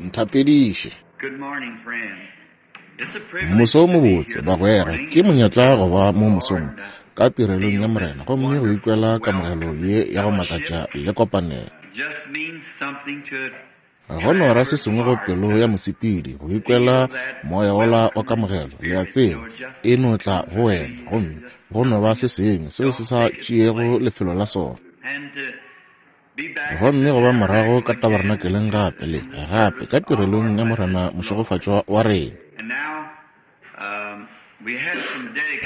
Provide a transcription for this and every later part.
Nthapediše. Moso o mobotse, bagwera. Ke monyetla go ba mo mosong ka tirelong ya Morena gomme go ikwela kamogelo ye ya go makatša le kopanelo. Go no ra se sengwe go pelo ya mosepedi go ikwela moya wola wa kamogelo, le a tseba, e no tla go wena, gomme go no ba se sengwe seo se sa tšeego lefelo la sona. Gomme go ba morago ka tabernakeleng gape le gape ka tirelong ya Morena mošegofatšwa wa rena.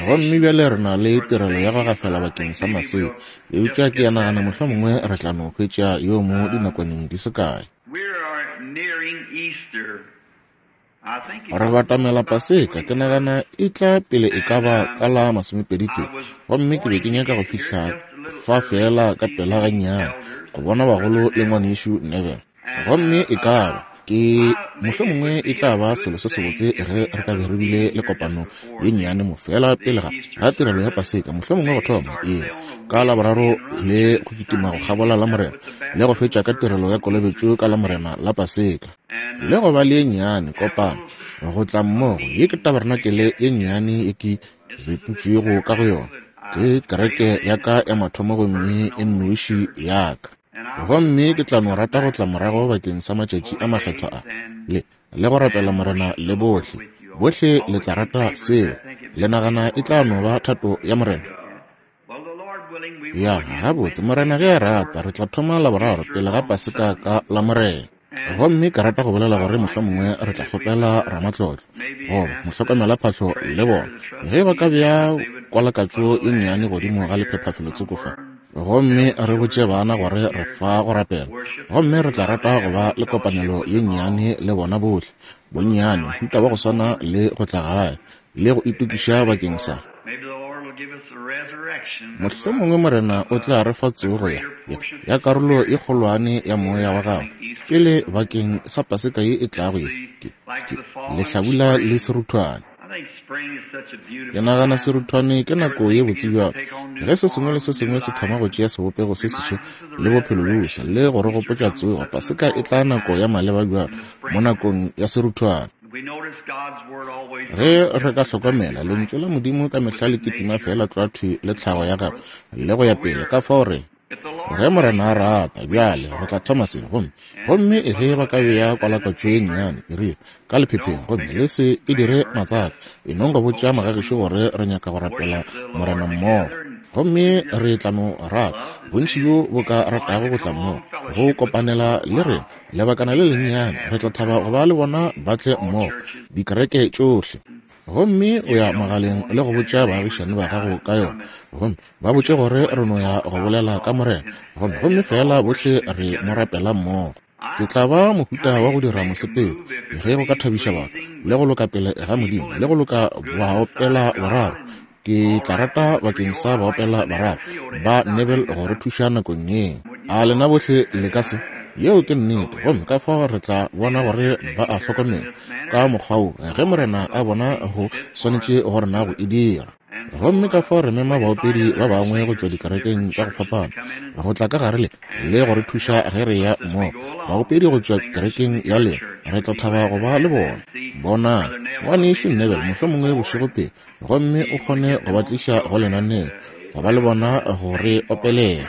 Gomme bjale re na le tirelo ya go gafela bakeng sa masea, eupša ke a nagana mohlomongwe re tla no hwetša yo mo dinakwaneng di se kae. Re batamela Paseka, ke nagana e tla pele e ka ba ka la masomepeditee. Gomme ke be ke nyaka go fihla fa feela ka pela gannyane, go bona bagolo le Ngwanešu Neville. Gomme e ka ba, ke, mohlomongwe e tla ba selo se sebotse ge re ka be re bile le kopano ye nnyane mo feela pele ga, ga tirelo ya Paseka, mohlomongwe go thoma, ee, ka Laboraro le go kitima go kgabola Lamorena, le go fetša ka tirelo ya kolobetšo ka Lamorena la Paseka. Le go ba le ye nnyane kopano, go tla mmogo. Ye ke tabarenakele ye nnyane ye ke beputšwego ka go yona. Ke kereke ya ka ya mathomo gomme e nnoši ya ka. Gomme ke tla no rata go tla morago bakeng sa matšatši a makgethwa a, le, le go rapela Morena le bohle. Bohle le tla rata seo. Le nagana e tla no ba thato ya Morena? Ya, gabotse, Morena ge a rata, re tla thoma Laboraro pele ga Paseka ka Lamorena. Gomme ke rata go bolela gore mohlomongwe re tla kgopela ramatlotlo goba mohlokomelaphahlo le bona ge ba ka bea kwalakatšo e nnyane godimo ga lephepha felotsoko fa, gomme re botše bana gore re fa go rapela, gomme re tla rata go ba le kopanelo ye nnyane le bona bohle, bonnyane mohuta wa go swana le go tla gae le go itokiša bakeng sa. Mohlomongwe Morena o tla re fa tsogo ya, ya, ya karolo e kgolwane ya Moya wa Gagwe pele bakeng sa Paseka ye e tlago ye, ke, ke, lehlabula le seruthwane. Ke nagana seruthwane ke nako ye botse bjalo, ge se sengwe le se sengwe se thoma go tšea sebopego se seswa le bophelo bjo boswa, le go re gopotša tsogo. Paseka e tla nako ya maleba bjalo, mo nakong ya seruthwane. Ge re ka hlokomela, Lentšu la Modimo ka mehla le kitima feela tlwa thwi le tlhago ya Gagwe le go ya pele. Ka fao re, ge Morena a rata, bjale re tla thoma se. Gomme, gomme ge ba ka bea kwalakwatšo ye nnyane, ke rile, ka lephepheng, gomme le se e dire matsaka, e nong go botša magagešo gore re nyaka go rapela Morena mmogo. Gomme re tla no rata, bontši bjo bo ka ratago go tla mmogo, go kopanela le rena, Lebakana le lennyane, re tla thaba go ba le bona ba tle mmogo, dikereke tšohle. Gomme o ya mogaleng le go botša baagišani ba gago ka yona, gomme ba botše gore re no ya go bolela ka Morena, gomme, gomme feela bohle re mo rapela mmogo. Ke tla ba mohuta wa go dira mosepelo, ge go ka thabiša batho, le go loka pele ga Modimo, le go loka baopela boraro. Ke tla rata bakeng sa baopela bararo ba Neville go re thuša nakong ye. A lena bohle le ka se? Yeo ke nnete. Gomme ka fao re tla bona gore ba a hlokomela ka mokgwa wo, ge Morena a bona go swanetše go rena go e dira. Gomme ka fao re mema baopedi ba bangwe go tšwa dikerekeng tša go fapana go tla ka gare le, le go re thuša ge re ya mmogo. Baopedi go tšwa kerekeng ya lena, re tla thaba go ba le bona. Bonang, Ngwanešu Neville mohlomongwe bošego pele, gomme o kgone go ba tliša go lenaneo, go ba le bona go re opelela.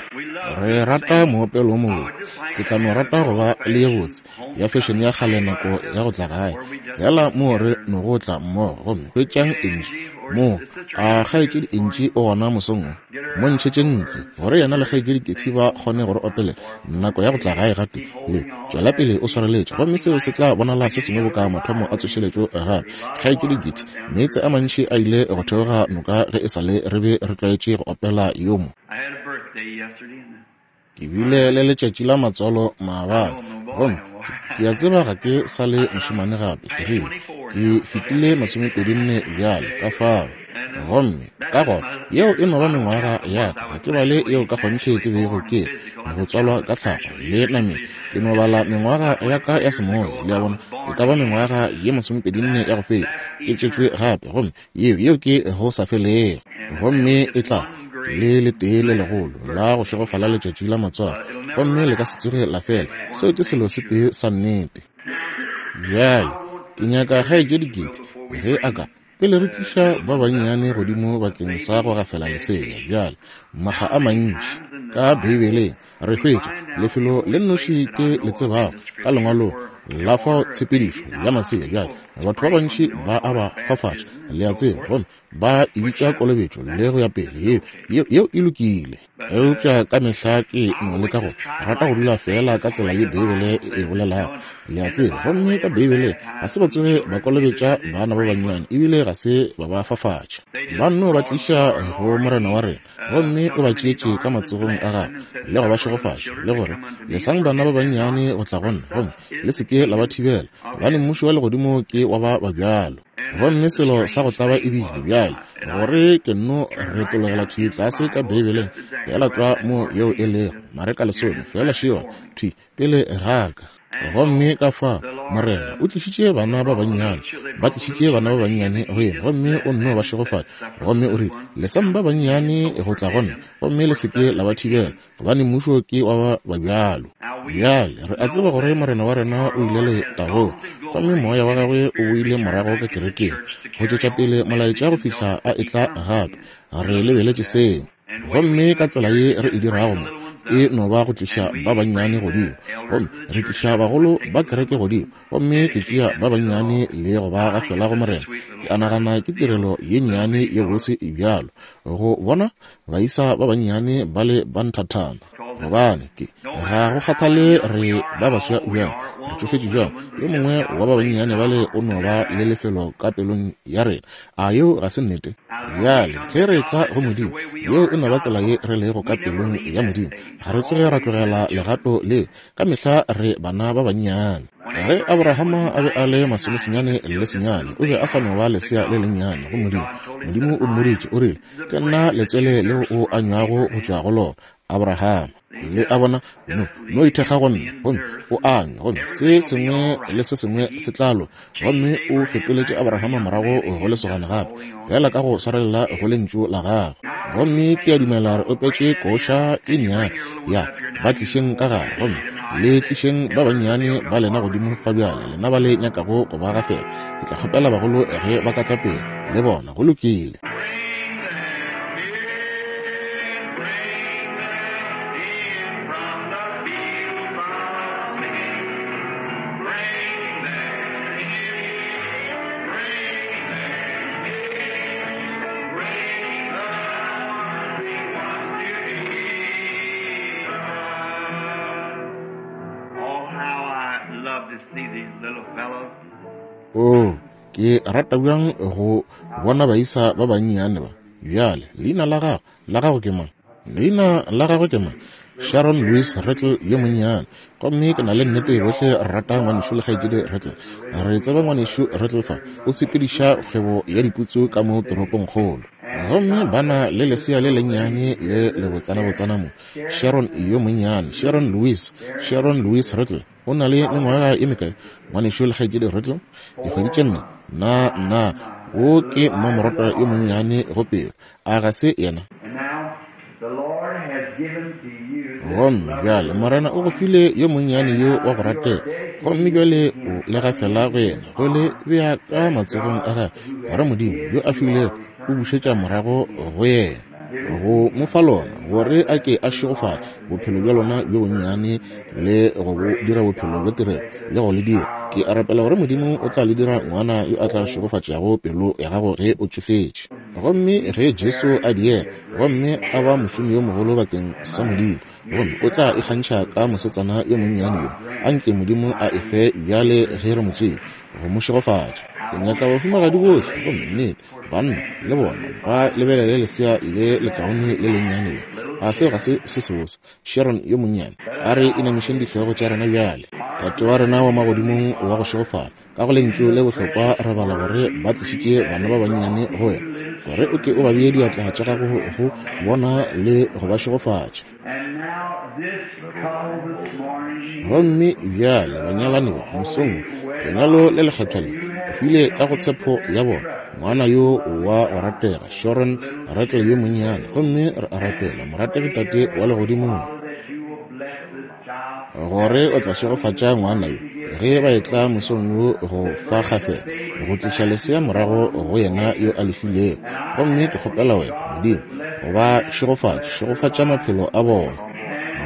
Re rata moopelo wo mobotse. Ke tla no rata go ba le ye botse ya fešene ya kgale nako ya go tla gae, feela moo re nogo tla mmogo. Gomme hwetšang Angie mo. A Kgaetšedi Angie o gona mosong wo? Mo ntšhetše ntle, gore yena le Kgaetšedi Ketty ba kgone go re opelela nako ya go tla gae gape. Le tšwela pele o swareletše, gomme seo se tla bonala se sengwe boka mathomo a tsošeletšo gape. Kgaetšedi Getty, meetse a mantši a ile go theoga noka ge e sa le re be re tlwaetše go opela yo mo. Ke bile le letšatši la matswalo maabane, gomme ke a tseba ga ke sa le mošemane gape. Ke rile, Ke fetile masomepedinne bjale, ka fao. Gomme ka gona yeo e no ba mengwaga ya ka, ga ke bale yeo ka kgonthe ke bego ke go tswalwa ka tlhago le nameng. Ke no bala mengwaga ya ka ya semoya, le a bona, e ka ba mengwaga ye masomepedinne ya go feta, ke tswetšwe gape, gomme yeo, yeo ke go sa felego. Gomme e tla. le letee le legolo la go šegofala letšatši la matswalo, gomme le ka se tsoge la fela. Seo ke selo se tee sa nnete. Bjale, ke nyaka kgaetšedi Gertie ge a ka, pele re tliša ba bannyane godimo bakeng sa go gafela lesea. Bjale, makga a mantši ka Beibeleng re hwetša lefelo le nnoši ke le tsebago ka Lengwalong la fao tshepedišo ya masea. Bjale, batho ba bantši ba a ba fafatša, le a tseba, gomme ba e bitša kolobetšo le go ya pele. Yeo, yeo, yeo e lokile. Eupša ka mehla ke no leka go rata go dula feela ka tsela ye Beibele e e bolelago, le a tseba. Gomme ka Beibeleng ga se ba tsoge ba kolobetša bana ba bannyane, ebile ga se ba ba fafatša. Ba nno ba tliša go Morena wa rena, gomme o ba tšeetše ka matsogong a gagwe le go ba šegofatša, le gore, Lesang bana ba bannyane go tla go nna, gomme le se ke la ba thibela, gobane mmušo wa legodimo ke wa ba ba bjalo. Gomme selo sa go tlaba e bile bjale gore ke nno retologela thwi tlase ka Beibeleng, feela tlwa mo yeo e lego, Mareka lesome, feela šewa thwi pele ga ka. Gomme ka fa Morena o tlišitše bana ba bannyane, ba tlišitše bana ba bannyane go yena, gomme o nno ba šegofatša, gomme o rile, Lesang ba bannyane go tla go nna, gomme le se ke la ba thibela, gobane mmušo ke wa ba ba bjalo. Bjale re a tseba gore Morena wa rena o ile letagong, gomme moya wa gagwe o boile morago ka kerekeng go tšwetša pele molaetša go fihla a etla gape. Re lebeletše seo. Gomme ka tsela ye re e dirago mo, e no ba go tliša ba bannyane godimo, gomme re tliša bagolo ba kereke godimo, gomme ke tšea ba bannyane le go ba gafela go Morena. Ke a nagana ke tirelo ye nnyane ye bose e bjalo, go bona baisa ba bannyane ba le ba nthathana. Gobane ke, ga go kgathale re ba baswa bjang, re tšofetše bjang, yo mongwe wa ba bannyane bale o no ba le lefelo ka pelong ya rena. A yeo ga se nnete? Bjale, ge re etla go Modimo, yeo e no ba tsela ye re lego ka pelong ya Modimo. Ga re tsoge ra tlogela legato leo. Ka mehla re bana ba bannyane. Ge Abrahama a be a le masomesenyane le senyane, o be a sa no ba lesea le lennyane go Modimo. Modimo o mmoditše, o rile, Ke nna letswele leo o anywago go tšwa go lona, Abrahama. Le a bona? No, no ithekga go nna, gomme o anywe, gomme se sengwe le se sengwe se tla loka. Gomme o fetoletše Abrahama morago go lesogana gape, feela ka go swarelela go Lentšu la Gagwe. Gomme ke a dumela re opetše koša e nnyane ya Ba Tlišeng Ka Gare, gomme le tlišeng ba bannyane ba lena godimo fa bjale, lena ba le nyakago go ba gafela. Ke tla kgopela bagolo ge ba ka tla pele, le bona. Go lokile. Oh, ke rata bjang go bona baisa ba bannyane ba. Bjale, leina la gago, la gago ke mang? Leina la gagwe ke mang? Sharon Louise Rattle yo monnyane. Gomme ke na le nnete bohle re rata ngwanešu le kgaetšedi Rattle. Re tseba ngwanešu Rattle fa, o sepediša kgwebo ya diputsu ka mo toropongkgolo. Gomme ba na le lesea le lennyane le lebotsanabotsana mo, Sharon yo monnyane, Sharon Louise, Sharon Louise Rattle. O na le mengwaga e mekae, ngwanešu le kgaetšedi Rattle? Dikgwedi tše nne. Na, na, wo ke mmamorata yo monnyane go pelo, a ga se yena? Gomme bjale Morena o go file yo monnyane yo wa go ratega, gomme bjale o le gafela go yena, go le bea ka matsogong a gagwe, gore Modimo yo a filego o bušetša morago go yena, go mo fa lona, gore a ke a šegofatše bophelo bja lona bjo bonnyane le go bo dira bophelo bja tirelo, le go le dira. Ke a rapela gore Modimo o tla le dira ngwana yo a tla šegofatšago pelo ya gago ge o tšofetše. Gomme ge Jesu a diega, gomme a ba mošomi yo mogolo bakeng sa Modimo, gomme o tla ikgantšha ka mosetsana yo monnyane yo, a nke Modimo a e fe bjale ge re mo tšea, go mo šegofatša. Ke nyaka bahumagadi bohle, gomme nnete, banna, le bona, ba lebelele lesea le lekaone le lennyane le. A seo ga se se sebose? Sharon yo monnyane. A re inamišeng dihlogo tša rena bjale. Tate wa rena wa Magodimong wa go šegofala, Ka go lentšu le bohlokwa re bala gore ba tlišitše bana ba bannyane go wena, gore o ke o ba bee diatla tša gago go bona le go ba šegofatša. Gomme bjale banyalani ba, mosong wo, lenyalo le lekgethwa le, O file ka go tshepo ya bona ngwana yo wa go ratega, Sharon Rattle yo monnyane. Gomme re a rapela, morategi Tate wa Legodimong, gore o tla šegofatša ngwana yo ge ba etla mosong wo go fa kgafela, go tliša lesea morago go yena yo a lefilego. Gomme ke kgopela wena, Modimo, go ba šegofatša, šegofatša maphelo a bona.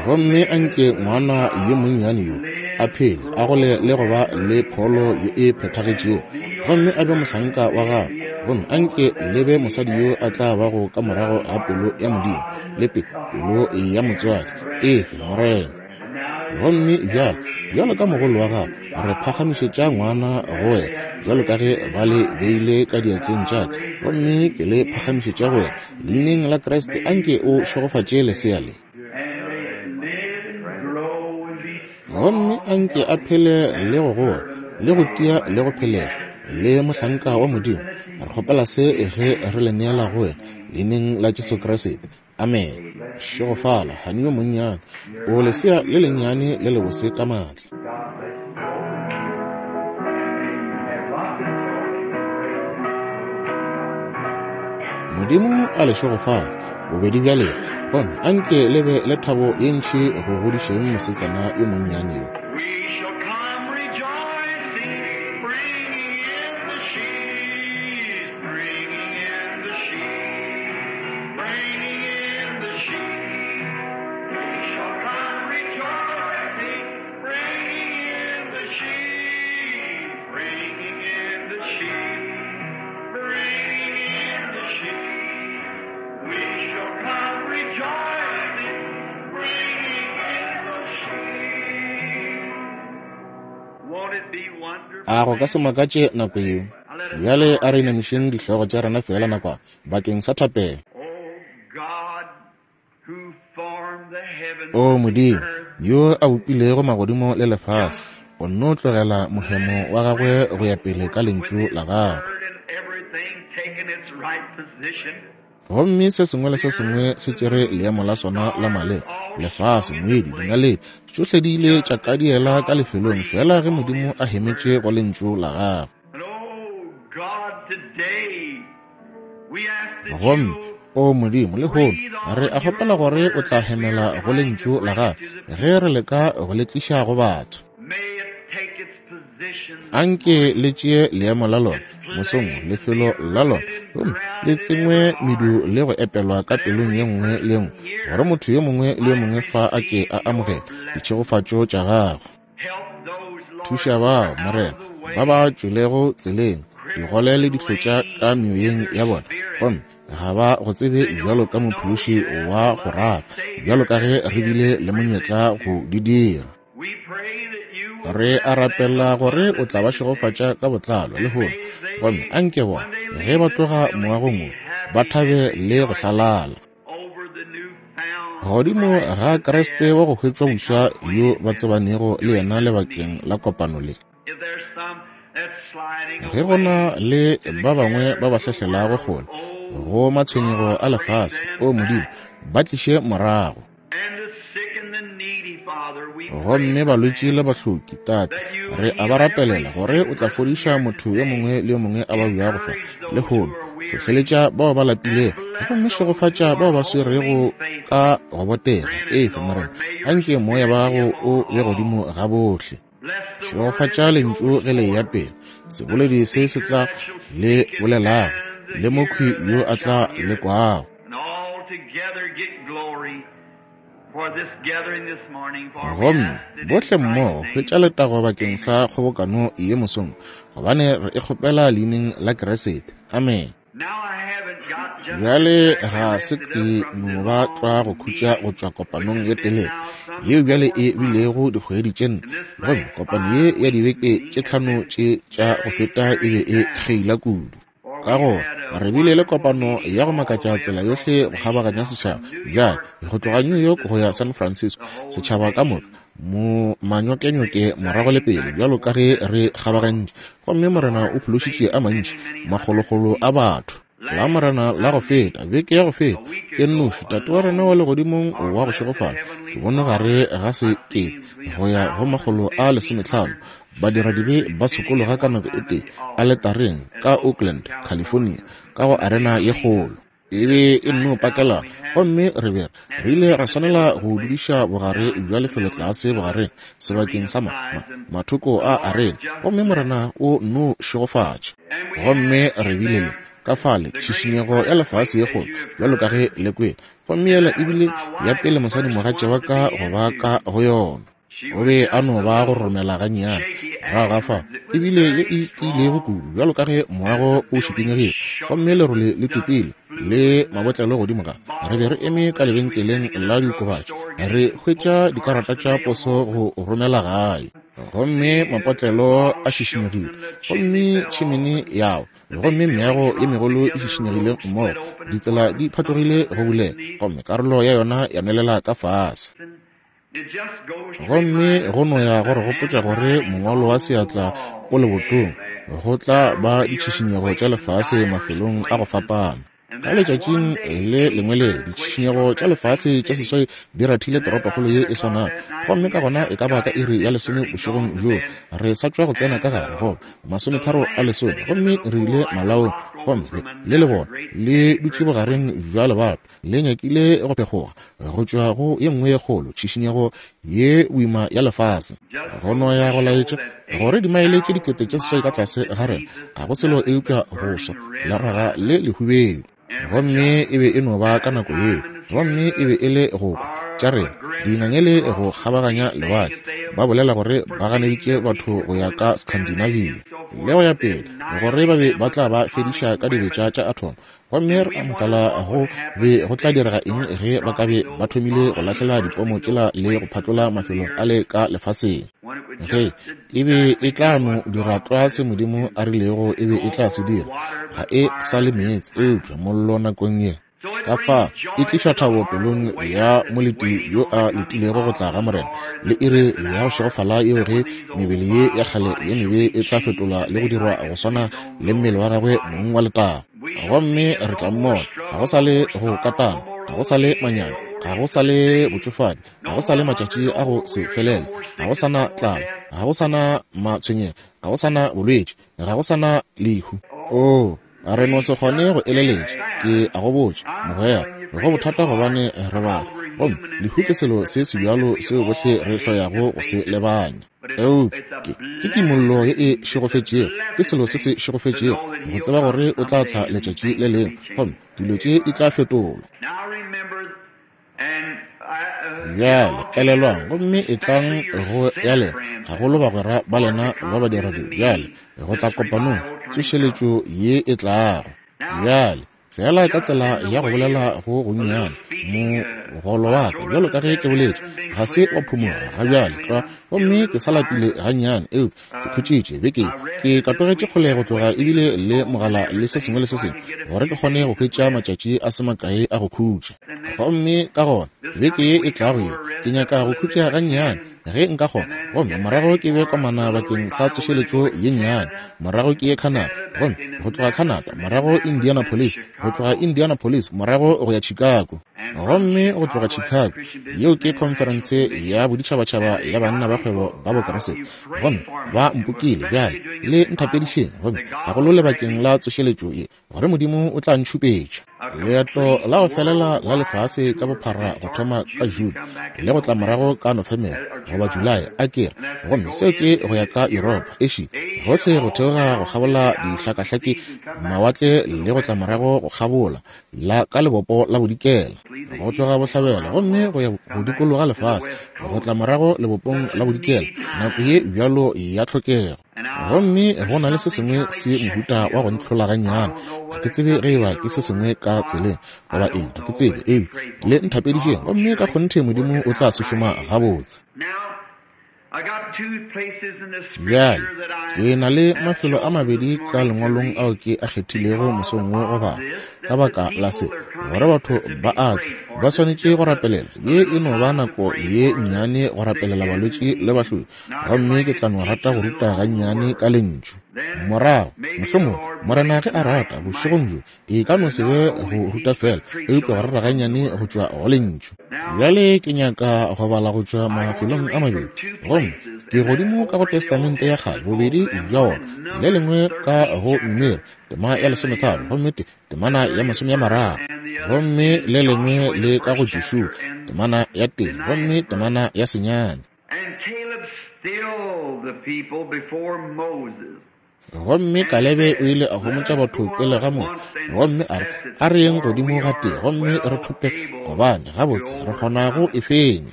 Gomme anke ngwana yo monnyane yo a phele, a gole le go ba le pholo ye e phethagetšego, gomme a be mohlanka wa gago. Gomme anke le be mosadi yo a tla bago ka morago ga pelo ya Modimo, le pe pelo ya motswadi. Efe, Morena. Gomme bjalo, bjalo ka mogolo wa gago, re phagamišetša ngwana go wena, bjalo ka ge ba le beile ka diatleng tša ka, gomme ke le phagamišetša go wena. Leineng la Kriste, anke o šegofatše lesea le. Gomme anke a phele le go gola, le go tia le go phelega, le mohlanka wa Modimo. Re kgopela se ge re le neela go wena, leineng la Jesu Kriste. Amen. Šegofala, hani yo monnyane. O lesea le lennyane le lebose ka maatla. Modimo a le šegofale, bobedi bja lena, gomme anke le be le thabo ye ntši go godišeng mosetsana yo monnyane yo. A go ka se makatše nako yeo? Bjale a re inamišeng dihlogo tša rena feela nakwana bakeng sa thapelo. O Modimo, yo a bopilego magodimo le lefase, o nno tlogela mohemo wa gagwe go ya pele ka lentšu la gagwe. Gomme se sengwe le se sengwe se tšere leemo la sona la maleba, lefase, moedi, dinaledi, tšohle di ile tša kadiela ka lefelong feela ge Modimo a hemetše go lentšu la gagwe. Gomme, o Modimo, lehono re a kgopela gore o tla hemela go lentšu la gagwe ge re leka go le tliša go batho. Anke le tšee leemo la lona mosong, lefelo la lona, gomme le tsengwe medu le go epelwa ka pelong ye nngwe le nngwe, gore motho yo mongwe le yo mongwe fa a ke a amogele ditšhegofatšo tša gagwe. Thuša bao, Morena, ba ba tšwelego tseleng, digole le dihlotša ka meoyeng ya bona, gomme ga ba go tsebe bjalo ka mophološi wa go rata, bjalo ka ge re bile le monyetla go di dira. Re a rapela gore o tla ba šegofatša ka botlalo lehono, gomme anke bona ge ba tloga moagong wo ba thabe le go hlalala godimo ga Kriste wa go hwetšwa boswa yo ba tsebanego le yena lebakeng la kopano le. Ge go na le ba bangwe ba ba hlahlelago kgole go matshwenyego a lefase, o Modimo, ba tliše morago. Gomme balwetši le bahloki, Tate, re a ba rapelela gore o tla fodiša motho yo mongwe le yo mongwe a babjago fa lehono. Hlohleletša bao ba lapilego, gomme šegofatša bao ba swerego ka go botega. Efe, Morena, anke moya wa gago o be godimo ga bohle. Šegofatša lentšu ge le eya pele, seboledi se se tla le bolelago, le mokhwi yo a tla le kwago. Gomme bohle mmogo hwetša letago bakeng sa kgobokano ye mosong, gobane re e kgopela leineng la Kriste. Amen. Bjale ga se ke no ba tlwa go khutša go tšwa kopanong ye telele yeo bjale e bilego dikgwedi tše 4, gomme kopano ye ya dibeke tše 5 tše tša go feta e be e kgeila kudu. Ka gore re bile le kopano ya go makatša tsela yohle go kgabaganya setšhaba, bjale go tloga New York go ya San Francisco, setšhaba ka moka mo manyokenyoke morago le pele bjalo ka ge re kgabagantše, gomme Morena o phološitše a mantši makgolokgolo a batho. La Morena la go feta, beke ya go feta, ke nnoši Tate wa rena wa legodimong wa go šegofala, ke bone gare ga 1000 go ya go 150 Badiradibe ba sokologa ka nako e tee aletareng ka Oakland, California, ka go arena ye kgolo. E be e nno pakelana, gomme re be re ile ra swanela go dudiša bogare bja lefelo tlase bogareng sebakeng sa ma, ma, mathoko a arena, gomme Morena o nno šegofatša. Gomme re bile le, ka fale, tšhišinyego ya lefase ye kgolo, bjalo ka ge le kwele, gomme yela e bile ya pele mosadimogatša wa ka go ba ka go yona. O be a no ba go romela gannyane morago ga fao, e bile ye e tiilego kudu bjalo ka ge moago o šikinyegile gomme lerole le topile le mabotlelo godimo ga. Re be re eme ka lebenkeleng la diokobatši re hwetša dikarata tša poso go romela gae, gomme mapotlelo a šišinyegile gomme tšhimene ya wa gomme meago ye megolo e šišinyegile mmogo, ditsela di phatlogile go bulega gomme karolo ya yona ya nwelela ka fase. Gomme go no ya go re gopotša gore mongwalo wa seatla o lebotong, go tla ba ditšhišinyego tša lefase mafelong a go fapana. Ka letšatšing le lengwe le, ditšhišinyego tša lefase tša seswai di rathile toropokgolo ye e swanago. Gomme ka gona e ka ba ka iri ya lesome bošegong bjoo, re sa tšwa go tsena ka gare, goba 9:30, gomme re ile malaong, gomme le, le lebone le dutše bogareng bja lebato, le nyakile go phekgoga go tšwa go ye nngwe ye kgolo tšhišinyego ye boima ya lefase. Go no ya go laetša gore dimaele tše 8000 ka tlase ga rena ga go selo eupša go swa leraga le lehubedu. Gomme e be e no ba ka nako yeo, gomme e be e le go kwa tša rena dingangele go kgabaganya lewatle, ba bolela gore ba ganeditše batho go ya ka Scandinavia le go ya pele, gore ba be ba tla ba fediša ka dibetša tša athomo. Gomme re amogela go be go tla direga eng ge ba ka be ba thomile go lahlela dipomo tšela le go phatlola mafelo a le ka lefaseng? Ge e be e tla no dira tlwa se Modimo a rilego e be e tla se dira, ga e sa le meetse eupša mollo nakong ye. Ka fa e tliša thabo pelong ya moleti yo a letilego go tla ga Morena, le iri ya go šegofala yeo ge mebele ye ya kgale ye mebe e tla fetolwa le go dirwa go swana le mmele wa gagwe mong wa letago. Gomme re tla mmona. Ga go sa le go katana, ga go sa le manyami, ga go sa le botšofadi, ga go sa le matšatši a go se felele, ga go sa na tlala, ga go sa na matshwenyego, ga go sa na bolwetši, ga go sa na lehu. Oo, re no se kgone go eleletša. Ke a go botša, mogwera, go bothata gobane re batho, gomme lehu ke selo se sebjalo seo bohle re hloyago go se lebanya. Eupša ke, ke kimollo ye e šegofetšego, ke selo se se šegofetšego go tseba gore o tla tla letšatši le lengwe, gomme dilo tše di tla fetolwa. Bjale elelwang, gomme etlang go ya lena, gagolo bagwera ba lena ba badiradi bjale, go tla kopanong, tsošeletšo ye e tlago. Bjale, feela ka tsela ya go bolela go gonnyane, mogolo wa ka, bjalo ka ge ke boletše, ga se wa phumoga ga bjale tlwa, gomme ke sa lapile gannyane, eupša ke khutšitše beke ye. Ke katogetše kgole go tloga ebile le mogala le se sengwe le se sengwe, gore ke kgone go hwetša matšatši a se makae a go khutša. Gomme ka gona, beke ye e tlago ye, ke nyaka go khutša gannyane, ge nka kgona, gomme morago ke be komana bakeng sa tsošeletšo ye nnyane, morago ke ye Canada, gomme go tloga Canada, morago Indianapolis, go tloga Indianapolis, morago go ya Chicago, gomme go tloga Chicago, yeo ke khonferense ya boditšhabatšhaba ya banna ba kgwebo ba Bokriste, gomme ba mpokile bjale, le nthapedišeng, gomme gagolo lebakeng la tsošeletšo ye, gore Modimo o tla ntšhupetša. Leeto la go felela la lefase ka bophara go thoma ka June le go tla morago ka Nofemere goba Julae, a ke re, gomme seo ke go ya ka Yuropa, Asia, gohle go theoga go kgabola dihlakahlake, mawatle le go tla morago go kgabola la ka lebopo la bodikela, go tloga bohlabela gomme go ya go dikologa lefase, go tla morago lebopong la bodikela, nako ye bjalo ya tlhokego. Gomme go na le se sengwe se mohuta wa go ntlhola gannyane. Ga ke tsebe ge eba ke se sengwe ka tseleng goba eng, ga ke tsebe. Eupša le nthapedišeng, gomme ka kgonthe Modimo o tla se šoma gabotse. Bjale, ke na le mafelo a mabedi ka Lengwalong ao ke a kgethilego mosong wo go bala, ka baka la se, gore batho ba a tla, ba swanetše go rapelela. Ye e no ba nako ye nnyane go rapelela balwetši le bahloki. Gomme ke tla no rata go ruta gannyane ka Lentšu. Morago, mohlomongwe, Morena ge a rata, bošegong bjo, e ka no se be go ruta feela, eupša go rera gannyane go tšwa go Lentšu. Bjale ke nyaka go bala go tšwa mafelong a mabedi. Gomme Ke godimo ka go Testamente ya Kgale, bobedi bja wona, le lengwe ka go Numeri, tema ya 13, gomme te, temana ya 30, gomme le lengwe le ka go Joshua, temana ya 1, gomme temana ya 9. Gomme Kalebe o ile a homotša batho pele ga Moshe, gomme a re, A re yeng godimo gatee gomme re thope, gobane gabotse re kgona go e fenya.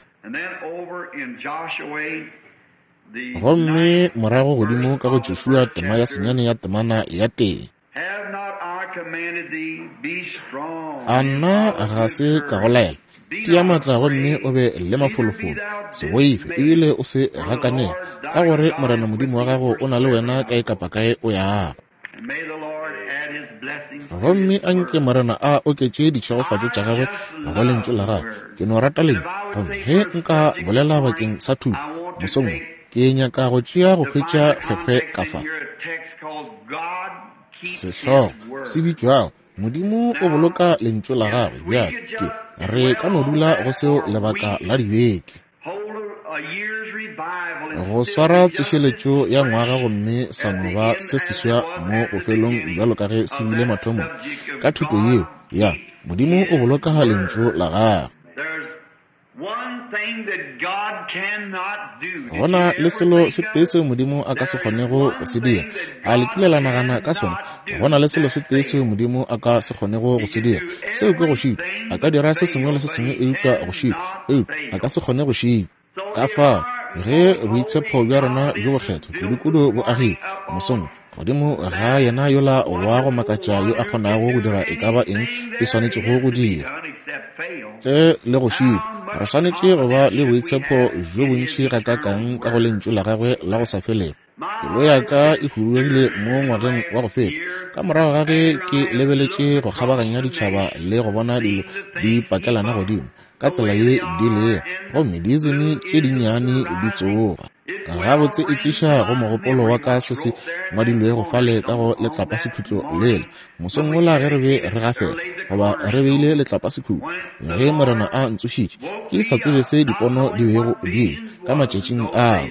Gomme morago godimo ka go Joshua tema ya 9 ya temana ya 1. A nna ga se ka go laela? Tia matla gomme o be le mafolofolo, se boife ebile o se gakanege, ka gore Morena Modimo wa gago o na le wena kae kapa kae o yago. Gomme a nke Morena a oketše ditšhegofatšo tša gagwe go lentšu la gagwe. Ke no rata lentšu. Gomme ge nka bolela bakeng sa thuto mosong wo, ke nyaka go tšea go hwetša kgwekgwe ka fa. Sehlogo se bitšwago Modimo o boloka lentšu la gagwe. Bjale ke re ka no dula go seo lebaka la dibeke, go swara tsošeletšo ya ngwaga gomme sa no ba se seswa mo bofelong bjalo ka ge se bile mathomong ka thuto yeo ya Modimo o boloka lentšu la gagwe. Go na le selo se tee seo Modimo a ka se kgonego go se dira. A le kile la nagana ka sona? Go na le selo se tee seo Modimo a ka se kgonego go se dira. Seo ke go šitwa. A ka dira se sengwe le se sengwe eupša go šitwa. Eupša a ka se kgone go šitwa. Ka fao, ge boitshepo bja rena bjo bokgethwa kudu-kudu bo agile mosong godimo ga yena yola wa go makatša yo a kgonago go dira e ka ba eng e swanetšego go dira tle le go šitwa, re swanetše go ba le boitshepo bjo bontši gakaakang ka go lentšu la gagwe la go sa felego. Pelo ya ka e huduegile mo ngwageng wa go feta ka morago ga ge ke lebeletše go kgabaganya ditšhaba le go bona dilo di pakelana godimo ka tsela ye di lego, gomme diizimi tše dinnyane di tsoga. Gabotse e tliša go mogopolo wa ka se se ngwadilwego fale ka go letlapasekhutlo lela mosong wola ge re be re gafela, goba re beile letlapasekhutlo, ge Morena a ntsošitše ke sa tsebe se dipono di bego di le ka matšatšing ao.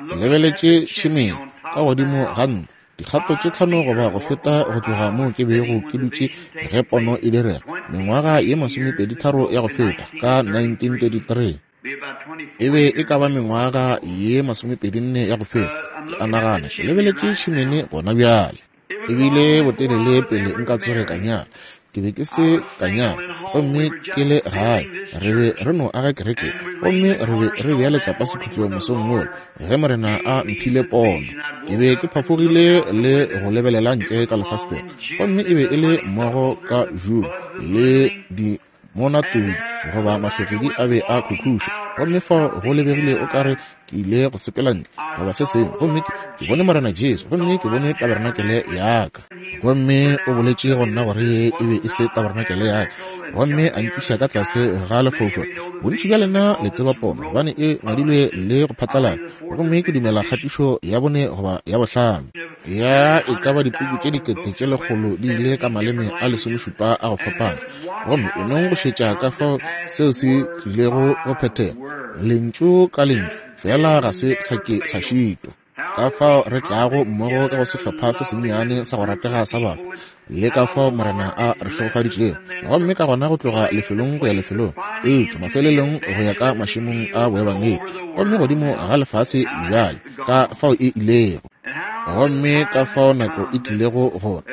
Ke lebeletše tšhemeng ka godimo ga ntlo, dikgato tše 5 goba go feta go tloga moo ke bego ke dutše ge pono e direga, mengwaga ye 23 ya go feta, ka 1933. E be e ka ba mengwaga ye 24 ya go feta, ke a nagana. Ke lebeletše tšhemene gona bjale. E bile botelele pele nka tsoge ka nyala. Ke be ke se ka nyala, gomme ke le gae. Re be re no aga kereke, gomme re be re bea letlapasekhutlo mosong wola ge Morena a mphile pono. Ke be ke phafogile le go lebelela ntle ka lefastere, gomme e be e le mmogo ka June le di monatodi goba mahlogedi a be a khukhuša, gomme fao go lebegile o ka re ke ile go sepela ntle goba se sengwe, gomme ke bone Morena Jesu, gomme ke bone taberenakele ya ka. Gomme o boletše go nna gore ye e be e se taberenakele ya ka, gomme a nkiša ka tlase ga lefaufau. Bontši bja lena le tseba pono, gobane e ngwadilwe le go phatlalala, gomme ke dumela kgatišo ya 4 goba ya 5 ya e ka ba dipuku tše 100,000 di ile ka maleme a 17 a go fapana. Gomme e nong go šetša ka fao seo se tlilego go phethega, lentšu ka lentšu, fela ga se sa ke sa šitwa. Ka fao re tlago mmogo ka go sehlopha se sennyane sa go ratega sa batho, le ka fao Morena a re šegofaditšego, gomme ka gona go tloga lefelong go ya lefelong, eupša mafelelong go ya ka mašemong a boebangedi, gomme godimo ga lefase bjale, ka fao e ilego. Gomme ka fao nako e tlilego gore,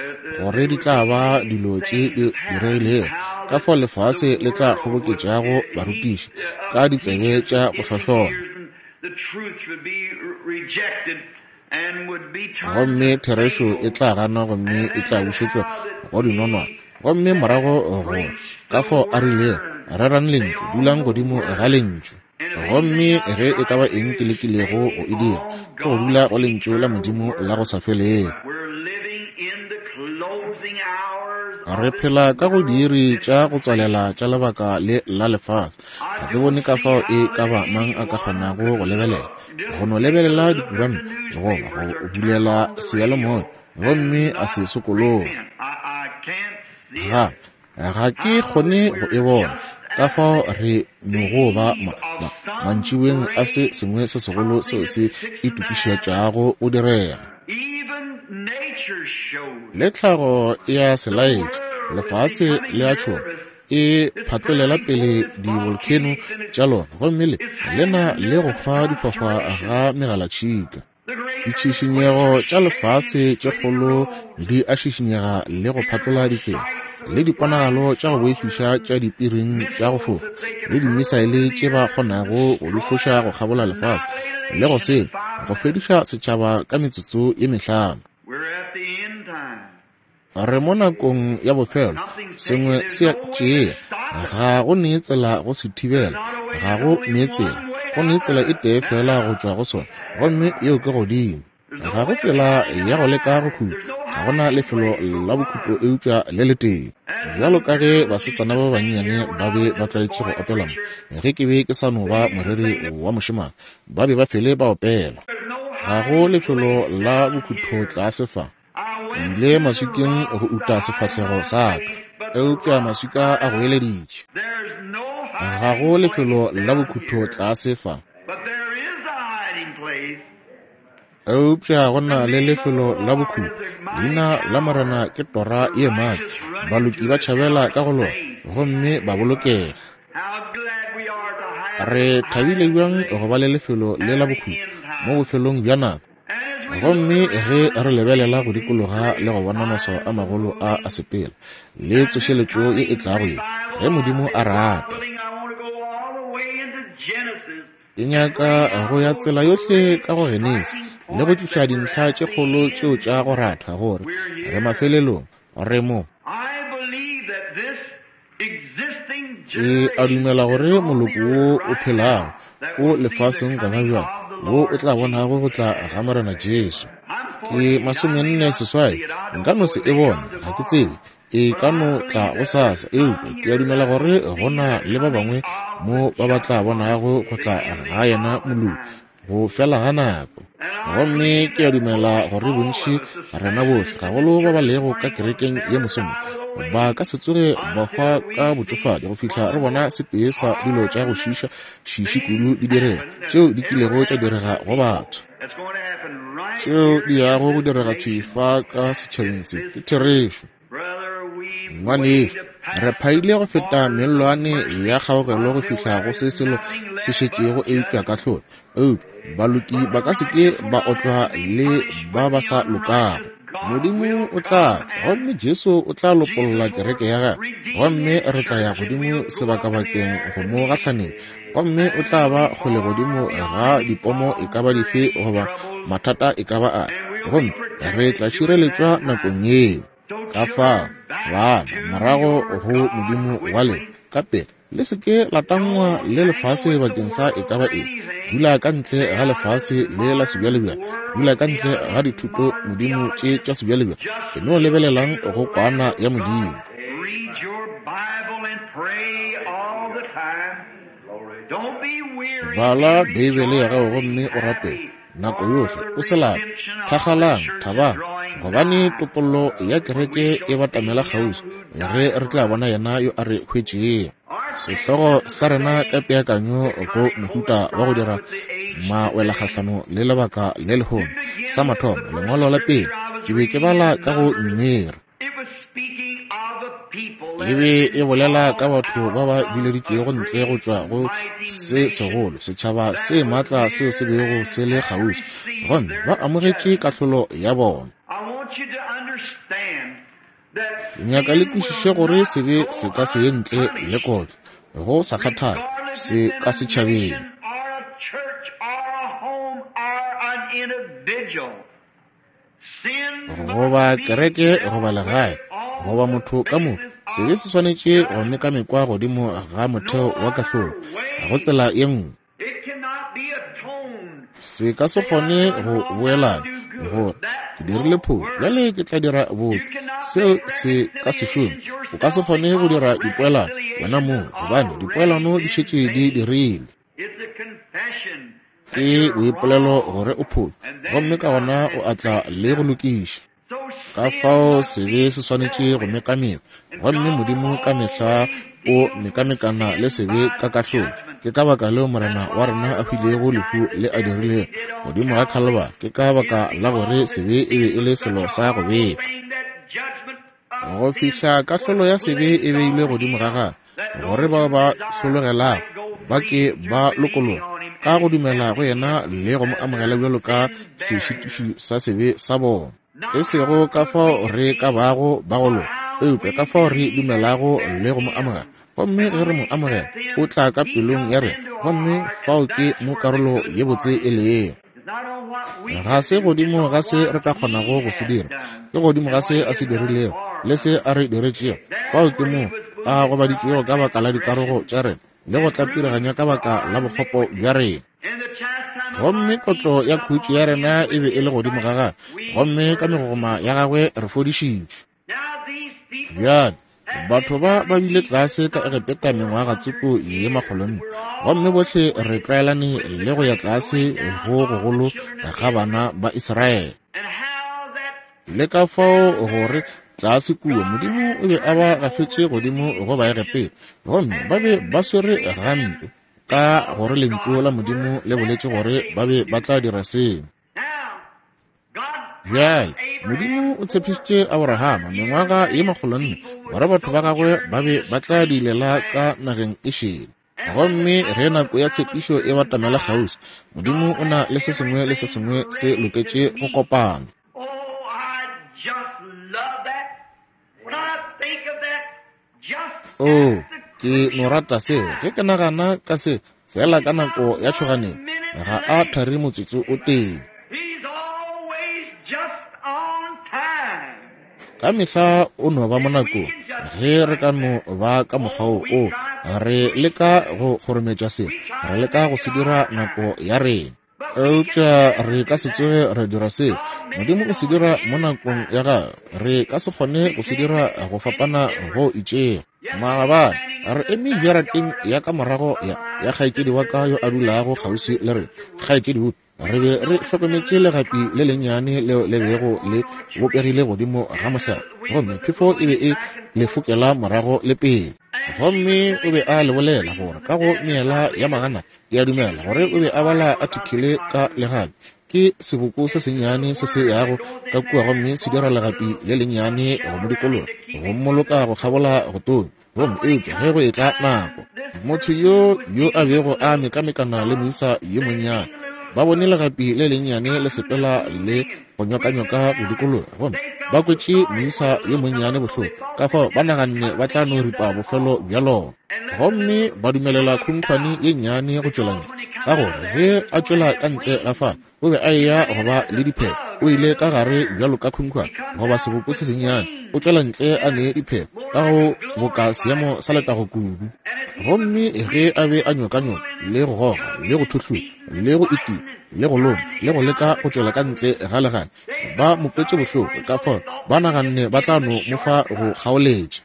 gore di tla ba dilo tše di diregilego, ka fao lefase le tla kgoboketšago barutiši ka ditsebe tša go hlohlona. Gomme therešo e tla ganwa gomme e tla bušetšwa go dinonwane. Gomme morago go ka fao a rilego, rerang lentšu, dulang godimo ga lentšu. Gomme ge e ka ba eng ke lekilego go e dira, ke go dula go lentšu la Modimo la go sa felego. Re phela ka go diiri tša go tswalela tša lebaka le la lefase. Ga ke bone ka fao e ka ba mang a ka kgonago go lebelela, go no lebelela dikuranta goba go bulela seyalemoya gomme a se sokologe. Ga, ga ke kgone go e bona. Ka fao re nogo ba mantšiboeng a se sengwe se segolo seo se itokišetšago go direga. Le tlhago e a se laetša, lefase le a tšhoga, e phatlolela pele di-volcano tša lona, gomme le le na le go hwa dihwahwa ga megalatšhika. Ditšhišinyego tša lefase tše kgolo di a šišinyega le go phatlola ditsela, le diponagalo tša go boifiša tša dipiring tša go fofa, le dimisaele tše ba kgonago go di foša go kgabola lefase, le go senya, go fediša setšhaba ka metsotso ye mehlano. Re mo nakong ya bofelo, sengwe se a tšea. Ga go ne tsela go se thibela, ga go ne tsela. Go ne tsela e tee fela go tšwa go sona, gomme yeo ke godimo. Ga go tsela ya go leka go khuta, ga go na lefelo la bokhutlo eupša le letee. Bjalo ka ge basetsana ba bannyane ba be ba tlwaetše go opela mo, ge ke be ke sa no ba moreri wa mošemane, ba be ba fele ba opela. Ga go lefelo la bokhutlo tlase fa. Ke ile maswikeng go uta sefahlego sa ka, eupša maswika a goeleditše. Ga go lefelo la bokhutlo tlase fa. Eupša go na le lefelo la bokhutlo. Leina la Morena ke tora ye maatla. Baloki ba tšhabela ka go lona gomme ba bolokega. Re thabile bjang go ba le lefelo le la bokhutlo mo bofelong bja nako. Gomme ge re lebelela go dikologa le go bona maswao a magolo a a sepela, le tsošeletšo ye e tlago ye, ge Modimo a rata. Ke nyaka go ya tsela yohle ka go Genesi le go tliša dintlha tše kgolo tšeo tša go ratha gore re mafelelong, re mo. Ke a dumela gore moloko wo o phelago o lefaseng gona bjale wo o tla bonago go tla ga Morena Jesu. Ke 48, nka no se e bone, ga ke tsebe, e ka no tla gosasa, eupša ke a dumela gore go na le ba bangwe mo ba ba tla bonago go tla ga yena moloki go fela ga nako. Gomme ke a dumela gore bontši rena bohle, gagolo ba ba lego ka kerekeng ye mosong, ba ka se tsoge ba hwa ka botšofadi go fihla re bona setee sa dilo tša go šiiša šiši kudu di direga tšeo di kilego tša direga go batho, tšeo di yago go direga thwi fa ka setšhabeng se. Ke therešo. Ngwanešu, re phaile go feta mellwane ya kgaogelo go fihla go se selo se šetšego eupša kahlolo. Eupša baloki ba ka se ke ba otlwa le ba ba sa lokago. Modimo o tla tla, gomme Jesu o tla lopolla kereke ya gagwe, gomme re tla ya godimo sebakabakeng go mo gahlanetša, gomme o tla ba kgole godimo ga dipomo e ka ba dife goba mathata e ka ba afe, gomme re tla šireletšwa nakong yeo. Ka fao, bana, morago go Modimo wa lena ka pela. Le se ke la tangwa le lefase bakeng sa e ka ba eng. Dula ka ntle ga lefase le la sebjalebjale. Dula ka ntle ga dithuto modimo tše tša sebjalebjale. Ke no lebelelang go kwana ya Modimo. Bala Beibele ya gago gomme o rapele nako yohle, o se lape. Thakgalang, thabang, gobane topollo ya kereke e batamela kgauswi, ge re tla bona yena yo a re hwetšego. Sehlogo sa rena ka peakanyo go mohuta wa go dira mawelakgahlano le lebaka le lehono. Sa mathomo, lengwalo la pele, ke be ke bala ka go Numeri. E be e bolela ka batho ba ba bileditšwego ntle go tšwa go se segolo setšhaba se maatla seo se bego se le kgauswi, gomme ba amogetše kahlolo ya bona. Ke nyaka le kwešiše gore sebe se ka se ye ntle le kotlo, go sa kgathale se ka setšhabeng. Goba kereke goba legae goba motho ka moka, sebe se swanetše go mekamekwa godimo ga motheo wa kahlolo. Ga go tsela ye nngwe. Se ka se kgone go boelana gore ke dirile phošo, bjale ke tla dira botse. Seo se ka se šome. O ka se kgone go dira dipoelano wena mong, gobane dipoelano di šetše di dirilwe. Ke boipolelo gore o phošo, gomme ka gona o a tla le go lokiša. Ka fao sebe se swanetše go mekamekwa, gomme Modimo ka mehla o mekamekana le sebe ka kahlolo. Ke ka baka leo Morena wa rena a hwilego lehu le a dirilego godimo ga Khalibari, ke ka baka la gore sebe e be e le selo sa go befa. Go fihla kahlolo ya sebe e beilwe godimo ga gagwe, gore bao ba hlologelago ba ke ba lokologe ka go dumela go yena le go mo amogela bjalo ka sešitiši sa sebe sa bona. E sego ka fao re ka bago ba go loka, eupša ka fao re dumelago le go mo amogela. Gomme ge re mo amogela, o tla ka pelong ya rena, gomme fao ke mo karolo ye botse e lego. Ga se godimo ga se re ka kgonago go se dira, ke godimo ga se a se dirilego le se a re diretšego. Fao ke mo a gobaditšwego ka baka la dikarogo tša rena le go tlapiraganywa ka baka la bokgopo bja rena. Gomme kotlo ya khutšo ya rena e be e le godimo ga gagwe, gomme ka megogoma ya gagwe re fodišitšwe. Bjale, batho ba ba bile tlase ka Egepeta mengwaga tsoko ye makgolonne, gomme bohle re tlwaelane le go ya tlase go gogolo ga bana ba Israele. Le ka fao gore tlase kua Modimo o be a ba gafetše godimo go Baegepeta, gomme ba be ba swere gampe ka gore lentšu la Modimo le boletše gore ba be ba tla dira seo. Bjale, Modimo o tshepišitše Aborahama mengwaga ye makgolonne gore batho ba gagwe ba be ba tla diilela ka nageng e šele. Gomme ge nako ya tshepišo e batamela kgauswi, Modimo o na le se sengwe le se sengwe se loketše go kopana. Oo, ke no rata seo. Ge ke nagana ka se, feela ka nako ya tšhoganetšo, ga a thari motsotso o tee. Ka mehla o no ba mo nakong. Ge re ka no ba ka mokgwa wo, oo, re leka go kgorometša se, re leka go se dira nako ya rena. Eupša re ka se tsoge ra dira seo. Modimo o se dira mo nakong ya gagwe. Re ka se kgone go se dira go fapana go itšego. Maabane, re eme jarateng ya ka morago ya, ya kgaetšedi wa ka yo a dulago kgauswi le rena, Kgaetšedi Wood. Re be re hlokometše legapi le lennyane leo le bego le bopegile godimo ga mohlare, gomme phefo e be e le fokela morago le pele. Gomme o be a le bolela gore ka go meela ya magana, ke a dumela gore o be a bala athikele ka legapi. Ke seboko se sennyane se se yago ka kua gomme se dira legapi le lennyane go mo dikologa, go mmoloka go kgabola go tonya. Gomme eupša ge go etla nako, motho yo yo a bego a mekamekana le moisa yo monnyane, ba bone legapi le lennyane le sepela le go nyokanyoka go dikologa, gomme ba kwetše moisa yo monnyane bohloko, ka fao ba naganne ba tla no ripa bofelo bja lona. Gomme ba dumelela khunkhwane ye nnyane go tšwela ntle, ka gore ge a tšwela ka ntle ga fale, o be a eya go ba le diphego. O ile ka gare bjalo ka khunkhwane goba seboko se sennyane, o tšwela ntle a ne diphego ka go boka seemo sa letago kudu. Gomme ge a be a nyokanyoka le go goga le go thuhlula le go itia le go loma le go leka go tšwela ka ntle ga legae, ba mo kwetše bohloko, ka fao ba naganne ba tla no mo fa go kgaoletša.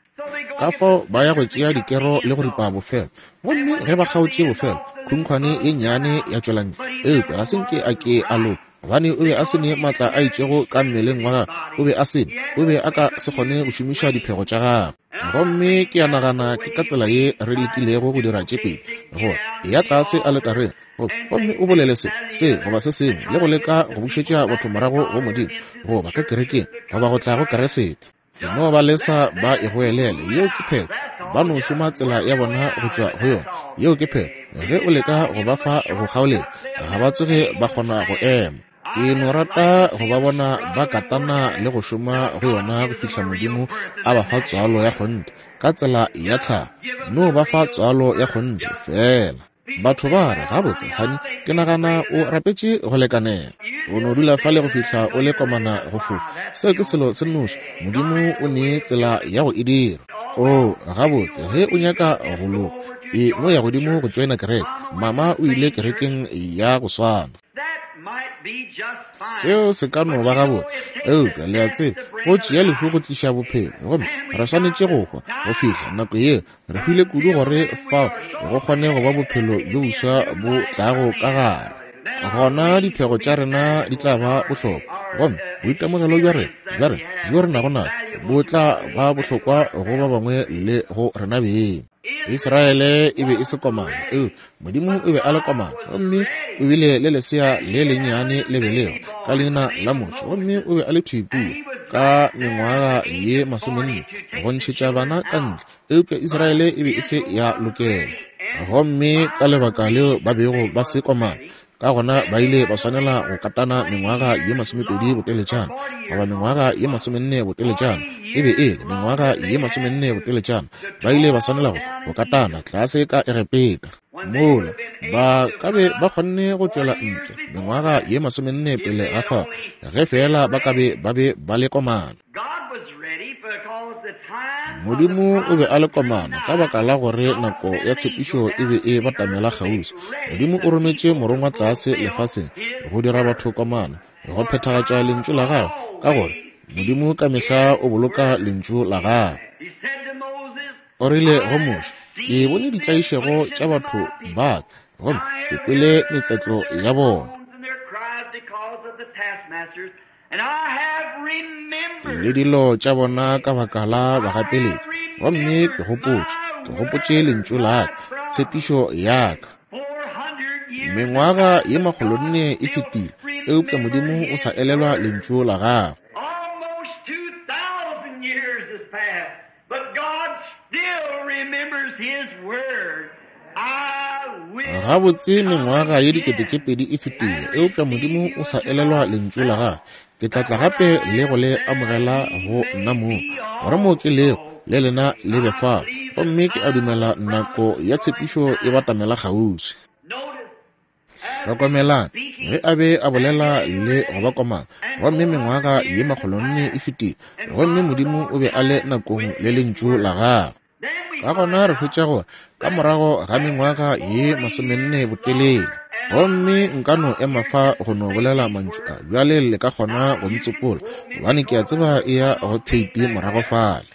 Ka fao ba ya go tšea dikero le go ripa bofelo. Gomme ge ba kgaotše bofelo, khunkhwane ye nnyane ya tšwela ntle. Eupša ga se nke a ke a loka, gobane o be a se ne maatla a itšego ka mmeleng wa gagwe. O be a se ne, o be a ka se kgone go šomiša diphego tša gagwe. Gomme ke a nagana ke ka tsela ye re lekilego go dira tše pedi, gore eya tlase aletareng gomme o bolele se, se goba se sengwe, le go leka go bušetša batho morago go Modimo, goba ka kerekeng, goba go tla go Keresete. E no ba lesa ba e goelele. Yeo ke phetho. Ba no šoma tsela ya bona go tšwa go yona. Yeo ke phetho. Ge o leka go ba fa go kgaoletša, ga ba tsoge ba kgona go ema. Ke no rata go ba bona ba katana le go šoma go yona go fihla Modimo a ba fa tswalo ya kgonthe, ka tsela ya tlhago. No ba fa tswalo ya kgonthe, feela. Batho ba re, Gabotse, honey, ke nagana o rapetše go lekanela. O no dula fale go fihla o le komana go fofa. Seo ke selo se nnoši. Modimo o ne tsela ya go e dira. Oo, gabotse, ge o nyaka go loka, e no ya godimo go tšoena kereke. Mama o ile kerekeng ya go swana. Seo se ka no ba gabotse, eupša le a tseba, go tšea lehu go tliša bophelo, gomme re swanetše go hwa go fihla nako yeo. Re hwile kudu gore fao go kgone go ba bophelo bjo boswa bo tlago ka gare. Gona diphego tša rena di tla ba bohlokwa, gomme boitemogelo bja rena, bja rena bjo re nago nabo bo tla ba bohlokwa go ba bangwe le go rena beng. Israele e be e se komana, eupša Modimo o be a le komana, gomme o bile le lesea le lennyane le belego ka leina la Moshe, gomme o be a le thwi kua ka mengwaga ye 40 go ntšhetša bana ka ntle, eupša Israele e be e se ya lokela. Gomme ka lebaka leo ba bego ba se komana, ka gona ba ile ba swanela go katana mengwaga ye 20 boteletšana, goba mengwaga ye 40 boteletšana, e be e le mengwaga ye 40 boteletšana, ba ile ba swanela go katana tlase ka Egepeta. Mola ba ka be ba kgonne go tšwela ntle mengwaga ye 40 pele ga fao, ge feela ba ka be ba be ba le komana. Modimo o be a le komana ka baka la gore nako ya tshepišo e be e batamela kgauswi. Modimo o rometše morongwa tlase lefaseng go dira batho komana, go phethagatša lentšu la gagwe, ka gore Modimo ka mehla o boloka lentšu la gagwe. O rile go Moshe, Ke bone ditlaišego tša batho ba ka, gomme ke kwele metsetlo ya bona le dilo tša bona ka baka la bagapeletši, gomme ke gopotše, ke gopotše lentšu la ka, tshepišo ya ka. Mengwaga ye 400 e fetile, eupša Modimo o sa elelwa lentšu la gagwe. Gabotse mengwaga ye 2000 e fetile, eupša Modimo o sa elelwa lentšu la gagwe. Ke tla tla gape le go le amogela go nna mong, gore moo ke lego le lena le be fao. Gomme ke a dumela nako ya tshepišo e batamela kgauswi. Hlokomelang, ge a be a bolela le go ba komana, gomme mengwaga ye 400 e fetile, gomme Modimo o be a le nakong le lentšu la gagwe. Ka gona re hwetša gore ka morago ga mengwaga ye 40 botelele, gomme nka no ema fa go no bolela mantšu a bjale, le ka kgona go ntsopola, gobane ke a tseba e ya go theipi morago fale.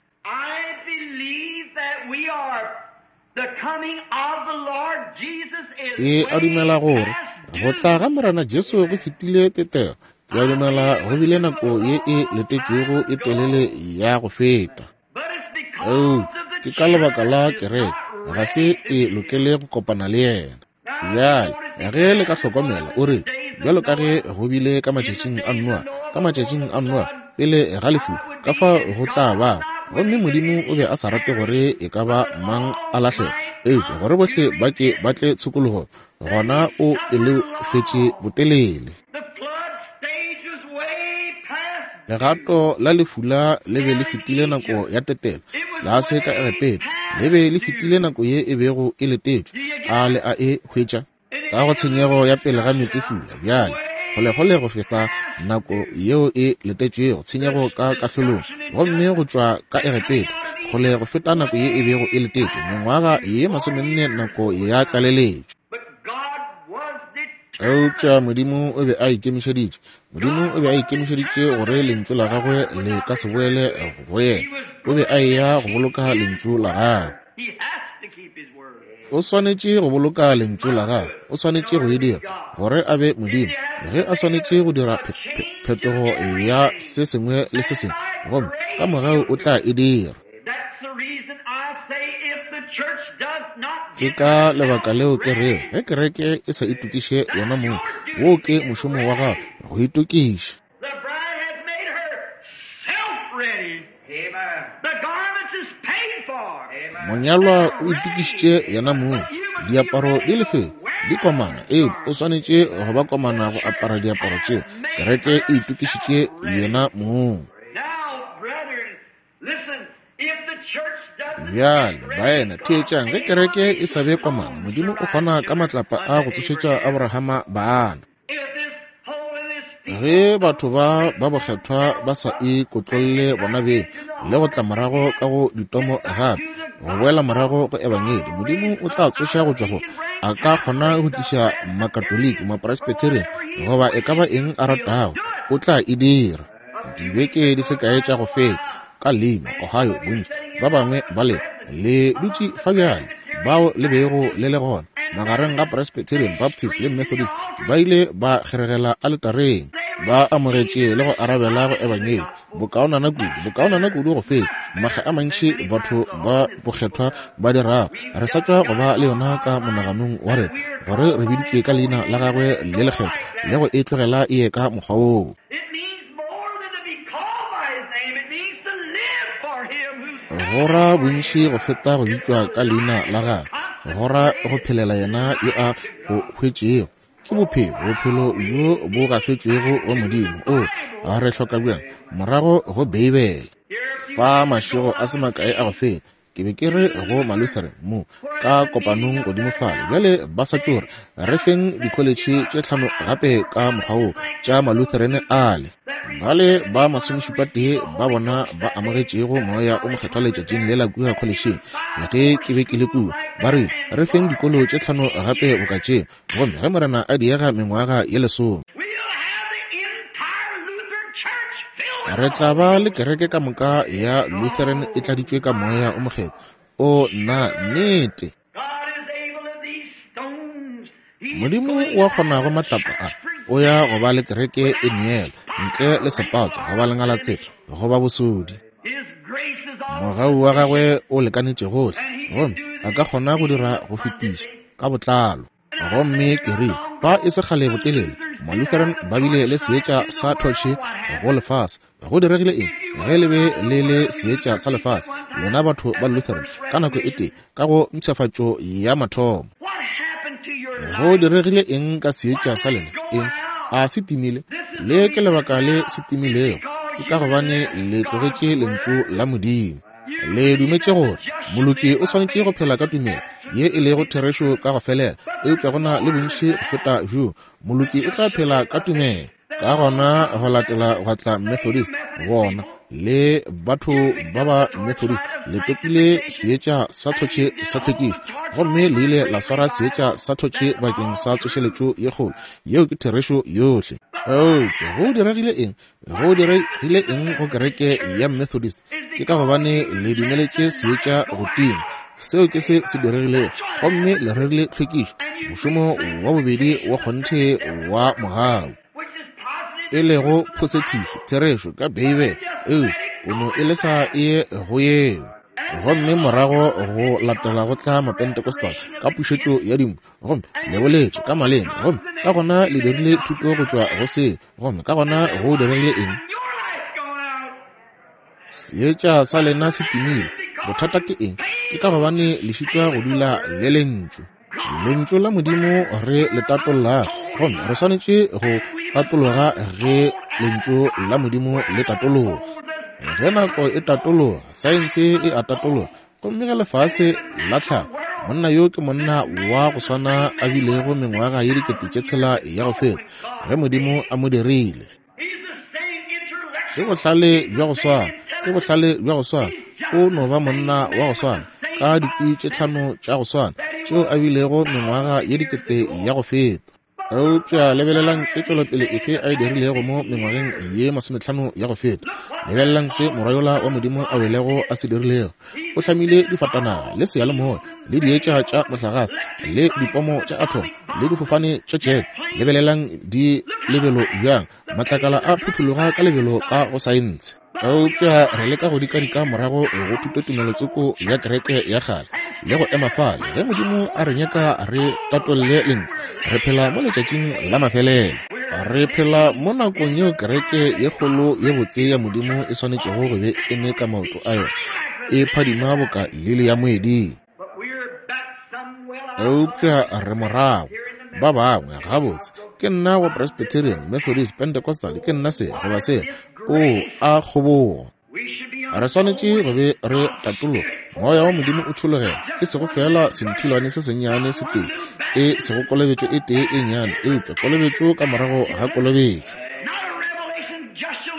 Ke a dumela gore go tla ga Morena Jesu go fetile tetego. Ke a dumela go bile nako ye e letetšwego e telele ya go feta. Eupša ke ka lebaka la kereke ga se e lokele go kopana le yena. Bjale ge le ka hlokomela, o rile, bjalo ka ge go bile ka matšatšing a Noa, ka matšatšing a Noa, pele ga lefu, ka fa go tla ba. Gomme Modimo o be a sa rate gore e ka ba mang a lahlege, eupša gore bohle ba ke ba tle tshokologong, gona o pelofetše botelele. Legato la lefula le be le fetile nako ya tetelo tlase ka Egepeta, le be le fetile nako ye e bego e letetšwe. A le a e hwetša? Ka go tshenyego ya pele ga meetsefula, bjale kgolekgole go feta nako yeo e letetšwego, tshenyego ka kahlolong, gomme go tšwa ka Egepeta, kgole go feta nako ye e bego e letetšwe, mengwaga ye 40 nako ya tlaleletšo. Eupša Modimo o be a ikemišeditše, Modimo o be a ikemišeditše gore lentšu la gagwe le ka se boele go yena. O be a eya go boloka lentšu la gagwe. O swanetše go boloka lentšu la gagwe. O swanetše go e dira gore a be Modimo. Ge a swanetše go dira phetogo ya se sengwe le se sengwe, gomme ka mogau o tla e dira. Ke ka lebaka leo ke rego ge kereke e sa itokiše yona mong, woo ke mošomo wa gago go itokiša. Monyalwa o itokišitše yena mong, diaparo di lefe di komana, eupša o swanetše go ba komana go apara diaparo tšeo. Kereke e itokišitše yena mong. Bjale, baena, theetšang, ge kereke e sa be komana, Modimo o kgona ka matlapa a go tsošetša Abrahama bana. Ge batho ba ba bokgethwa ba sa e kotlolle bona beng le go tla morago ka go ditomo gape, go boela morago go ebangedi, Modimo o tla tsoša go tšwa go, a ka kgona go tliša Makatoliki, Mapresbyterian, goba e ka ba eng a ratago, o tla e dira. Dibeke di se kae tša go feta, ka Lima, Ohio, bontši ba bangwe ba lena le dutše fa bjale, bao le bego le le gona, magareng ga Presbyterian, Baptist le Methodist, ba ile ba kgeregela aletareng. Ba amogetše le go arabela go Ebangedi bokaonana kudu, bokaonana kudu go feta makga a mantši batho ba bokgethwa ba dirago. Re sa tšwa go ba le yona ka monaganong wa rena, gore re biditšwe ka Leina la Gagwe le lekgethwa, le go e tlogela e ye ka mokgwa woo. Go ra bontši go feta go bitšwa ka Leina la Gagwe, go ra go phelela Yena yo a go hwetšego. Ke bophelo, bophelo bjo bo gafetšwego go Modimo. Oo, a re hloka bjang morago go Beibele. Fa mašego a se makae a go feta, ke be ke re go Malutheran mo ka kopanong godimo fale. Bjale ba sa tšo re, re feng dikholetšhe tše tlhano gape ka mokgwa wo tša Malutheran ale. Bale ba masomešupatee ba bona ba amogetšego Moya o Mokgethwa letšatšing lela kua kholetšheng, ge ke be ke le kua, ba rile, re feng dikolo tše tlhano gape boka tše. Gomme ge Morena a diega mengwaga ye lesome, re tla ba le kereke ka moka ya Lutheran e tladitšwe ka Moya o Mokgethwa. O nna, nnete. Modimo wa kgonago matlapa a, o ya go ba le kereke e neela, ntle le sepatso, goba lengalatsepa, goba bosodi. Mogau wa gagwe o lekanetše gohle, gomme a ka kgona go dira go fetiša ka botlalo. Gomme ke rile, fa e se kgale botelele, Malutheran ba bile le seetša sa thotšhe go lefase. Go diregile eng ge le be le le seetša sa lefase, lena batho ba Lutheran, ka nako e tee, ka go mpshafatšo ya mathomo? Go diregile eng ka seetša sa lena? Eng? A se timile? Le ke lebaka le se timilego, ke ka gobane le tlogetše Lentšu la Modimo. Le dumetše gore moloki o swanetše go phela ka tumelo ye e lego therešo ka go felela, eupša go na le bontši go feta bjoo. Moloki o tla phela ka tumelo. Ka gona go latela gwa tla Methodist, bona le batho ba ba Methodist le topile seetša sa thotše sa tlhwekišo, gomme le ile la swara seetša sa thotše bakeng sa tsošeletšo ye kgolo. Yeo ke therešo yohle. Eupša go diregile eng? Go diregile eng go kereke ya Methodist? Ke ka gobane le dumeletše seetša go tima. Seo ke se se diregilego. Gomme le rerile tlhwekišo, mošomo wa bobedi wa kgonthe wa mogau, e lego positive therešo ka Beibele, eupša o no e lesa e ye go yeo. Gomme morago go latela go tla Mapentecostal ka pušetšo ya dimpho, gomme le boletše ka maleme, gomme ka gona le dirile thuto go tšwa go seo. Gomme ka gona go diregile eng? Seetša sa lena se timile. Bothata ke eng? Ke ka gobane le šitwa go dula le Lentšu. Lentšu la Modimo re le tatollago, gomme re swanetše go tatologa ge Lentšu la Modimo le tatologa. Ge nako e tatologa, saense e a tatologa, Gomme ge lefase la tlhago, monna yo ke monna wa go swana a bilego mengwaga ye 6000 ya go feta, ge Modimo a mo dirile. Ke bohlale bja go swana, ke bohlale bja go swana. O no ba monna wa go swana, ka dikwi tše tlhano tša go swana, tšeo a bilego mengwaga ye dikete ya go feta. Eupša lebelelang ke tšwelopele efe a e dirilego mo mengwageng ye masometlhano ya go feta. Lebelelang se morwa yola wa Modimo a welego a se dirilego. O hlamile difatanaga le seyalemoya le dietša tša mohlagase le dipomo tša athomo le difofane tša jet. Lebelelang di lebelo bjang, matlakala a phuthologa ka lebelo ka go saense. Eupša re leka go dikadika morago go thutotumelotsoko ya kereke ya kgale le go ema fale ge Modimo a re nyaka re tatolle Lentšu. Re phela mo letšatšing la mafelelo. Re phela mo nakong yeo kereke ye kgolo ye botse ya Modimo e swanetšego go be e eme ka maoto a yona, e phadima boka lili ya moeding. Eupša re morago. Ba bangwe, gabotse, ke nna wa Presbyterian, Methodist, Pentecostal, ke nna se goba se. O a kgobogo. Re swanetše go be re tatologa. Moya wa Modimo o tšhologela, e sego feela senthulwane se sennyane se tee, e sego kolobetšo e tee e nnyane, eupša kolobetšo ka morago ga kolobetšo.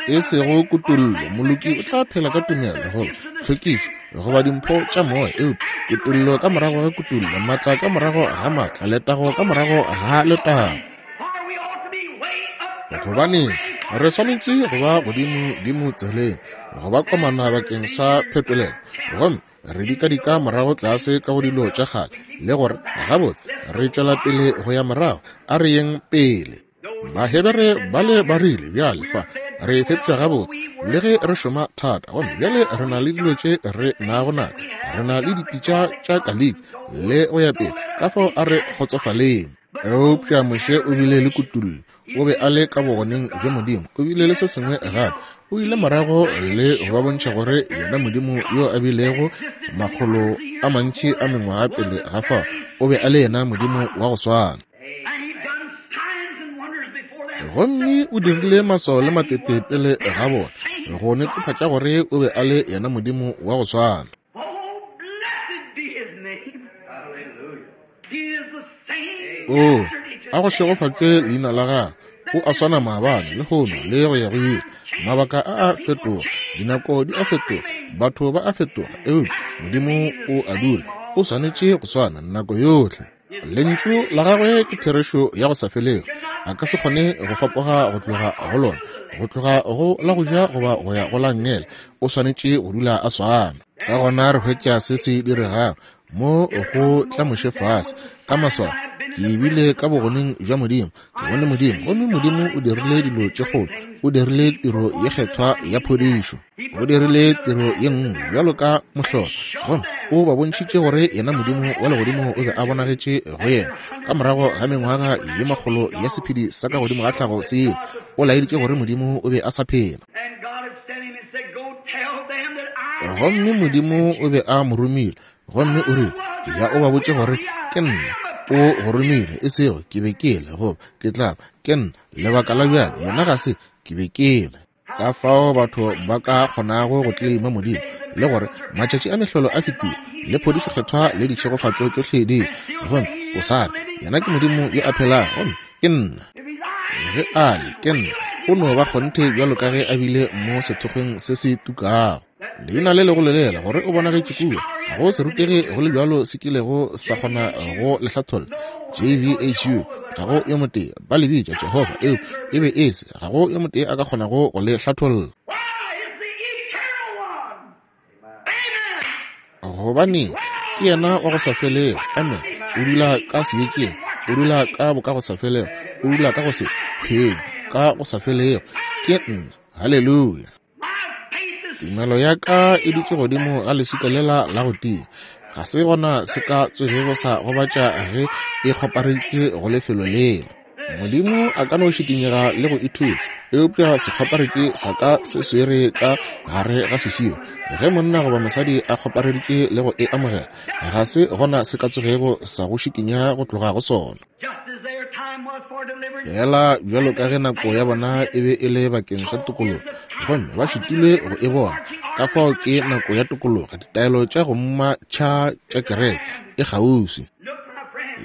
E sego kutollo, moloki o tla phela ka tumelo, goba tlhwekišo, goba dimpho tša moya, eupša kutollo ka morago ga kutollo, maatla ka morago ga maatla, letago ka morago ga letago. Gobane re swanetše go ba godimo dimo tseleng, go ba komana bakeng sa phetolelo, gomme re dikadika morago tlase ka go dilo tša kgale, le gore gabotse re tšwela pele go ya morago, a re yeng pele. Bahebere bale ba rile, Bjale fa re fepša gabotse, le ge re šoma thata, gomme bjale re na le dilo tše re nago nato, re na le dipitša tša kaliki le go ya pele, ka fao a re kgotsofaleng. Eupša Moshe o bile le kutullo, o be a le ka bogoneng bja Modimo, o bile le se sengwe gape. O ile morago le go ba bontšha gore yena Modimo yo a bilego makgolo a mantši a mengwaga pele ga fao, o be a le yena Modimo wa go swana. Gomme o dirile maswao le matete pele ga bona, go netefatša gore o be a le yena Modimo wa go swana. Oo, a go šegofatšwe leina la gagwe. O a swana maabane, lehono, le go ya go ile. Mabaka a a fetoga, dinako di a fetoga, batho ba a fetoga, eupša Modimo o a dula o swanetše go swana nako yohle. Lentšu la gagwe ke therešo ya go sa felego. A ka se kgone go fapoga go tloga go lona, go tloga go la go ja goba go ya go la nngele. O swanetše go dula a swana. Ka gona re hwetša se se diregago mo go tla Moshe fase ka maswao. Ke bile ka bogoneng bja Modimo, ke bone Modimo, gomme Modimo o dirile dilo tše kgolo, o dirile tiro ye kgethwa ya phodišo, o dirile tiro ye nngwe bjalo ka mohlolo, gomme o ba bontšhitše gore yena Modimo wa legodimo o be a bonagetše go yena. Ka morago ga mengwaga ye makgolo ya sephedi sa ka godimo ga tlhago se ile, o laeditše gore Modimo o be a sa phela. Gomme Modimo o be a mo romile, gomme o rile, Ya o ba botše gore ke nna o go romile, e sego ke be ke le, goba ke tla ba, ke nna. Lebaka la bjale, yena ga se ke be ke le. Ka fao batho ba ka kgonago go tleleima Modimo, le gore matšatši a mehlolo a fetile, le phodišo kgethwa le ditšhegofatšo tšohle di, gomme o sa re, Yena ke Modimo yo a phelago, gomme ke nna. Ge a le, ke nna, o no ba kgonthe bjalo ka ge a bile mo sethokgweng se se tukago. Leina le lego lelela gore o bonagetše kua, ga go serutegi go le bjalo se kilego sa kgona go le hlatholla. JVHU, ga go yo motee, ba le bitša Jehofa, eo e be e se, ga go yo motee a ka kgonago go le hlatholla. Gobane ke yena wa go sa felego, amen, o dula ka seetšeng, o dula ka bokagosafelego, o dula ka go se hweng, ka go sa felego. Ke nna. Haleluya. Tumelo ya ka e dutše godimo ga leswika lela la go tia. Ga se gona se ka tsogego sa gobatša ge e kgoparetše go lefelo lela. Modimo a ka no šikinyega le go ithula, eupša sekgoparetši sa ka se swere ka gare ga seširo. Ge monna goba mosadi a kgopareditše le go e amogela, ga se gona se ka tsogego sa go šikinya go tloga go sona. Feela bjalo ka ge nako ya bona e be e le bakeng sa tokologo, gomme ba šitilwe go e bona, ka fao ke nako ya tokologo, ditaelo tša go mmatšha tša kereke e kgauswi.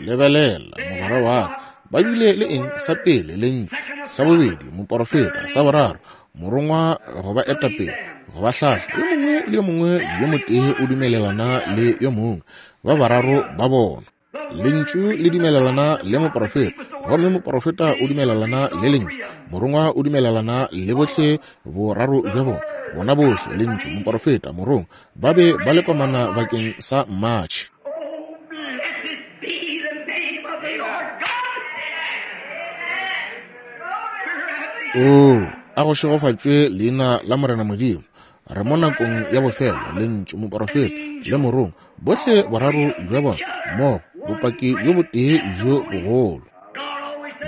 Lebelela, mogwera wa ka, ba bile le eng? Sa pele, Lentšu. Sa bobedi, moporofeta. Sa boraro, morongwa go ba eta pele, go ba hlahla. Yo mongwe le yo mongwe yo motee o dumelelana le yo mongwe, ba bararo ba bona. Lentšu le dumelelana le moporofeta, gomme moporofeta o dumelelana le Lentšu, morongwa o dumelelana le bohle boraro bja bona. Bona bohle, Lentšu, moporofeta, morongwa, ba be ba le komana bakeng sa mmatšhi. Oo, a go šegofatšwe leina la Morena Modimo. Re mo nakong ya bofelo, Lentšu, moporofeta, le morongwa, bohle boraro bja bona mmogo, bopaki bjo botee bjo bogolo.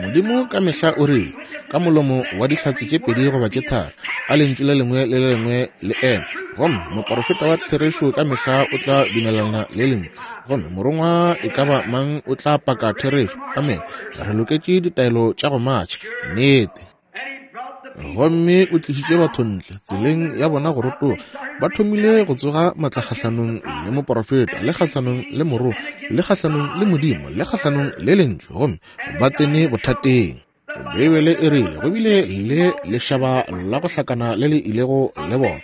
Modimo ka mehla o rile, ka molomo wa dihlatse tše pedi goba tše tharo, a lentšu le lengwe le le lengwe le eme. Gomme moporofeta wa therešo ka mehla o tla dumelelana le lentšu, gomme morongwa e ka ba mang o tla paka therešo. Amene. Re loketše ditaelo tša go matšha. Nnete. Gomme o tlišitše batho ntle tseleng ya bona go rotoga. Ba thomile go tsoga matla kgahlanong le moporofeta, le kgahlanong le morongwa, le kgahlanong le Modimo, le kgahlanong le Lentšu, gomme ba tsene bothateng. Beibele e rile go bile le lešaba la go hlakana le le ilego le bona,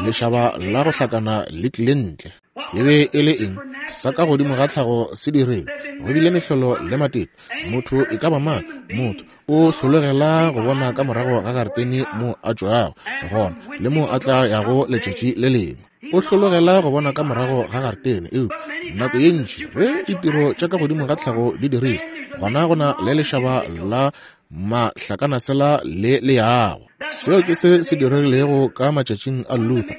lešaba la go hlakana le tlile ntle. E be e le eng? Sa ka godimo ga tlhago se dirilwe. Go bile mehlolo le matete. Motho e ka ba mang? Motho o hlologela go bona ka morago ga garetene mo a tšwago gona le mo a tla yago letšatši le lengwe. O hlologela go bona ka morago ga garetene, eupša nako ye ntši ge ditiro tša ka godimo ga tlhago di dirilwe, gona go na le lešaba la Mahlakanasela le leago. Seo ke se se diregilego ka matšatšing a Luther,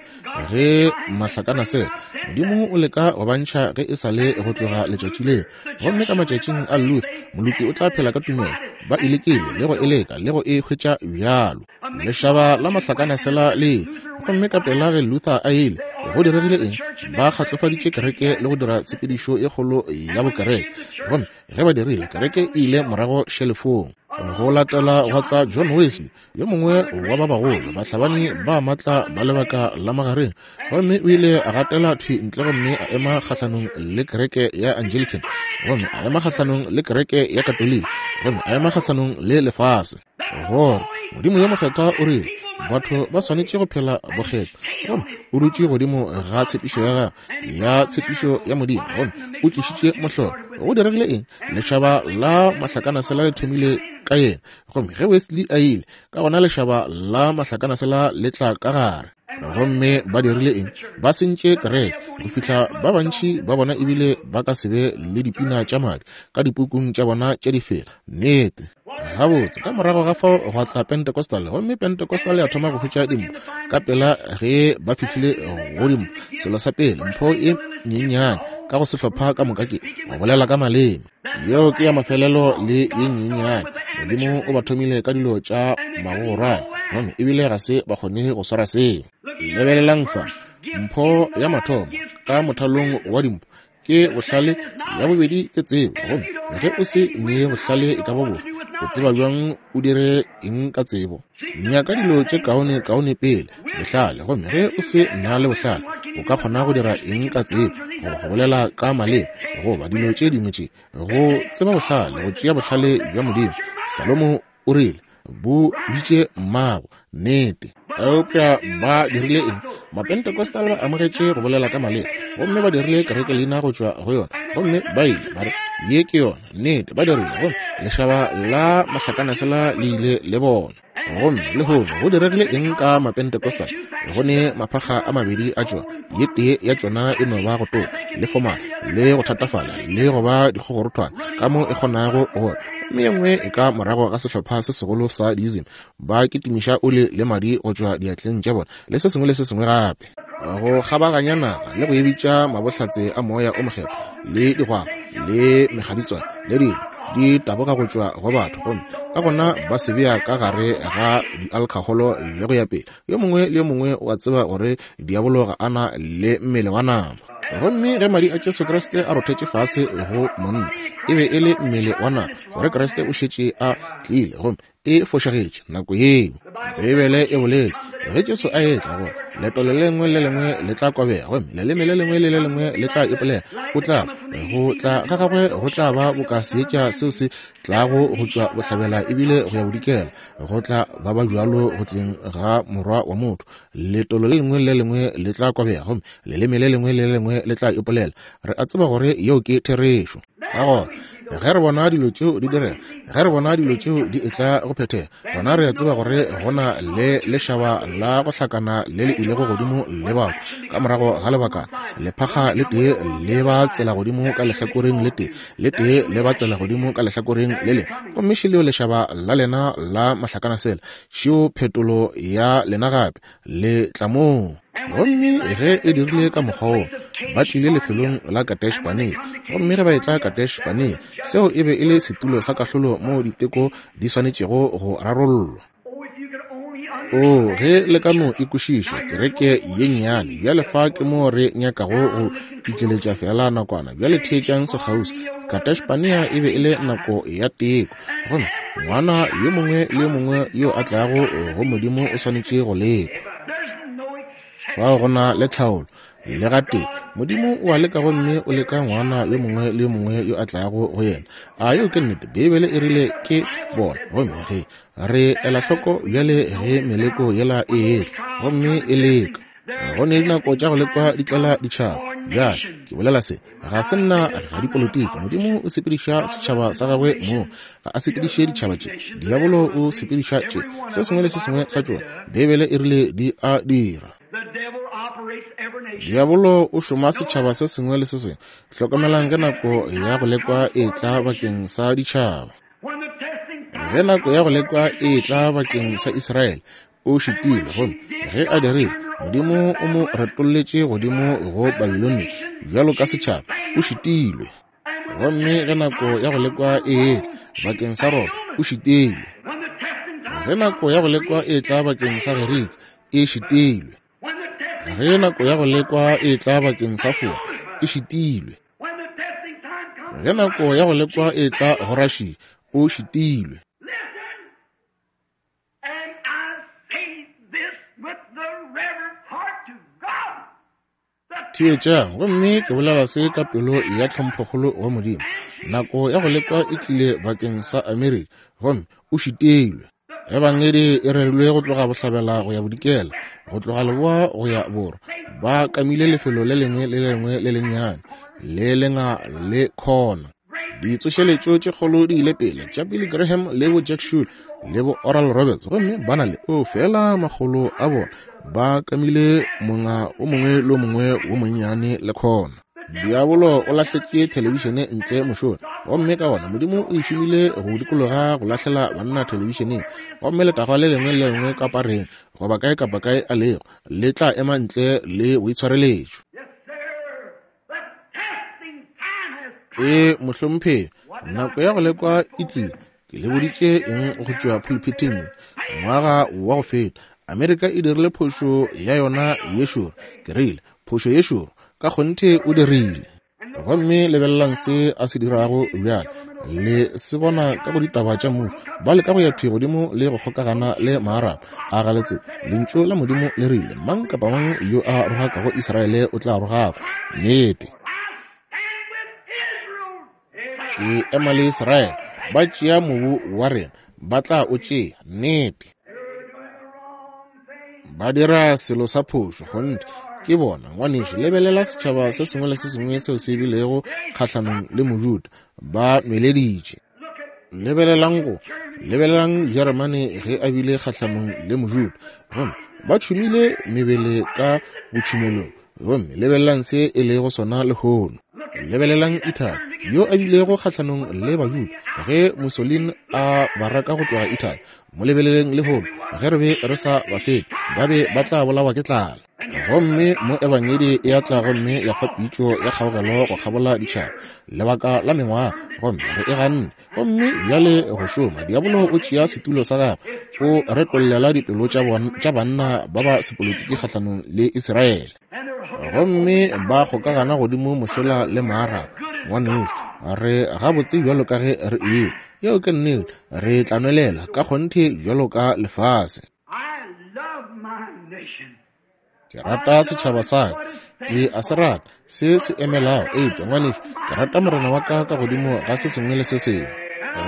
ge mahlakanasela. Modimo o leka go ba ntšha ge e sa le go tloga letšatši leo. Gomme ka matšatšing a Luther, moloki o tla phela ka tumelo. Ba e lekile le go e leka le go e hwetša bjalo. Lešaba la mahlakanasela le ile. Gomme ka pela ge Luther a ile, go diregile eng? Ba kgatlofaditše kereke le go dira tshepedišo e kgolo ya bokereke. Gomme ge ba dirile, kereke e ile morago šelefong. Go latela gwa tla John Wesley, yo mongwe wa ba bagolo bahlabani ba matla ba lebaka la magareng, gomme o ile a gatela thwi ntle gomme a ema kgahlanong le kereke ya Anglican, gomme a ema kgahlanong le kereke ya Katoliki, gomme a ema kgahlanong le lefase. Gore Modimo yo mokgethwa o rile batho ba swanetše go phela bokgethwa, gomme o dutše godimo ga tshepišo ya gagwe ya tshepišo ya Modimo, gomme o tlišitše mohlolo. Go diregile eng? Lešaba la mahlakanasela le thomile ka yena, gomme ge Wesley a ile, ka gona lešaba la mahlakanasela le tla ka gare. Gomme ba dirile eng? Ba sentše kereke go fihla ba bantši ba bona ebile ba ka se be le dipina tša madi ka dipukung tša bona tša difela. Nnete. Gabotse, ka morago ga fao gwa tla Pentecostal, gomme Pentecostal ya thoma go hwetša dimpho ka pela ge ba fihlile go dimpho. Selo sa pele, mpho e nyenyane ka go sehlopha ka moka ke go bolela ka maleme. Yeo ke ya mafelelo le ye nyenyane. Modimo o ba thomile ka dilo tša magogorwane, gomme ebile ga se ba kgone go swara seo. Lebelelang fa, mpho ya mathomo ka mothalong wa dimpho ke bohlale, ya bobedi ke tsebo. Gomme ge o se ne bohlale e ka ba bofe, o tseba bjang o dire eng ka tsebo? Nyaka dilo tše kaone kaone pele, bohlale. Gomme ge o se na le bohlale, o ka kgona go dira eng ka tsebo, goba go bolela ka maleme, goba dilo tše dingwe tše? Go tseba bohlale, go tšea bohlale bja Modimo. Salomo o rile, Bo bitše mmago. Nnete. Eupša ba dirile eng? Mapentecostal ba amogetše go bolela ka maleme, gomme ba dirile kerekeleina go tšwa go yona, gomme ba ile ba re, Ye ke yona. Nnete, ba dirile. Gomme lešaba la mahlakanasela le ile le bona. Gomme lehono go diregile eng ka Mapentecostal? Go ne maphakga a mabedi a tšona. Ye tee ya tšona e no ba go toka le fomala le go thatafala le go ba dikgogorothwana ka mo e kgonago go, gomme ye nngwe e ka morago ga sehlopha se segolo sa diism, ba kitimiša oli le madi go tšwa diatleng tša bona le se sengwe le se sengwe gape, go kgabaganya naga le go e bitša mabohlatse a Moya o Mokgethwa le digwagwa le mekgaditswane le dilo di taboga go tšwa go batho, gomme ka gona ba se bea ka gare ga dialkhaholo le go ya pele. Yo mongwe le yo mongwe o a tseba gore diabolo ga a na le mmele wa nama. Gomme ge madi a Jesu Kriste a rothetše fase go monna, e be e le mmele wa nama, gore Kriste o šetše a tlile, gomme e fošagetše nako yeo. Beibele e boletše, ge Jesu a etla, gore leto le lengwe le lengwe le tla kobega, gomme leleme le lengwe le le lengwe le tla ipolela. O tla, go tla ga gagwe go tla ba boka seetša seo se tlago go tšwa bohlabela ebile go ya bodikela, go tla ba ba bjalo go tleng ga Morwa wa motho. Letolo le lengwe le lengwe le tla kobega, gomme leleme le lengwe le le lengwe le tla ipolela. Re a tseba gore yeo ke therešo. Ka gona, ge re bona dilo tšeo di direga, ge re bona dilo tšeo di etla go phethega, gona re a tseba gore go na le lešaba la go hlakana le le ilego godimo le batho. Ka morago ga lebakana, lephakga le tee le ba tsela godimo ka lehlakoreng le tee, le tee le ba tsela godimo ka lehlakoreng le lengwe, gomme šeleo lešaba la lena la mahlakanasela, šeo phetolo ya lena gape, le tla moo. Gomme ge e dirile ka mokgwa woo, ba tlile lefelong la Kadesh-Barnea. Gomme ge ba etla Kadesh-Barnea, seo e be e le setulo sa kahlolo moo diteko di swanetšego go rarollwa. Oo, ge le ka no e kwešiša, kereke ye nnyane. Bjale fa ke moo re nyakago go itleletša feela nakwana. Bjale theetšang sekgauswi. Kadesh-Barnea e be e le nako ya teko. Gomme ngwana yo mongwe le yo mongwe yo a tlago go Modimo o swanetše go lekwa. Fao go na le tlhaolo le gatee. Modimo o a leka gomme o leka ngwana yo mongwe le yo mongwe yo a tlago go yena. A yeo ke nnete? Beibele e rile ke bona. Gomme ge re ela hloko bjale ge meleko yela e etla gomme e leka, go ne dinako tša go lekwa di tlela ditšhaba. Bjale ke bolela se, ga se nna radipolotiki. Modimo o sepediša setšhaba sa gagwe mo, ga a sepediše ditšhaba tše. Diabolo o sepediša tše, se sengwe le se sengwe sa tšona. Beibele e rile di a dira. Diabolo o šoma setšhaba se sengwe le se sengwe. Hlokomelang ge nako ya go lekwa e tla bakeng sa ditšhaba. Ge nako ya go lekwa e etla bakeng sa Israele, o šitilwe, gomme ge a dirile, Modimo o mo retolletše godimo go Babilonia bjalo ka setšhaba. O šitilwe. Gomme ge nako ya go lekwa e etla bakeng sa Roma, o šitilwe. Ge nako ya go lekwa e etla bakeng sa Gerika, e šitilwe. Ge nako ya go lekwa e etla bakeng sa Fora, e šitilwe. Ge nako ya go lekwa e etla go Russia, o šitilwe. Theetšang, gomme ke bolela se ka pelo ya tlhomphokgolo wa Modimo. Nako ya go lekwa e tlile bakeng sa Amerika, gomme o šitilwe. Ebangedi e rerilwe go tloga bohlabela go ya bodikela, go tloga leboa go ya borwa. Ba kamile lefelo le lengwe le lengwe le lennyane, le lenga le khona. Ditsošeletšo tše kgolo di ile pele tša Billy Graham le bo Jack Shule le bo Oral Roberts, gomme ba na le o fela makgolo a bona ba kamile monga o mongwe le o mongwe wo monnyane le khona. Diabolo o lahletše thelebišene ntle mošola, gomme ka gona Modimo o e šomile go dikologa go lahlela banna thelebišeneng, gomme letagwa le lengwe le lengwe ka pareng goba kae kapa kae a lego le tla ema ntle le boitshwareletšo. Ee, mohlomphegi, nako ya go lekwa e tlile. Ke le boditše eng go tšwa pulpiteng ye ngwaga wa go feta. Amerika e dirile phošo ya yona ye šoro. Ke rile, Phošo ye šoro? Ka kgonthe o dirile. Gomme lebelelang se a se dirago bjale. Le se bona ka go ditaba tša mmušo. Ba leka go ya thwi godimo le go kgokagana le Maarab. A ga le tsebe? Lentšu la Modimo le rile, Mang kapa mang yo a rogakago Israele o tla rogakwa. Nnete. Ke ema le Israele. Ba tšea mobu wa rena. Ba tla o tšea. Nnete. Ba dira selo sa phošo, kgonthe. Ke bona, ngwanešu, lebelela setšhaba se sengwe le se sengwe seo se bilego kgahlanong le Mojuda. Ba nweleditše. Lebelelang go, lebelelang Jeremane ge a bile kgahlanong le Mojuda. Gomme ba tšhumile mebele ka botšhumelong. Gomme lebelelang se e lego sona lehono. Lebelelang Italy, yo a bilego kgahlanong le Bajuda ge Mussolini a ba raka go tloga Italy. Mo lebeleleng lehono, ge re be re sa ba fepe, ba be ba tla bolawa ke tlala. Gomme mo Ebangedi e a tla gomme ya fa pitšo ya kgaogelo go kgabola ditšhaba lebaka la mengwaga, gomme re e ganne. Gomme bjale go šoma, diabolo o tšea setulo sa gagwe, o retollela dipelo tša banna ba ba sepolotiki kgahlanong le Israele. Gomme ba kgokagana godimo mošola le Maarab. Ngwanešu, re gabotse bjalo ka ge re ewe. Yeo ke nnete. Re tla nwelela ka kgonthe bjalo ka lefase. Ke rata setšhaba sa ka. Ke a se rata, se se emelago. Eupša, ngwanešu, ke rata Morena wa ka ka godimo ga se sengwe le se sengwe.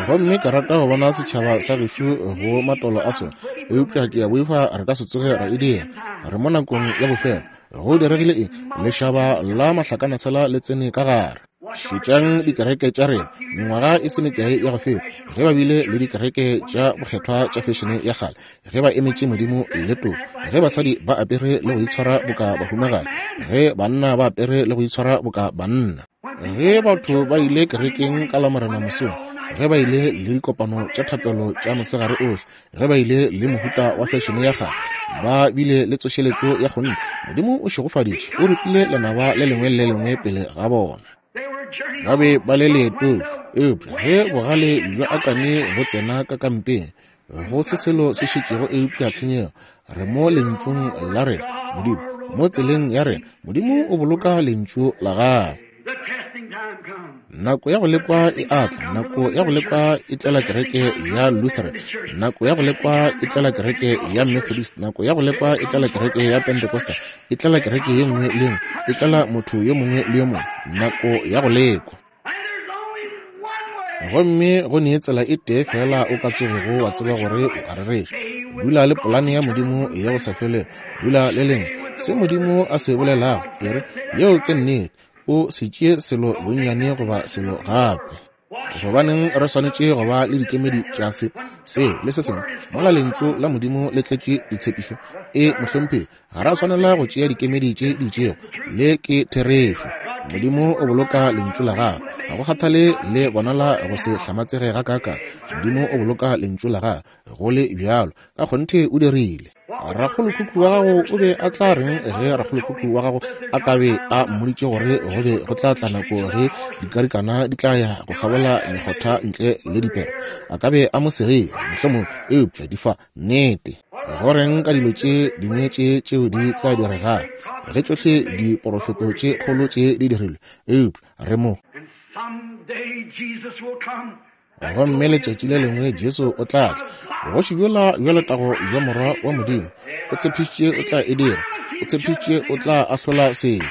Gomme ke rata go bona setšhaba sa gešo go matolo a sona. Eupša ke a boifa re ka se tsoge ra e dira. Re mo nakong ya bofelo. Go diregile eng? Lešaba la mahlakanasela le tsene ka gare. Šetšang dikereke tša rena, mengwaga e se mekae ya go feta, ge ba bile le dikereke tša bokgethwa tša fešene ya kgale, ge ba emetše Modimo le toko, ge basadi ba apere le go itshwara boka bahumagadi, ge banna ba apere le go itshwara boka banna, ge batho ba ile kerekeng ka Lamorena mosong, ge ba ile le dikopano tša thapelo tša mosegare ohle, ge ba ile le mohuta wa fešene ya kgale, ba bile le tsošeletšo ya kgonthe. Modimo o šegofaditše, o ripile lenaba le lengwe le le lengwe pele ga bona. Ba be ba le leetong, eupša ge bogale bja Akane bo tsena ka kampeng, go se selo se šetšego eupša tshenyego. Re mo lentšung la rena, Modimo, mo tseleng ya rena. Modimo o boloka lentšu la gagwe. Nako ya go lekwa e a tla. Nako ya go lekwa e tlela kereke ya Lutheran. Nako ya go lekwa e tlela kereke ya Methodist. Nako ya go lekwa e tlela kereke ya Pentecostal. E tlela kereke ye nngwe le nngwe. E tlela motho yo mongwe le yo mongwe. Nako ya go lekwa. Gomme go ne tsela e tee feela o ka tsogego wa tseba gore o a rereša. Dula le polane ya Modimo ya go sa felego. Dula le lengwe. Se Modimo a se bolelago, e re, yeo ke nnete. O se tšee selo bonnyane goba selo gape. Gobaneng re swanetše go ba le dikemedi tša se, seo, le se sengwe, mola Lentšu la Modimo le tletše ditshepišo? E, mohlomphegi, ga ra swanela go tšea dikemedi tše di itšego. Le ke therešo. Modimo o boloka Lentšu la Gagwe. Ga go kgathale le bonala go se hlamatsege gakaakang, Modimo o boloka Lentšu la Gagwe, go le bjalo. Ka kgonthe o dirile. Rakgolokhukhu wa gago o be a tla reng ge rakgolokhukhu wa gago a ka be a mmoditše gore go be go tla tla nako ge dikarikana di tla ya go kgabola mekgotha ntle le dipere? A ka be a mo segile, mohlomongwe, eupša di fa nnete. Go reng ka dilo tše dingwe tše tšeo di tla diregago ge tšohle diporofeto tše kgolo tše di dirilwe? Eupša re mo. Gomme letšatši le lengwe Jesu o tla tla, bogoši bjola bja letago bja Morwa wa Modimo. O tshepišitše o tla e dira. O tshepišitše o tla ahlola sebe.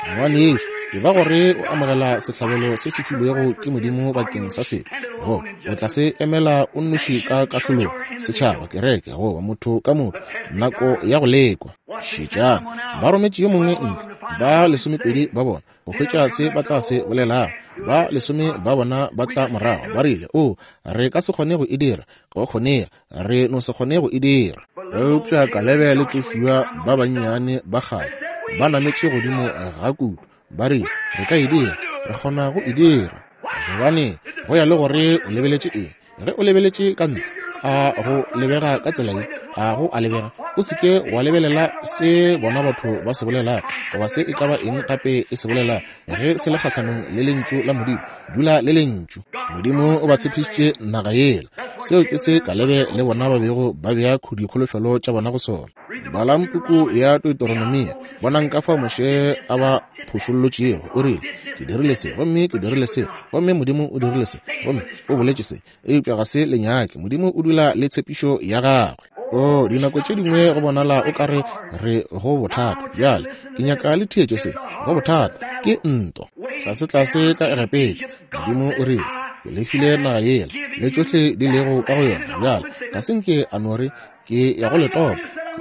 Ngwanešu, e ba gore o amogela sehlabelo se se filwego ke Modimo bakeng sa sebe, goba o tla se emela o nnoši ka kahlolong, setšhaba, kereke, goba motho ka motho, nako ya go lekwa. Šetšang, ba rometše yo mongwe ntle, ba lesomepedi ba bona, go hwetša se ba tla se bolelago. Ba lesome ba bona ba tla morago, ba rile, O, re ka se kgone go e dira. Go kgonega, re no se kgone go e dira. Eupša Kalebe le Joshua ba bannyane ba kgale ba nametše godimo ga kudu, ba rile, Re ka e dira. Re kgona go e dira. Gobane go ya le gore o lebeletše eng. Ge o lebeletše ka ntle, a go lebega ka tsela ye, a go a lebega. O se ke wa lebelela se bona batho ba se bolelago, goba se e ka ba eng gape e se bolelago, ge se le kgahlanong le Lentšu la Modimo. Dula le Lentšu. Modimo o ba tshepišitše naga yela. Seo ke se Kalebe le bona ba bego ba bea dikholofelo tša bona go sona. Balang puku ya Deuteronomia, bonang ka fao Moshe a ba phošollotšego. O rile, Ke dirile se, gomme ke dirile se, gomme Modimo o dirile se, gomme o boletše se. Eupša ga se le nyake. Modimo o dula le tshepišo ya gagwe. O, dinako tše dingwe go bonala o ka re re go bothata. Bjale, ke nyaka le theetše se. Go bothata. Ke ntwa. Tlasetlase ka Egepeta, Modimo o rile, Ke le file naga yela, le tšohle di lego ka go yona. Bjale, ga se nke a no re, Ke ya go le topa,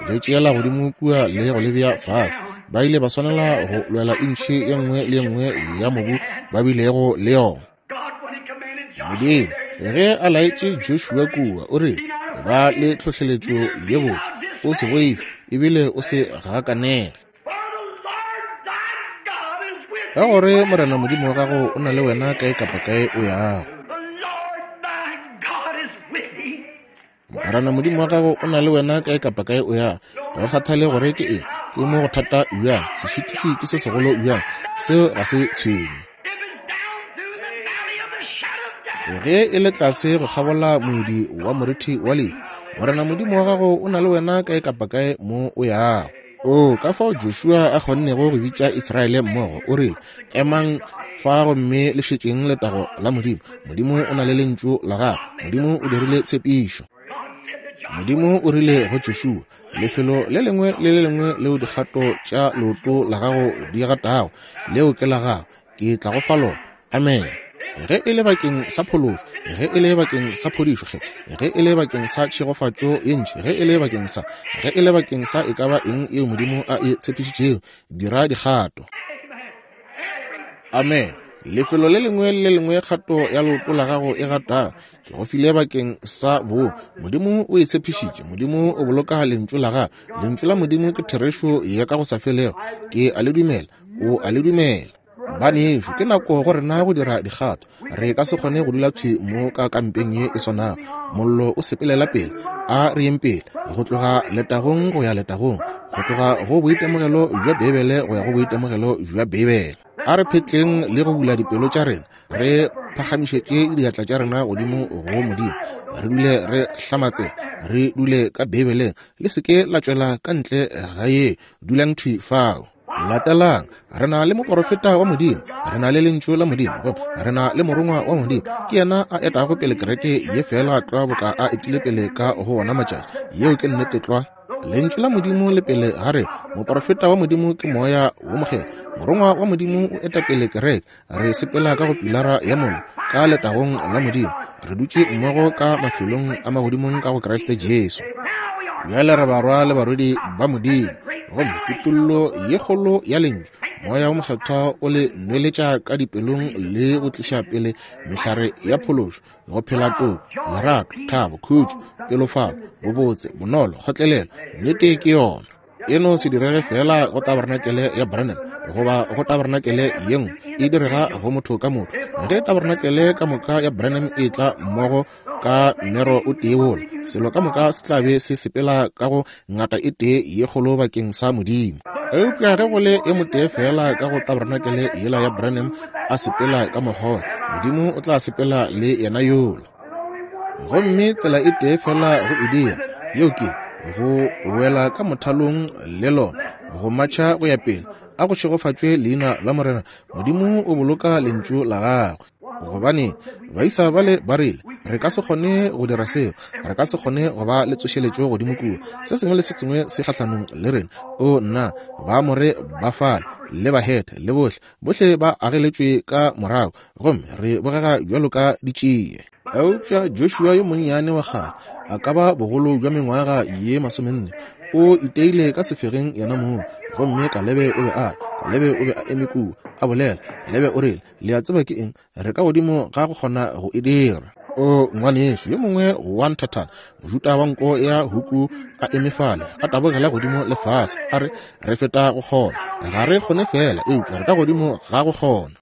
ke le tšeela godimo kua le go le bea fase. Ba ile ba swanela go lwela intšhi ye nngwe le ye nngwe ya mobu ba bilego le yona. Modimo, ge a laetše Joshua kua, o rile, Ba le tlhohleletšo ye botse, o se boife, ebile o se gakanege. Ka gore Morena Modimo wa gago o na le wena kae kapa kae o yago. Morena Modimo wa gago o na le wena kae kapa kae o yago. Ga go kgathale gore ke eng, ke mo go thata bjang, sešitiši ke se segolo bjang, seo ga se tshwenye. Ge e le tlase go kgabola moedi wa morithi wa lehu, Morena Modimo wa gago o na le wena kae kapa kae mo o yago. O, ka fao Joshua a kgonnego go bitša Israele mmogo, o rile, Emang fa gomme le šetšeng letago la Modimo. Modimo o na le Lentšu la Gagwe. Modimo o dirile tshepišo. Modimo o rile go Joshua, Lefelo le lengwe le le lengwe leo dikgato tša leoto la gago di gatago, leo ke la gago. Ke tla go fa lona. Amene. Ge e le bakeng sa phološo, ge e le bakeng sa phodišo, ge, ge e le bakeng sa tšhegofatšo ye ntši, ge e le bakeng sa, ge e le bakeng sa e ka ba eng yeo Modimo a e tshepišitšego, dira dikgato. Amene. Lefelo le lengwe le le lengwe kgato ya leoto la gago e gatago, ke go file bakeng sa bo. Modimo o e tshepišitše. Modimo o boloka Lentšu la gagwe. Lentšu la Modimo ke therešo ya ka go sa felego. Ke a le dumela. O a le dumela. Banešu, ke nako go rena go dira dikgato. Re ka se kgone go dula thwi mo ka kampeng ye e swanago. Mollo o sepelela pele. A re yeng pele, go tloga letagong go ya letagong, go tloga go boitemogelo bja Beibele go ya go boitemogelo bja Beibele. A re phetleng le go bula dipelo tša rena, re phagamišetše diatla tša rena godimo go Modimo, re dule re hlamatsega, re dule ka Beibeleng. Le se ke la tšwela ka ntle ga ye, dulang thwi fao. Latelang, re na le moporofeta wa Modimo, re na le Lentšu la Modimo, gomme re na le morongwa wa Modimo. Ke yena a etago pele kereke ye feela tlwa boka a etile pele ka go wona matšatši. Yeo ke nnete tlwa. Lentšu la Modimo le pele ga rena. Moporofeta wa Modimo ke Moya wo Mokgethwa. Morongwa wa Modimo o eta pele kereke. Re sepela ka go pilara ya mollo, ka letagong la Modimo. Re dutše mmogo ka mafelong a magodimong ka go Kriste Jesu. Bjale re barwa le barwedi ba Modimo. Gomme kutollo ye kgolo ya Lentšu, Moya wo Mokgethwa o le nweletša ka dipelong le go tliša pele mehlare ya phološo, go phela toko, lerato, thabo, khutšo, pelofalo, bobotse, bonolo, kgotlelelo. Nnete ke yona. E no se direge feela go tabarenakele ya Branham goba go tabarenakele ye nngwe, e direga go motho ka motho. Ge tabarenakele ka moka ya Branham e tla mmogo ka mmero o tee wola, selo ka moka se tla be se sepela ka go ngata e tee ye kgolo bakeng sa Modimo. Eupša ge go le e motee feela ka go tabarenakele yela ya Branham a sepela ka mokgwa, Modimo o tla sepela le yena yola. Gomme tsela e tee fela go e dira, yeo ke go wela ka mothalong le lona, go matšha go ya pele. A go šegofatšwe leina la Morena. Modimo o boloka lentšu la gagwe. Gobane baisa bale ba rile, re ka se kgone go dira seo, re ka se kgone go ba le tsošeletšo godimo kua, se sengwe le se sengwe se kgahlanong le rena. O nna, Baamore ba fale, le Bahethe, le bohle, bohle ba ageletšwe ka morago, gomme re bogega bjalo ka ditšie. Eupša Joshua yo monnyane wa kgale, a ka ba bogolo bja mengwaga ye 40, o iteile ka sefegeng yena mong, gomme Kalebe o be a re, Kalebe o be a eme kua, a bolela. Kalebe o rile, Le a tseba ke eng? Re ka godimo ga go kgona go e dira. O ngwanešu yo mongwe wa nthathana, Mojuda wa nko ya huku a eme fale, a tabogela godimo le fase, a re, Re feta go kgona. Ga re kgone feela, eupša re ka godimo ga go kgona.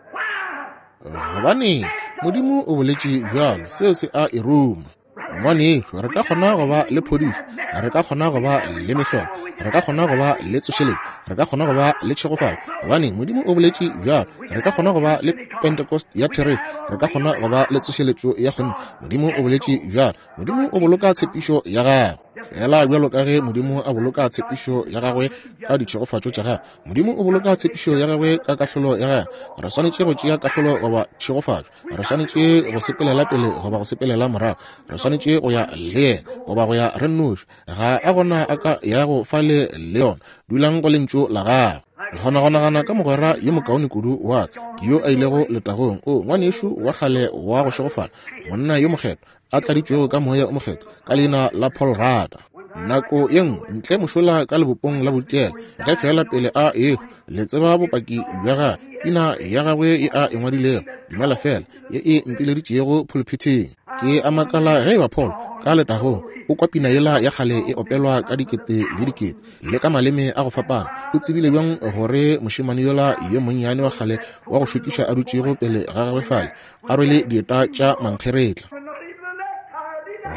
Gobaneng? Modimo o boletše bjalo, seo se a e ruma. Ngwanešu, re ka kgona go ba le phodišo, re ka kgona go ba le mehlolo, re ka kgona go ba le tsošeletšo, re ka kgona go ba le tšhegofatšo. Gobaneng? Modimo o boletše bjalo. Re ka kgona go ba le Pentecost ya therešo, re ka kgona go ba le tsošeletšo ya kgonthe. Modimo o boletše bjalo. Modimo o boloka tshepišo ya gagwe. Fela bjalo ka ge Modimo a boloka tshepišo ya gagwe ka ditšhegofatšo tša gagwe, Modimo o boloka tshepišo ya gagwe ka kahlolo ya gagwe. Re swanetše go tšea kahlolo goba tšhegofatšo. Re swanetše go sepelela pele goba go sepelela morago. Re swanetše go ya le yena goba go ya re nnoši. Ga a gona a ka yago fale le yona. Dulang go lentšu la gagwe. Ke kgona go nagana ka mogwera yo mokaone kudu wa ka yo a ilego letagong, o ngwanešu wa kgale wa go šegofala, monna yo mokgethwa, a tladitšwego ka Moya o Mokgethwa, ka leina la Paul Rada. Nako ye nngwe ntle mošola ka lebopong la bodikela, ge feela pele a ehwa, le tseba bopaki bja gagwe, pina ya gagwe ye a e ngwadilego, Dumela Feela, ye e mpileditšego phuluphithing. Ke a makala ge eba Paul ka letagong o kwa pina yela ya kgale e opelwa ka dikete le dikete le ka maleme a go fapana. O tsebile bjang gore mošemane yola yo monnyane wa kgale wa go šokiša a dutšego pele ga gagwe fale a rwele dieta tša mankgeretla,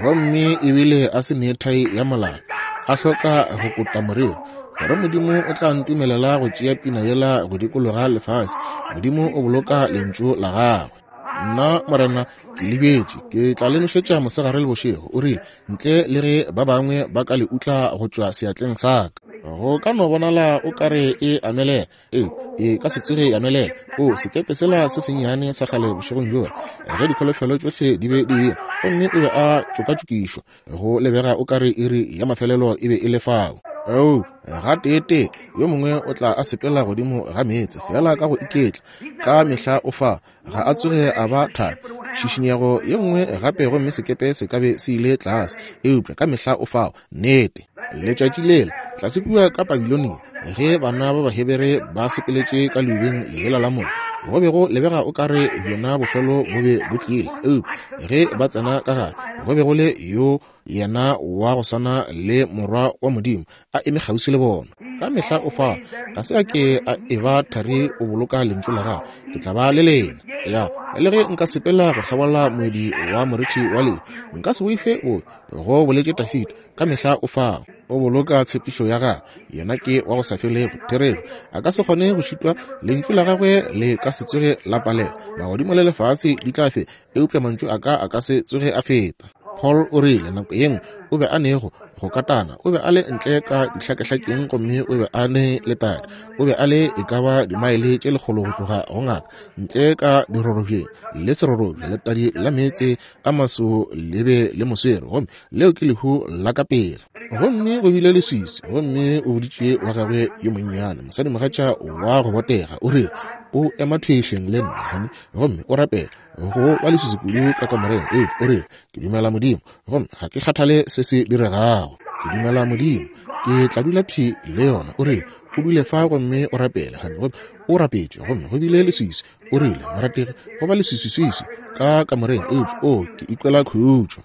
gomme ebile a se ne thai ya molala, a hloka go kota moriri, gore Modimo o tla ntumelela go tšea pina yela go dikologa lefase. Modimo o boloka lentšu la gagwe. Nna Morena ke le bjetše, ke tla le nošetša mosegare le bošego, o rile, ntle le ge ba bangwe ba ka le utla go tšwa seatleng sa ka. Go ka no bonala o ka re e amelela, Ee, e ka se tsoge ya nwelela. O, sekepe sela se sennyane sa kgale bošegong bjola, ge dikholofelo tšohle di be di eya, gomme o be a tšokatšokišwa, go lebega o ka re iri ya mafelelo e be e le fao. Oo, gateetee yo mongwe o tla a sepela godimo ga meetse, feela ka go iketla. Ka mehla o fa, ga a tsoge a ba thari. Tšhišinyego ye nngwe gape gomme sekepe se ka be se ile tlase, eupša ka mehla o fao. Nnete. Letšatši lela, tlase kua ka Babilonia, ge bana ba Bahebere ba sepeletše ka leubeng lela la mollo, go be go lebega o ka re bjona bofelo bo be bo tlile, eupša ge ba tsena ka gare, go be go le yo yena wa go swana le Morwa wa Modimo a eme kgauswi le bona. Ka mehla o fa, ga se a ke a eba thari, o boloka lentšu la gagwe, Ke tla ba le lena. Ya, le ge nka sepela go kgabola moedi wa morithi wa lehu, nka se boife bobe, go boletše Dafida. Ka mehla o fa, o boloka tshepišo ya gagwe. Yena ke wa go sa felego, therešo. A ka se kgone go šitwa, lentšu la gagwe le ka se tsoge la palelwa. Magodimo le lefase di tla feta, eupša mantšu a ka a ka se tsoge a feta. Paul o rile nako ye nngwe o be a ne go go katana, o be a le ntle ka dihlakehlakeng gomme o be a ne letadi. O be a le e ka ba dimaele tše lekgolo go tloga go ngaka, ntle ka dirorobjeng le serorobja, letadi la meetse a maso le be le moswere, gomme leo ke lehu la ka pela. Gomme go bile leswiswi, gomme o boditše wa gagwe yo monnyane, mosadimogatša wa go botega, o rile, O ema thwi hleng le nna, honey, gomme o rapele. Go ba leswiswi kudu ka kamoreng, eupša o rile, Ke dumela Modimo, gomme ga ke kgathale se se diregago. Ke dumela Modimo. Ke tla dula thwi le yona. O rile, O dule fa gomme o rapele, honey. Gomme o rapetše, gomme go bile leswiswi. O rile, Morategi, go ba leswiswiswiswi ka kamoreng, eupša, oo, ke ikwela khutšo.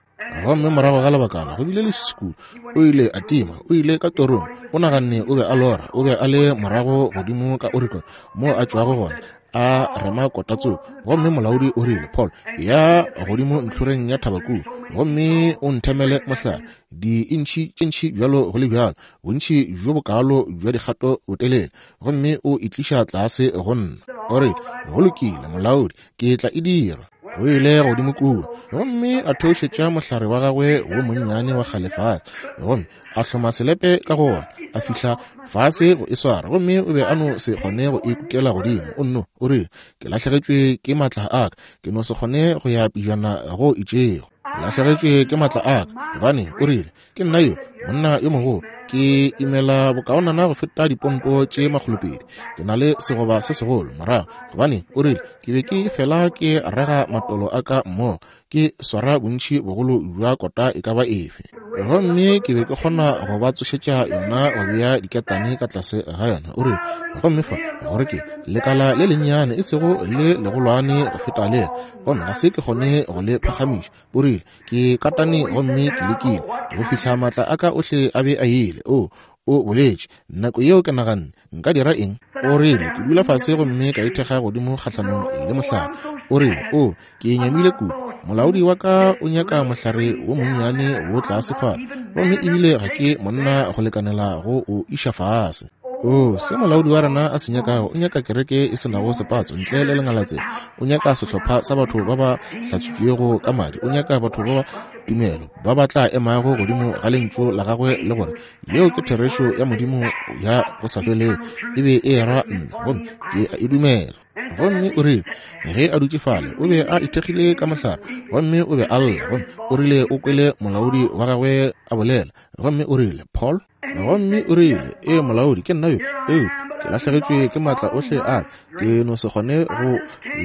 Gomme morago ga lebakana go bile leswiswi kudu, o ile a tima, o ile ka torong, o naganne o be a lora, o be a le morago godimo ka Oregon moo a tšwago gona, a rema kota tsoko. Gomme molaodi o rile, Paul, ya godimo ntlhoreng ya thaba kua, gomme o nthemele mohlare, diintšhi tše ntši bjalo go le bjalo, bontši bjo bokaalo bja dikgato botelele, gomme o e tliša tlase go nna. O rile, Go lokile, molaodi, ke tla e dira. O ile godimo kua gomme a theošetša mohlare wa gagwe wo monnyane wa kgale fase, gomme a hloma selepe ka go wona, a fihla fase go e swara, gomme o be a no se kgone go e kukela godimo. O nno, o rile, Ke lahlegetšwe ke maatla a ka, ke no se kgone go ya pejana go itšego. Ke lahlegetšwe ke maatla a ka, gobane, o rile, ke nna yo, monna yo mogolo, ke imela bokaonana go feta diponto tše 200. Ke na le segoba se segolo morago, gobane, o rile, ke be ke fela ke raga matolo a ka mmogo, ke swara bontši bogolo bja kota e ka ba efe. Gomme ke be ke kgona go ba tsošetša yona go bea diketane ka tlase ga yona. O rile, gomme fa, gore ke lekala le lennyane, e sego le legolwane go feta lela, gomme ga se ke kgone go le phagamiša. O rile, ke katane gomme ke lekile go fihla maatla a ka ohle a be a ile. O, o boletše, nako yeo ke naganne, nka dira eng? O rile, ke dula fase gomme ka ithekga godimo kgahlanong le mohlare. O rile, o, ke nyamile kudu. Molaodi wa ka o nyaka mohlare wo monnyane wo tlase fa, gomme ebile ga ke monna go lekanela go o iša fase. O, se molaodi wa rena a se nyakago, o nyaka kereke e se nago sepatso ntle le lengalatsela. O nyaka sehlopha sa batho ba ba hlatswitšwego ka madi. O nyaka batho ba ba tumelo ba ba tla emago godimo ga lentšu la gagwe le gore yeo ke therešo ya Modimo ya go sa felego. E be e era nna, gomme ke a e dumela. Gomme o rile ge a dutše fale, o be a ithekgile ka mohlare, gomme o be a lla, gomme o rile o kwele molaodi wa gagwe a bolela, gomme o rile, Paul, Gomme o rile, Ee, molaodi, ke nna yo, eupša ke lahlegetšwe ke maatla ohle a ka. Ke no se kgone go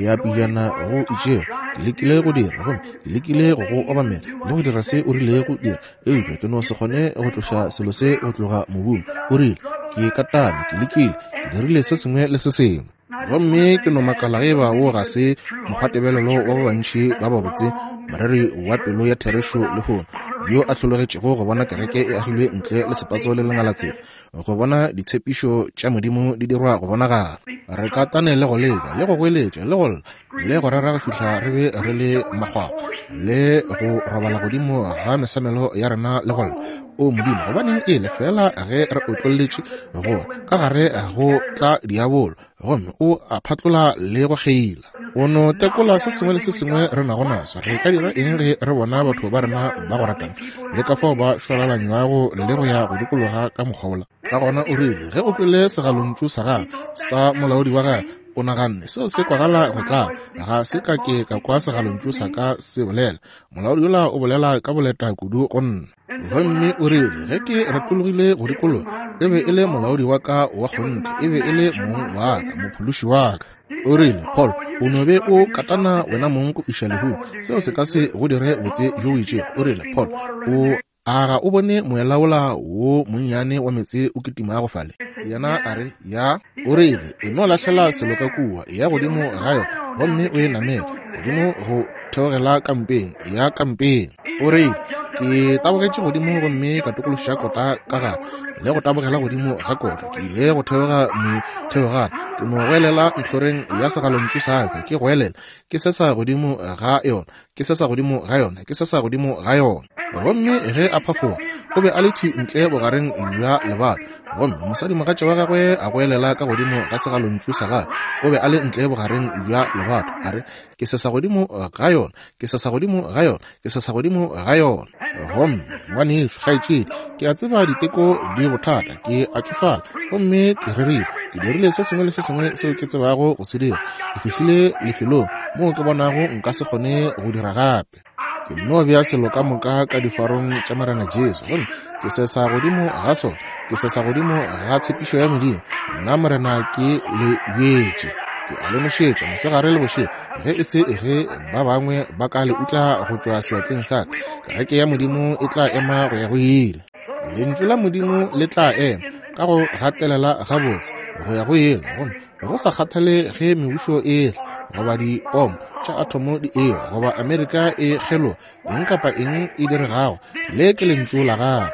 ya pejana go itšego. Ke lekile go dira, gomme ke lekile go go obamela le go dira se o rilego dira, eupša ke no se kgone go tloša selo se go tloga mobung. O rile, Ke katane, ke lekile, ke dirile se sengwe le se sengwe. Gomme ke no makala ge eba wo ga se mokgwatebelelo wa ba bantši ba babotse, moreri wa pelo ya therešo lehono, yo a hlologetšego go bona kereke e agilwe ntle le sepatso le lengalatsela, go bona ditshepišo tša Modimo di dirwa go bonagala. Re katane le go leka, le go goeletša, le go lla, le go rera go fihla re be re le makgwakgwa, le go robala godimo ga mesamelo ya rena le go lla, O Modimo, gobaneng e le feela ge re otlolletše go ka gare go tla diabolo, gomme o a phatlola le go kgeila. O no tekola se sengwe le se sengwe re nago naso. Re ka dira eng ge re bona batho ba rena ba go ratana le ka fao ba šwalalanywago le go ya go dikologa ka mokgwa wola? Ka gona o rile ge o kwele segalontšu sa gagwe sa molaodi wa gagwe, o naganne seo se kwagala go tlaba. Ga se ka ke ka kwa segalontšu sa ka se bolela. Molaodi yola o bolela ka boleta kudu go nna. Gomme o rile ge ke retologile go dikologa, e be e le molaodi wa ka wa kgonthe, e be e le mong wa ka, mophološi wa ka. O rile, Paul, o no be o katana wena mong go iša lehung, seo se ka se go dire botse bjo bo itšego. O rile, Paul, o a ga o bone moela wola wo monnyane wa meetse o kitimago fale? Yena a re, Ya. O rile, E no lahlela selo ka kua, eya godimo ga yona gomme o e namele godimo go theogela kampeng, ya kampeng. O rile, Ke tabogetše godimo gomme ka tokološa kota ka gare le go tabogela godimo ga kota. Ke ile go theoga metheogana, ke no goelela ntlhoreng ya segalontšu sa ka, ke goelela, ke sesa godimo ga yona, ke sesa godimo ga yona, ke sesa godimo ga yona. Gomme ge a phafoga, o be a le thwi ntle bogareng bja lebato, gomme mosadimogatša wa gagwe a goelela ka godimo ga segalontšu sa gagwe, o be a le ntle bogareng bja lebato, a re, Ke sesa godimo ga yona, ke sesa godimo ga yona, ke sesa godimo ga yona. Gomme ngwanešu, kgaetšedi, ke a tseba diteko di bothata, ke a tšofala, gomme ke rerile, ke dirile se sengwe le se sengwe seo ke tsebago go se dira. Ke fihlile lefelong moo ke bonago nka se kgone go dira gape. Ke nno bea selo ka moka ka difarong tša Morena Jesu, gomme ke sesa godimo ga sona, ke sesa godimo ga tshepišo ya Modimo. Nna Morena ke le bjetše, ke a le nošetša mosegare le bošego, ge e se ge ba bangwe ba ka le utla go tšwa seatleng sa ka. Kereke ya Modimo e tla ema go ya go ile. Lentšu la Modimo le tla ema. ka go gatelela gabotse go ya go yela, gomme go sa kgathale ge mebušo e etla, goba dipomo tša athomo di ewa, goba Amerika e kgeloga, eng kapa eng e diregago, le ke Lentšu la Gagwe.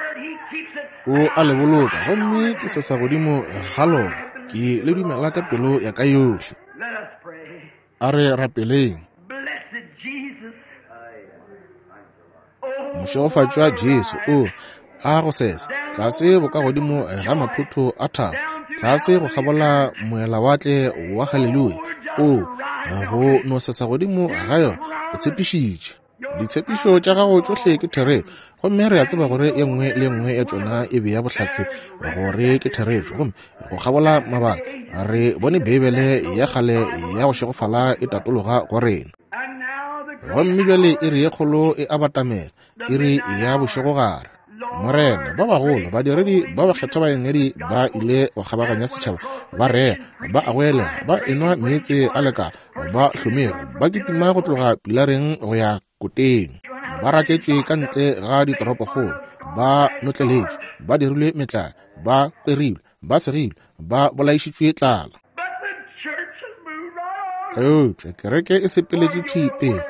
O a le boloka, gomme ke sesa godimo ga lona. Ke le dumela ka pelo ya ka yohle. A re rapeleng. Mošegofatšwa Jesu, o a go sesa tlase bokagodimo ga maphotho a thaba, tlase go kgabola moelawatle wa Haleluya, o go no sesa godimo ga yona. O tshepišitše. Ditshepišo tša gago tšohle ke therešo, gomme re a tseba gore ye nngwe le ye nngwe ya tšona e bea bohlatse gore ke therešo. Gomme go kgabola mabaka re bone Beibele ya kgale ya go šegofala e tatologa go rena. Gomme bjale iri ye kgolo e a batamela, iri ya bošegogare. Morena, ba bagolo, badiredi ba bakgethwa ba engedi ba ile go kgabaganya setšhaba, ba rera, ba a goelela, ba enwa meetse a lekala, ba hlomere, ba kitima go tloga pilareng go ya koteng, ba raketšwe ka ntle ga ditoropokgolo, ba notleletšwe, ba dirilwe metlae, ba kwerilwe, ba segilwe, ba bolaišitšwe tlala. Eupša kereke e sepeletše thwi pele,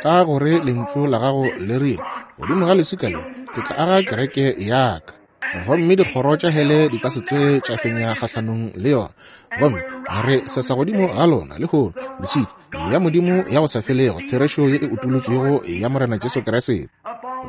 ka gore Lentšu la gago le rile, Godimo ga leswika le ke tla aga kereke ya ka, gomme dikgoro tša hele di ka se tsoge tša fenya kgahlanong le yona. Gomme re sesa godimo ga lona lehono, leswika ya Modimo ya go sa felego, therešo ye e utolotšwego ya Morena Jesu Kriste.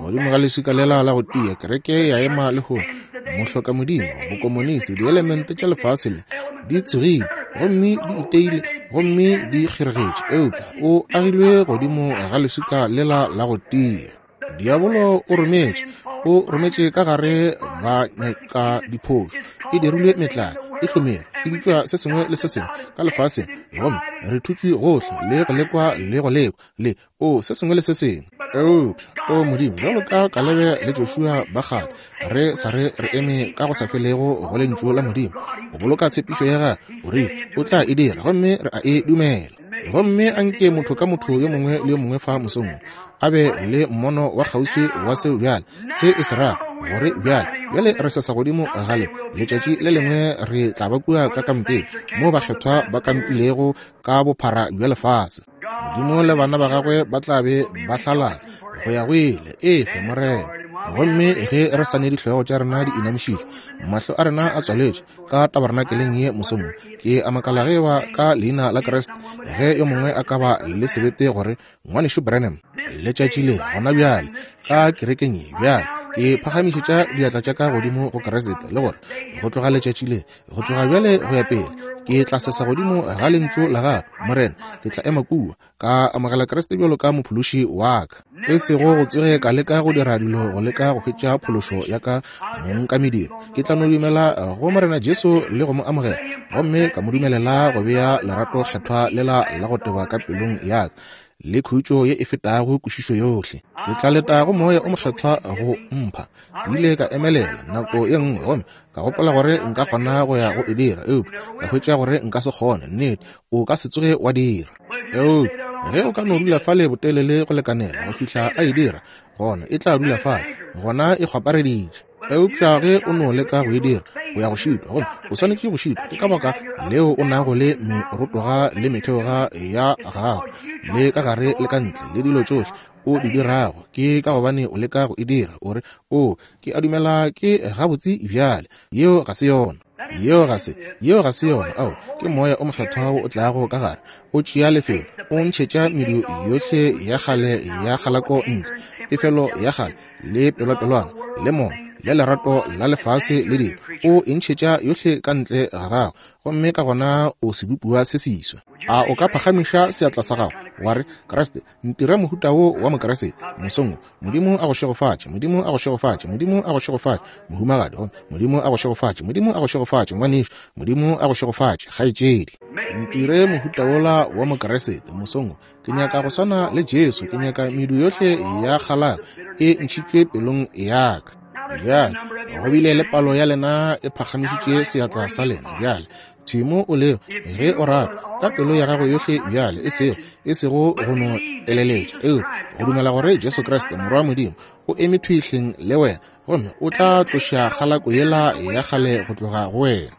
Godimo ga leswika lela la go tia, kereke ya ema lehono. Mohloka Modimo, bokomonisi, dielemente tša lefase le di tsogile gomme di iteile gomme di kgeregetše, eupša o agilwe godimo ga leswika lela la go tia. Diabolo o rometše, o rometše ka gare ba nyaka diphošo, e dirilwe metlae, e hlomere, e bitšwa se sengwe le se sengwe ka lefaseng, gomme re thutšwe gohle le go lekwa le go lekwa le o se sengwe le se sengwe. Eupša, o Modimo, bjalo ka Kalebe le Joshua ba kgale, re sa re re eme ka go sa felego go Lentšu la Modimo, go boloka tshepišo ya Gagwe, o rile o tla e dira, gomme re a e dumela. Gomme a nke motho ka motho yo mongwe le yo mongwe fa mosong a be le mmono wa kgauswi wa seo bjale se e se rago, gore bjale, bjale re sesa godimo gale, letšatši le lengwe re tla ba kua ka kampeng moo bakgethwa ba kampilego ka bophara bja lefase. Modimo le bana ba gagwe ba tla be ba hlalala go ya go ile. Efe, Morena. Gomme ge re sa ne dihlogo tša rena di inamišitšwe, mahlo a rena a tswaletšwe ka tabernakeleng ye mosong wo, ke a makala ge ba ka leina la Kriste, ge yo mongwe a ka ba le sebete gore, Ngwanešu Branham, letšatši le gona bjale ka kerekeng ye bjale, ke phagamišetša diatla tša ka godimo go Kriste, le gore go tloga letšatši le, go tloga bjale go ya pele, ke tla sesa godimo ga Lentšu la Gago, Morena. Ke tla ema kua, ka amogela Kriste bjalo ka mophološi wa ka. E sego go tsoge ka leka go dira dilo go leka go hwetša phološo ya ka mong ka mediro. Ke tla no dumela go Morena Jesu le go mo amogela, gomme ka mo dumelela go bea lerato kgethwa lela la go teba ka pelong ya ka, le khutšo ye e fetago kwešišo yohle. Ke tla leta go Moya o Mokgethwa go mpha. Ke ile ka emelela nako ye nngwe gomme ka gopola gore nka kgona go ya go e dira, eupša ka hwetša gore nka se kgone. Nnete, o ka se tsoge wa dira. Eupša ge o ka no dula fale botelele go lekanela go fihla a e dira, gona e tla dula fale, gona e kgwapareditše. Eupša ge o no leka go e dira, o ya go šitwa, gomme o swanetše go šitwa. Ke ka baka leo o nago le merotoga le metheoga ya gago, le ka gare le ka ntle, le dilo tšohle o di dirago, ke ka gobane o leka go e dira. O re, O, ke a dumela ke gabotse bjale. Yeo ga se yona. Yeo ga se, yeo ga se yona. Ao, ke Moya o Mokgethwa wo o tlago ka gare, o tšea lefelo, o ntšhetša medu yohle ya kgale ya kgalako ntle, pefelo ya kgale, le pelwapelwana, le mono, le lerato la lefase le dilo, o e ntšhetša yohle ka ntle ga gago, gomme ka gona o sebopiwa se seswa. A o ka phagamiša seatla sa gago, wa re, Kriste, ntira mohuta wo wa Mokriste mosong wo? Modimo a go šegofatše. Modimo a go šegofatše. Modimo a go šegofatše, mohumagadi. Gomme Modimo a go šegofatše. Modimo a go šegofatše, ngwanešu. Modimo a go šegofatše, kgaetšedi. Ntire mohuta wola wa Mokriste mosong wo. Ke nyaka go swana le Jesu. Ke nyaka medu yohle ya kgalako e ntšhitšwe pelong ya ka. Bjale, go bile le palo ya lena e phagamišitše seatla sa lena. Bjale, thwi mo o lego, ge o rata, ka pelo ya gago yohle bjale, e sego, e sego go no eleletša, eupša go dumela gore Jesu Kriste, Morwa wa Modimo, o eme thwi hleng le wena. gomme o tla tloša kgalako yela ya kgale go tloga go wena.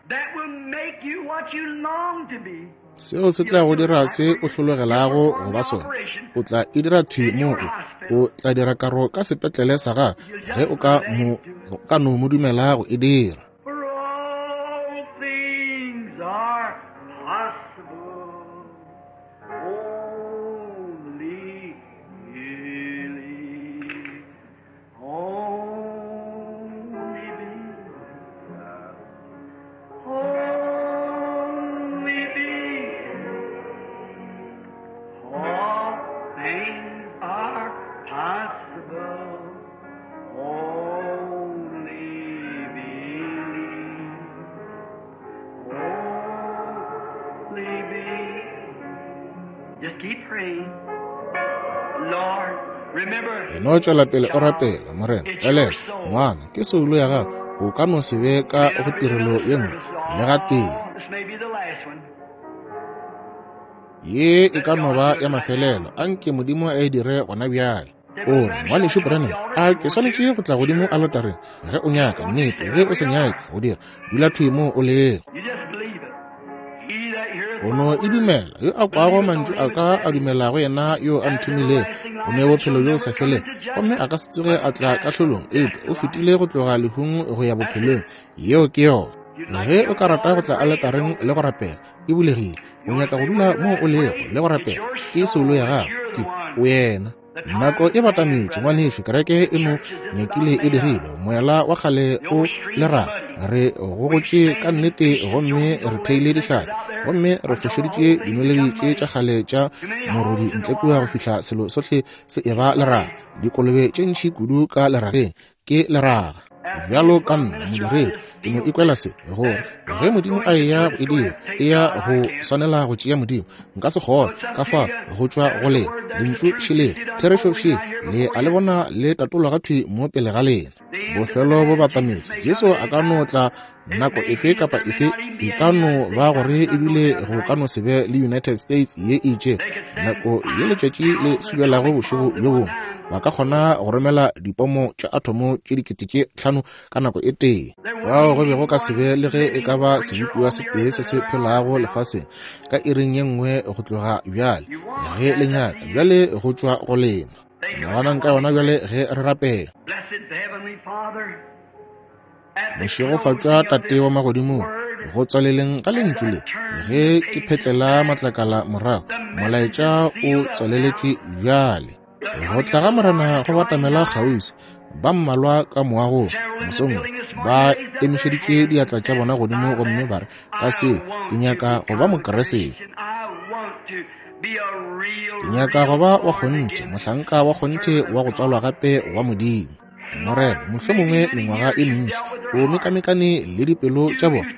Seo se tla go dira se o hlologelago go ba sona. O tla e dira thwi mo o tla dira karo ka sepetlele sa gago ge o ka no mo dumela go e dira. No tšwela pele o rapela, Morena. Elelwa, ngwana, ke soulo ya gago. O ka no se be ka go tirelo ye nngwe le gatee. Ye e ka no ba ya mafelelo. Anke Modimo a e dire gona bjale. O re, Ngwanešu Branham, a ke swanetše go tla godimo aletareng? Ge o nyaka, nnete. Ge o se nyake go dira, dula thwi mo o lego. O no e dumela. Yo a kwago mantšu a ka a dumelago yena yo a nthomilego, o ne bophelo bjo bo sa felego, gomme a ka se tsoge a tla kahlolong, eupša o fetile go tloga lehung go ya bophelong. Yeo ke yona. Ge o ka rata go tla aletareng le go rapela, e bulegile. O nyaka go dula mo o lego le go rapela, ke soulo ya gago, ke wena. Nako e batametše, ngwanešu, kereke e no nyakile e dirilwe. Moela wa kgale o leraga. Re gogotše ka nnete gomme re theile dihlapi, gomme re fošeditše dinweledi tše tša kgale tša morodi ntle kua go fihla selo sohle se eba leraga. Dikolobe tše ntši kudu ka lerageng ke leraga. Bjalo ka nna modiredi, ke no ikwela se, gore ge Modimo a eya go e dira, e ya go swanela go tšea Modimo. Nka se kgone ka fa go tšwa go lena. Lentšu šelele, therešo še, le a le bona le tatolwa ga thwi mo pele ga lena. Bofelo bo batametše. Jesu a ka no tla nako efe kapa efe. E ka no ba gore ebile go ka no se be le United States ye e itšego nako ye letšatši le subelago bošego bjo bongwe. Ba ka kgona go romela dipomo tša athomo tše 5000 ka nako e tee. Fao go be go ka se be le ge e ka ba sebopiwa se tee se se phelago lefaseng ka iring ye nngwe go tloga bjale. Ge le nyaka bjale go tšwa go lena. Naganang ka yona bjale ge re rapela. Mošegofatšwa Tate wa magodimong, go tswaleleng ga lentšu le, ge ke phetlela matlakala morago, molaetša o tswaleletšwe bjale. Go tla ga Morena go batamela kgauswi. Ba mmalwa ka moagong mosong ba emišeditše diatla tša bona godimo gomme ba re, ka se, ke nyaka go ba Mokeresete. Ke nyaka go ba wa kgonthe, mohlanka wa kgonthe wa go tswalwa gape wa Modimo. Morena, mohlomongwe mengwaga e mentši o mekamekane le dipelo tša bona.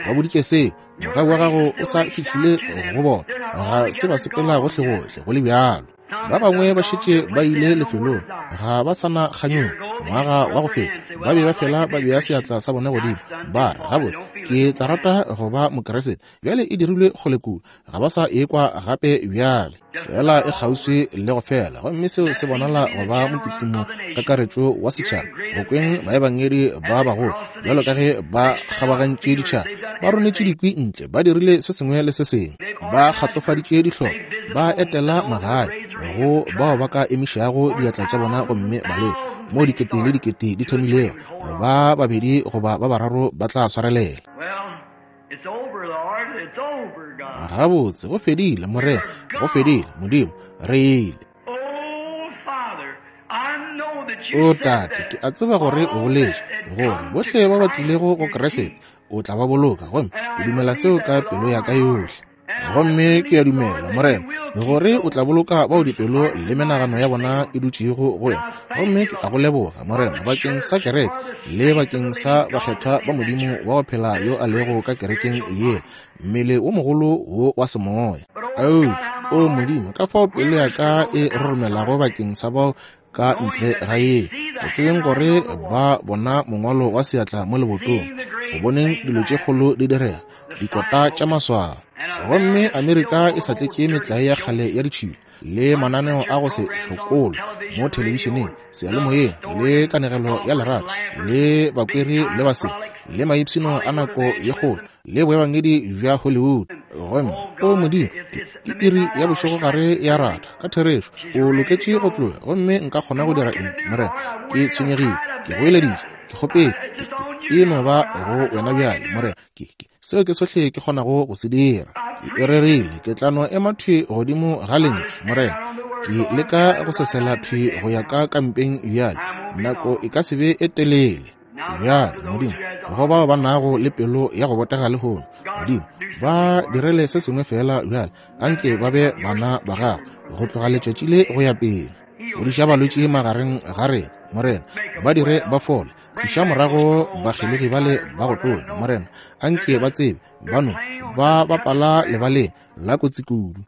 Ba boditše se, mogau wa gago o sa fihlile go bona, ga se ba sepela gohlegohle go le bjalo. Ba bangwe ba šetše ba ile lefelong, ga ba sa na kganyogo. Ngwaga wa go feta ba be ba fela ba bea seatla sa bona godimo, ba re, gabotse, ke tla rata go ba Mokeresete. Bjale e dirilwe kgole kudu, ga ba sa ekwa gape bjale. Fela e kgauswi le go fela, gomme seo se bonala go ba mokitimo kakaretšo wa setšhaba. Go kweng baebangedi ba bagolo, bjalo ka ge ba kgabagantše ditšhaba, ba ronetše dikwi ntle, ba dirile se sengwe le se sengwe, ba kgatlofaditše dihlopha, ba etela magae go bao ba ka emišago diatla tša bona gomme ba leka. Mo dikete le dikete di thomilego, ba babedi goba ba bararo ba tla swarelela. Gabotse, go fedile, Morena, go fedile, Modimo, re ile. O Tate, ke a tseba gore o boletše gore bohle ba ba tlilego go Keresete o tla ba boloka, gomme ke dumela seo ka pelo ya ka yohle. Gomme ke a dumela, Morena, gore o tla boloka bao dipelo le menagano ya bona e dutšego go wena. Gomme ke a go leboga, Morena, bakeng sa kereke le bakeng sa bakgethwa ba Modimo wa go phela yo a lego ka kerekeng ye, mmele wo mogolo wo wa semoya. Eupša, o Modimo, ka fao pelo ya ka e roromelago bakeng sa bao ka ntle ga ye, go tsebeng gore ba bona mongwalo wa seatla mo lebotong, go boneng dilo tše kgolo di direga, dikota tša maswao. Gomme Amerika e sa tletše metlae ya kgale ya ditšhila le mananeo a go se hlokolwe mo thelebišeneng, seyalemoyeng, le kanegelo ya lerato, le bakweri le basele, le maipshino a nako ye kgolo, le boebangedi bja Hollywood. Gomme, O Modimo, ke, ke iri ya bošegogare ya ratha, ka therešo, o loketše go tloga, gomme nka kgona go dira eng, Morena? Ke tshwenyegile, ke goeleditše, ke kgopetše, ke, ke, e no ba go Wena bjale, Morena. Ke, ke, seo ke sohle ke kgonago go se dira. Ke e rerile, ke tla no ema thwi godimo ga Lentšu, Morena. Ke leka go sesela thwi go ya ka kampeng bjale, nako e ka se be e telele. Bjale, Modimo, go bao ba nago le pelo ya go botega lehono, Modimo, ba direle se sengwe feela bjale, anke ba be bana ba Gago go tloga letšatši le go ya pele. Fodiša balwetši magareng ga rena, Morena, ba dire ba fole. Tliša morago bakgelogi bale ba go tonya, Morena, anke ba tsebe ba no ba bapala lebaleng la kotsi kudu.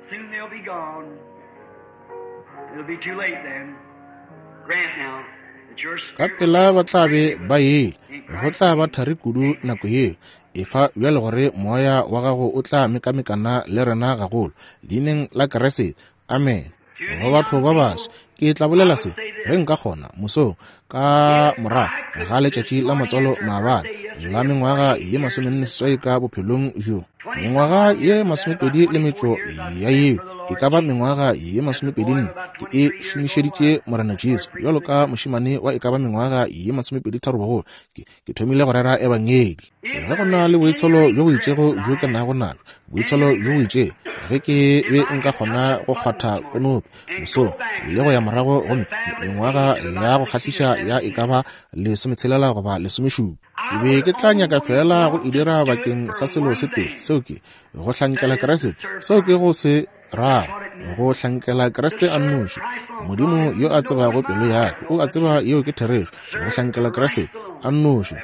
Ka pela ba tla be ba yele, go tla ba thari kudu nako yeo. Efa bjale gore Moya wa Gago o tla mekamekana le rena gagolo, Leineng la Kriste. Amene. Go batho ba baswa, ke tla bolela se, ge nka kgona, mosong, ka morago ga letšatši la matswalo maabane, la mengwaga ye 48 ka bophelong bjo. Mengwaga ye 20 le metšo ya yeo, e ka ba mengwaga ye 24, ke e šomišeditše Morena Jesu, bjalo ka mošemane wa e ka ba mengwaga ye 23 bogolo, ke, ke thomile go rera Ebangedi. Ge go na le boitsholo bjo bo itšego bjo ke nago nabjo, boitsholo bjo bo itšego, ge ke be nka kgona go kgwatha konopi mosong le go ya morago go mengwaga ya go kgahliša ya e ka ba 60 goba 17, ke be ke tla nyaka feela go e dira bakeng sa selo se tee, seo ke go hlankela Kriste, seo ke go se rago, go hlankela Kriste a nnoši. Modimo yo a tsebago pelo ya ka, o a tseba yeo ke therešo, go hlankela Kriste a nnoši.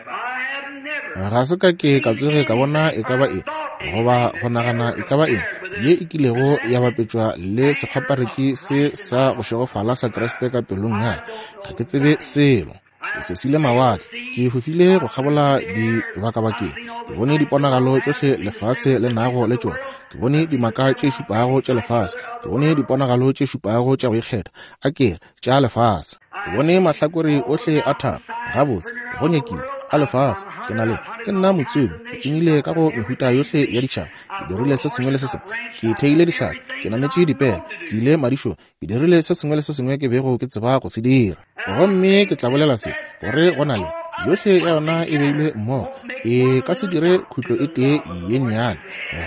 Ga se ka ke ka tsoge ka bona e ka ba eng, goba go nagana e ka ba eng, ye e kilego ya bapetšwa le sekgwaparetši se sa go šegofala sa Kriste ka pelong ya ka. Ga ke tsebe selo. Ke sesile mawatle, ke fofile go kgabola dibakabakeng, ke bone diponagalo tšohle lefase le nago le tšona, ke bone dimaka tše šupago tša lefase, ke bone diponagalo tše šupago tša go ikgetha, a ke re, tša lefase. Ke bone mahlakore ohle a thaba, gabotse, go nyakile, a lefase. Ke na le, ke nna motsomi, ke tsomile ka go mehuta yohle ya ditšhaba, ke dirile se sengwe le se sengwe, ke theile dihlapi, ke nametše dipere, ke ile madišong, Ke dirile se sengwe le se sengwe ke bego ke tseba go se dira. Gomme ke tla bolela se, gore go na le, yohle ya yona e beilwe mmogo, e ka se dire khutlo e tee ye nnyane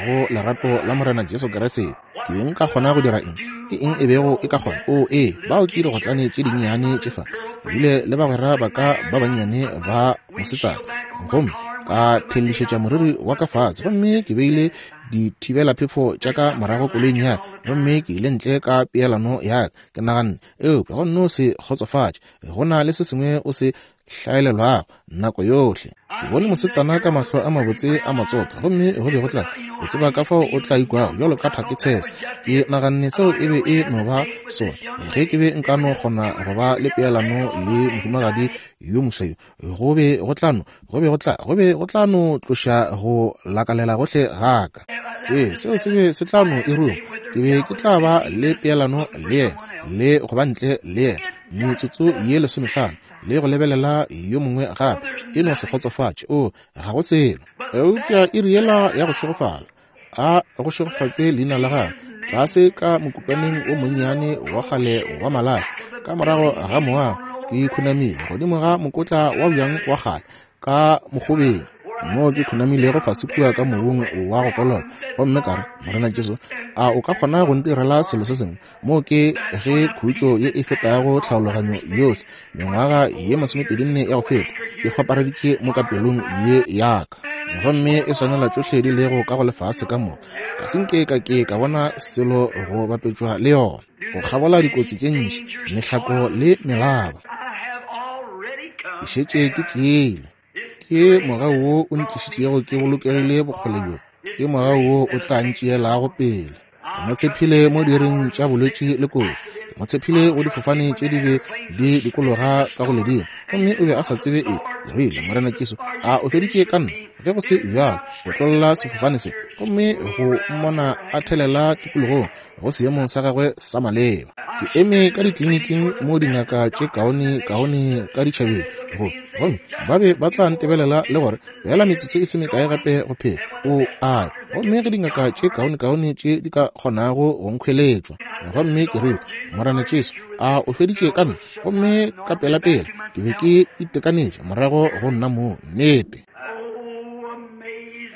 go lerato la Morena Jesu Kriste. Ke be nka kgona go dira eng? Ke eng e bego e ka kgona? Oo, ee, bao ke digotlane tše dinnyane tše fa. Ke bile le bagwera ba ka ba bannyane ba mosetsana, gomme ka thellišetša moriri wa ka fase, gomme ke beile dithibelaphefo tša ka morago koloing ya ka, gomme ke ile ntle ka peelano ya ka. Ke naganne, Eupša go nno se kgotsofatše, go na le se sengwe o se hlaelelwago nako yohle. Ke bone mosetsana ka mahlo a mabotse a matsotho, gomme go be go tla, o tseba ka fao o tla ikwago bjalo ka thake tshese. Ke naganne seo e be e no ba sona. Ge ke be nka no kgona go ba le peelano le mohumagadi yo moswa yo, go be go tla no, go be go tla, go be go tla no tloša go lakalela gohle ga ka. Seo, seo se be se tla no e ruma. Ke be ke tla ba le peelano le yena, le go ba ntle le yena metsotso ye 15, le go lebelela yo mongwe gape, e no se kgotsofatše. Oo, ga go selo. Eupša iri yela ya go šegofala, A go šegofatšwe leina la gagwe, tlase ka mokutwaneng o monnyane wa kgale wa malahla, ka morago ga moago, ke khunamile godimo ga mokotla wa bjang wa kgale ka mokgobeng, moo ke khunamilego fase kua ka mobung wa go koloba, gomme ka re, Morena Jesu, a o ka kgona go ntirela selo se sengwe? Moo ke ge khutšo ye e fetago tlhaologanyo yohle, mengwaga ye 24 ya go feta, e kgwapareditše mo ka pelong ye ya ka, gomme e swanela tšohle di lego ka go lefase ka moka. Ga se nke ka ke ka bona selo go bapetšwa le yona, go kgabola dikotsi tše ntši, mehlako le melaba. Ke šetše ke tlile. Ke mogau wo o ntlišitšego ke bolokegile bokgole bjo. Ke mogau wo o tla ntšeelago pele. Ke mo tshephile mo diiring tša bolwetši le kotsi. Ke mo tshephile go difofane tše di be di dikologa ka go ledimo, gomme o be a sa tsebe eng. Ke rile, Morena Jesu, a o feditše ka nna? Ge go se bjalo, otlolla sefofane se, gomme go mmona a thelela tikologong go seemong sa gagwe sa maleba. Ke eme ka dikliniking mo dingaka tše kaone kaone ka ditšhabeng go, gomme ba be ba tla ntebelela le gore feela metsotso e se mekae gape go phela o a gomme ge dingaka tše kaone kaone tše di ka kgonago go nkhweletšwa. Gomme ke rile, Morena Jesu, a o feditše ka nna? Gomme ka pelapela ke be ke itekanetše morago go nna mong. Nnete.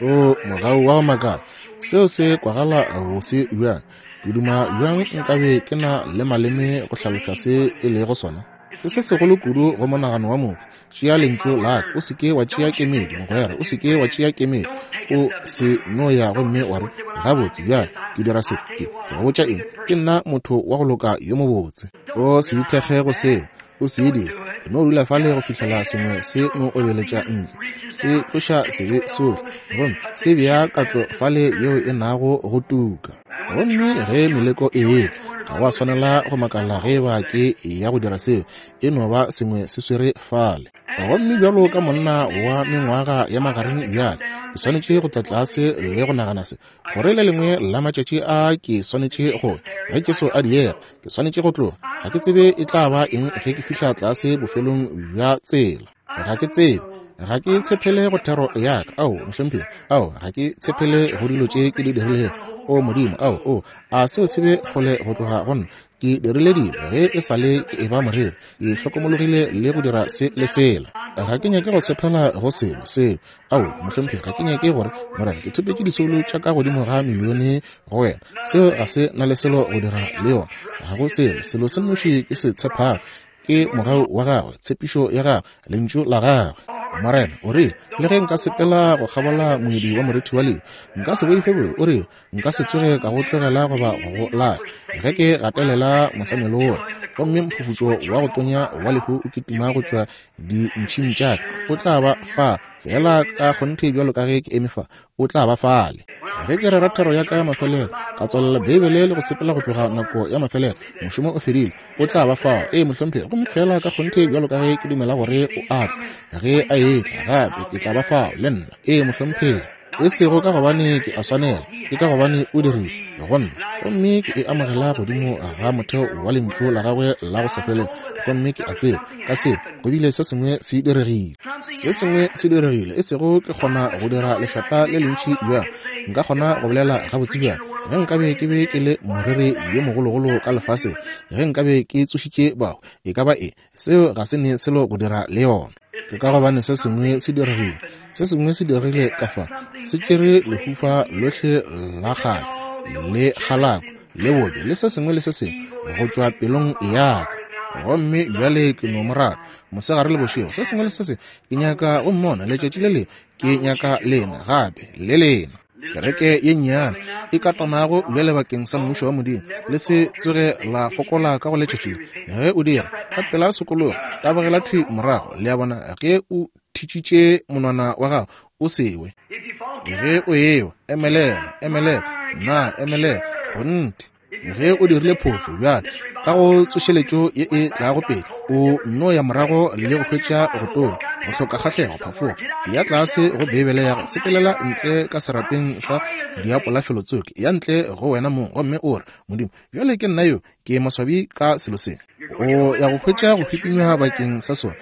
O mogau wa go makala. Seo se kwagala bose bjang. Ke duma bjang nkabe ke na le maleme go hlaloša se e lego sona. Ke se segolo kudu go monagano wa motho. Tšea lentšu la ka. O se ke wa tšea kemedi, mogwera. O se ke wa tšea kemedi. O se no ya gomme wa re, Gabotse, bjale, ke dira se. Ke, ke go botša eng, ke nna motho wa go loka yo mobotse. O se ithekge go se. O se dire. E no dula fale go fihlela sengwe se no obeletša ntle, se tloša sebe sohle, gomme se bea katlo fale yeo e nago go tuka. Gomme ge meleko e etla, ga wa swanela go makala ge eba ke ya go dira seo, e no ba sengwe se swere fale. Gomme bjalo ka monna wa mengwaga ya magareng bjale, ke swanetše go tla tlase le go nagana se, gore le lengwe la matšatši a ke swanetše go ge Jesu a diega, ke swanetše go tloga. Ga ke tsebe e tla ba eng ge ke fihla tlase bofelong bja tsela. Ga ke tsebe. Ga ke tshepele go thero ya ka. Ao, mohlomphegi. Ao, ga ke tshepele go dilo tše ke di dirilego. O Modimo, ao, o, a seo se be kgole go tloga go nna. Ke dirile dilo ge e sa le ke eba moreri, ke hlokomologile le go dira se le sela. Ga ke nyake go tshepela go selo seo. Ao, mohlomphegi, ga ke nyake gore, Morena, ke thopetše disoulo tša ka godimo ga milione go wena. Seo ga se na le selo go dira le yona. Ga go selo. Selo se nnoši ke se tshepago ke mogau wa gagwe, tshepišo ya gagwe, lentšu la gagwe. Morena o rile, le ge nka sepela go kgabola moedi wa morithi wa lehu, nka se boife bobe. O rile, Nka se tsoge ka go tlogela goba go go lahla. Ge ke gatelela mosamelo wola, gomme mphufutšo wa go tonya wa lehu o kitima go tšwa dintšhing tša ka, o tla ba fa, feela ka kgonthe bjalo ka ge ke eme fa, o tla ba fale. Ge ke rera thero ya ka ya mafelelo, ka tswalela Beibele le go sepela go tloga nako ya mafelelo, mošomo o fedile, o tla ba fao. Ee, mohlomphegi. Gomme feela ka kgonthe bjalo ka ge ke dumela gore o a tla, ge a etla gape, ke tla ba fao le nna. Ee, mohlomphegi. E sego ka gobane ke a swanela, ke ka gobane o dirile go nna. Gomme ke e amogela godimo ga motheo wa Lentšu la Gagwe la go sa felego. Gomme ke a tseba, ka se, go bile se sengwe se diregile. Se sengwe se diregile, e sego ke kgona go dira lešata le lentši bjang, nka kgona go bolela gabotse bjang, ge nkabe ke be ke le moreri yo mogologolo ka lefaseng, ge nkabe ke tsošitše bahu, e ka ba eng, Seo ga se ne selo go dira le yona. Ke ka gobane se sengwe se diregile. Se sengwe se diregile ka fa. Se tšere lehufa lohle la kgale, le kgalako, le bobe, le se sengwe le se sengwe go tšwa pelong ya ka. Gomme bjale ke no mo rata, mosegare le bošego, se sengwe le se sengwe. Ke nyaka go mmona letšatši le lengwe. Ke nyaka lena gape, le lena. Kereke ye nnyane e katanago bjale bakeng sa Mmušo wa Modimo, le se tsoge la fokola ka go letšatši le. Ge o dira, ka pela sokologa, tabogela thwi morago. Le a bona, ge o thitšitše monwana wa gago, o se we. Ge o ewa, emelela, emelela, na emelela, kgonthe. Ge o dirile phošo bjale ka go tsošeletšo ye e tlago pele, o nno ya morago le go hwetša go tonya, go hloka kgahlego, phafoga, ya tlase go Beibele ya go sepelela ntle ka serapeng sa diapola felotsoko, ya ntle go wena mong, gomme o re, Modimo, bjale ke nna yo, ke maswabi ka selo se. O ya go hwetša go hwipinywa bakeng sa sona.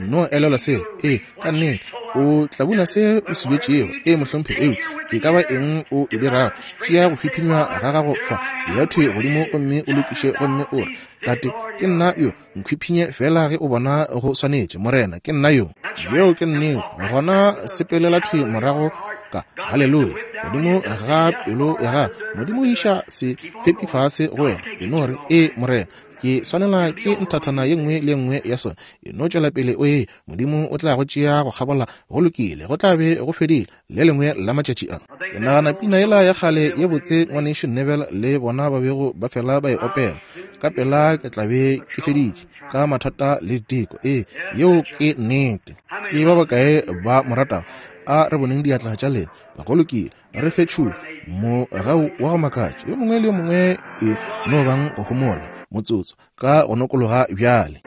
No elelwa seo. Ee, ka nnete. O tla buna se o se bjetšego. Ee, mohlomphegi. Eo e ka ba eng o e dirago, tšea go hwiphinywa ga gago fa, ya thwi godimo gomme o lokiše gomme o re, Tate, ke nna yo, nkhwiphinye feela ge o bona go swanetše. Morena, ke nna yo. Yeo ke nnete. Gona sepelela thwi morago ka, haleluya, godimo ga pelo ya gago. Modimo iša se fepi fase go wena. E no re, Ee, Morena. Ke swanela ke nthathana ye nngwe le ye nngwe ya sona. E no tšwela pele o ye, Modimo o tla go tšea go kgabola. Go lokile, go tla be go fedile le lengwe la matšatši a. Ke nagana pina yela ya kgale ye botse Ngwanešu Neville le bona ba bego ba fela ba e opela, Ka pela ke tla be ke feditše ka mathata le diteko. Ee, yeo ke nnete. Ke ba bakae ba mo ratago? A re boneng diatla tša lena. Go lokile, re fe tšhulo mogau wa go makatša. Yo mongwe le yo mongwe e no bang go homola motsotso ka go nokologa bjale.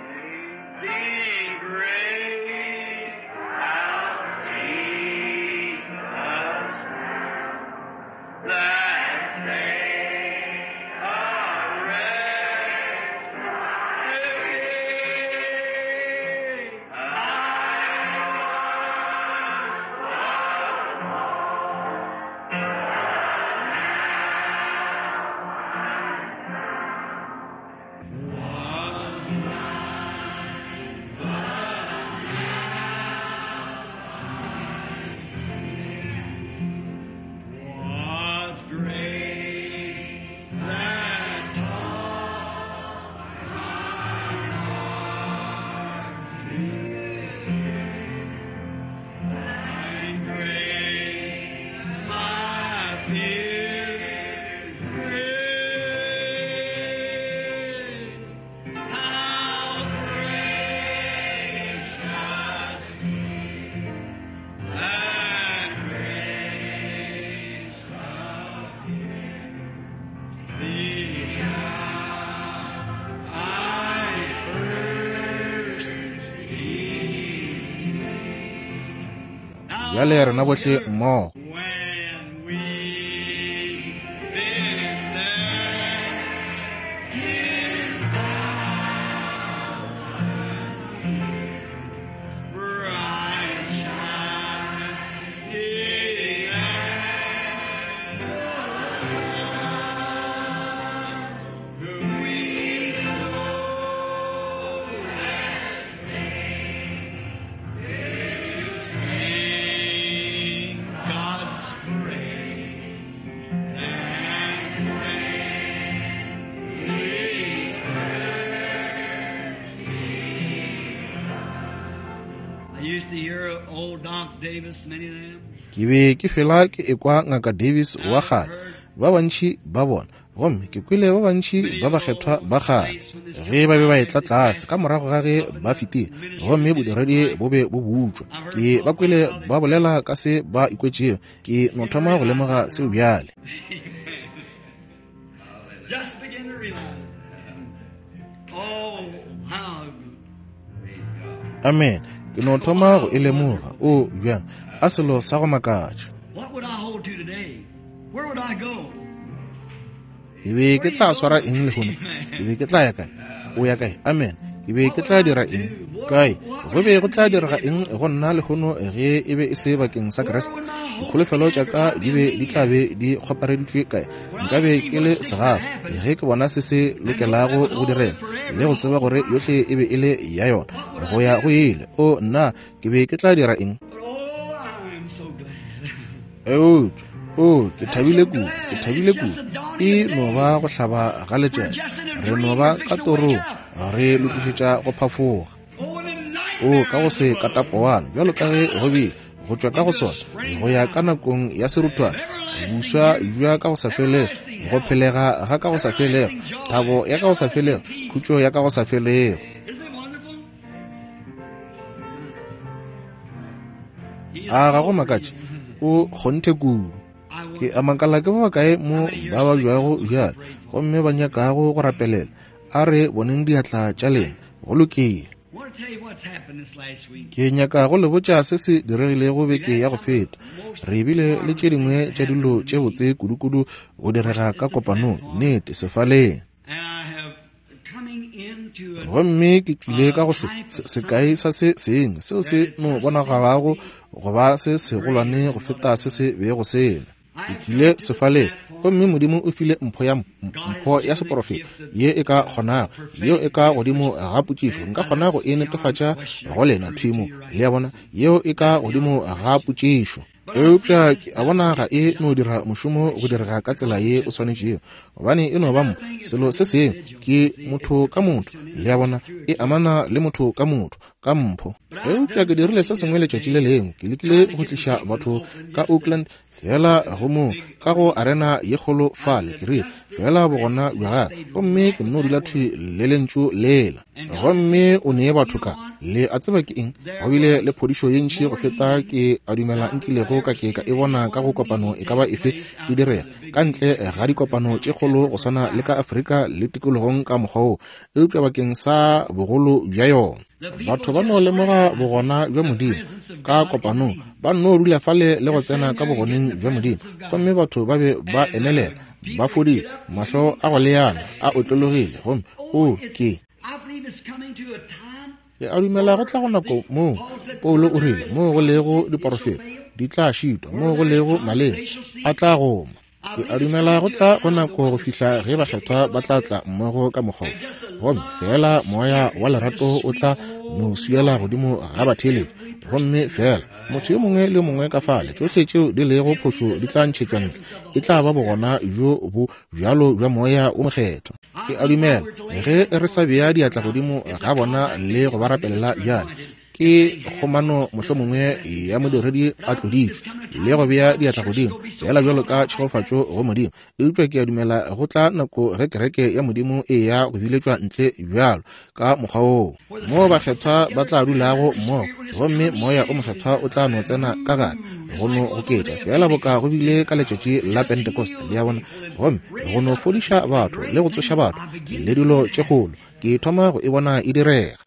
Bjale rena bohle mmogo. Ke be ke fela ke ekwa Ngaka Davis wa kgale, ba bantši ba bona, gomme ke kwele ba bantši ba bakgethwa ba kgale ge ba be ba etla tlase ka morago ga ge ba fetile gomme bodiredi bo be bo butšwa. Ke ba kwele ba bolela ka se ba ikwetšego. Ke no thoma go lemoga seo bjale. Amen. Ke no thoma go e lemoga. O bjang, a selo sa go makatša. Ke be ke tla swara eng lehono? Ke be ke tla ya kae? O ya kae? Amen. Ke be ke tla dira eng? Kae? Go be go tla direga eng go nna lehono ge e be e se bakeng sa Kriste? Dikholofelo tša ka di be di tla be di kgopareditšwe kae? Nka be ke le segafa ge ke bona se se lokelago go direga le go tseba gore yohle e be e le ya yona go ya go ile. O nna, ke be ke tla dira eng? Eupša, o, ke thabile kudu, ke thabile kudu. E no ba go hlaba ga letšatši. Re no ba ka torong, re lokišetša go phafoga. O, ka go se katapowana, bjalo ka ge go bile, go tšwa ka go sona, go ya ka nakong ya seruthwana, buswa bja ka go sa felego, go phelega ga ka go sa felego, thabo ya ka go sa felego, khutšo ya ka go sa felego. A ga go makatše? O kgonthe kudu. Ke a makala ke ba bakae mo ba babjago bjale gomme ba nyakago go rapelela. A re boneng diatla tša lena. Go lokile. Ke nyaka go le botša se se diregilego beke ya go feta. Re bile le tše dingwe tša dilo tše botse kudukudu go direga ka kopanong, nnete, sefaleng. Gomme ke tlile ka go se, se, sekai sa se sengwe seo se no bonagalago go ba se segolwane go feta se se bego se le. Ke tlile sefaleng, gomme Modimo o file mpho ya, mpho ya seporofeto ye e ka kgonago, yeo e ka godimo ga potšišo. Nka kgona go e netefatša go lena thwi mo, le a bona, yeo e ka godimo ga potšišo. Eupša ke a bona ga e no dira mošomo go direga ka tsela ye o swanetšego, gobane e no ba mpho, selo se sengwe ke motho ka motho, le a bona, e amana le motho ka motho, ka mpho. Eupša ke dirile se sengwe letšatši le lengwe, ke lekile go tliša batho ka Oakland, feela go mo ka go arena ye kgolo fale, ke rile, feela bogona bja gagwe, gomme ke nno dula thwi le lentšu lela. Gomme o nee batho ka, le a tseba ke eng, go bile le phodišo ye ntši go feta ke a dumela nkilego ka ke ka e bona ka go kopano e ka ba efe e direga, ka ntle ga dikopano tše kgolo go swana le ka Afrika le tikologong ka mokgwa wo, eupša bakeng sa bogolo bja yona. Batho ba no lemoga bogona bja Modimo ka kopanong, ba nno dula fale le go tsena ka bogoneng bja Modimo, gomme batho ba be ba emelela, ba fodile, mahlo a go leana a otlologile, gomme o ke. Ke a dumela go tla go nako moo Paulo o rile, moo go lego diporofeto di tla šitwa, moo go lego maleme a tla goma. Ke a dumela go tla go nako go fihla ge bakgethwa ba tla tla mmogo ka mokgwa wo, gomme feela moya wa lerato o tla no swiela godimo ga batheeletši, gomme feela motho yo mongwe le yo mongwe ka fale, tšohle tšeo di lego phošo di tla ntšhetšwa ntle. E tla ba bogona bjo bo bjalo bja Moya wo Mokgethwa. Ke a dumela ge re sa bea diatla godimo ga bona le go ba rapelela bjale, ke kgomano mohlomongwe ya modiredi a tloditšwe le go bea diatla godimo fela bjalo ka tšhegofatšo go Modimo. Eupša ke a dumela go tla nako ge kereke ya Modimo e ya go biletšwa ntle bjalo ka mokgwa woo, moo bakgethwa ba tla dulago mmogo, gomme Moya o Mokgethwa o tla no tsena ka gare go no goketša feela boka go bile ka letšatši la Pentecost, le a bona, gomme go no fodiša batho le go tsoša batho le dilo tše kgolo. Ke thoma go e bona e direga,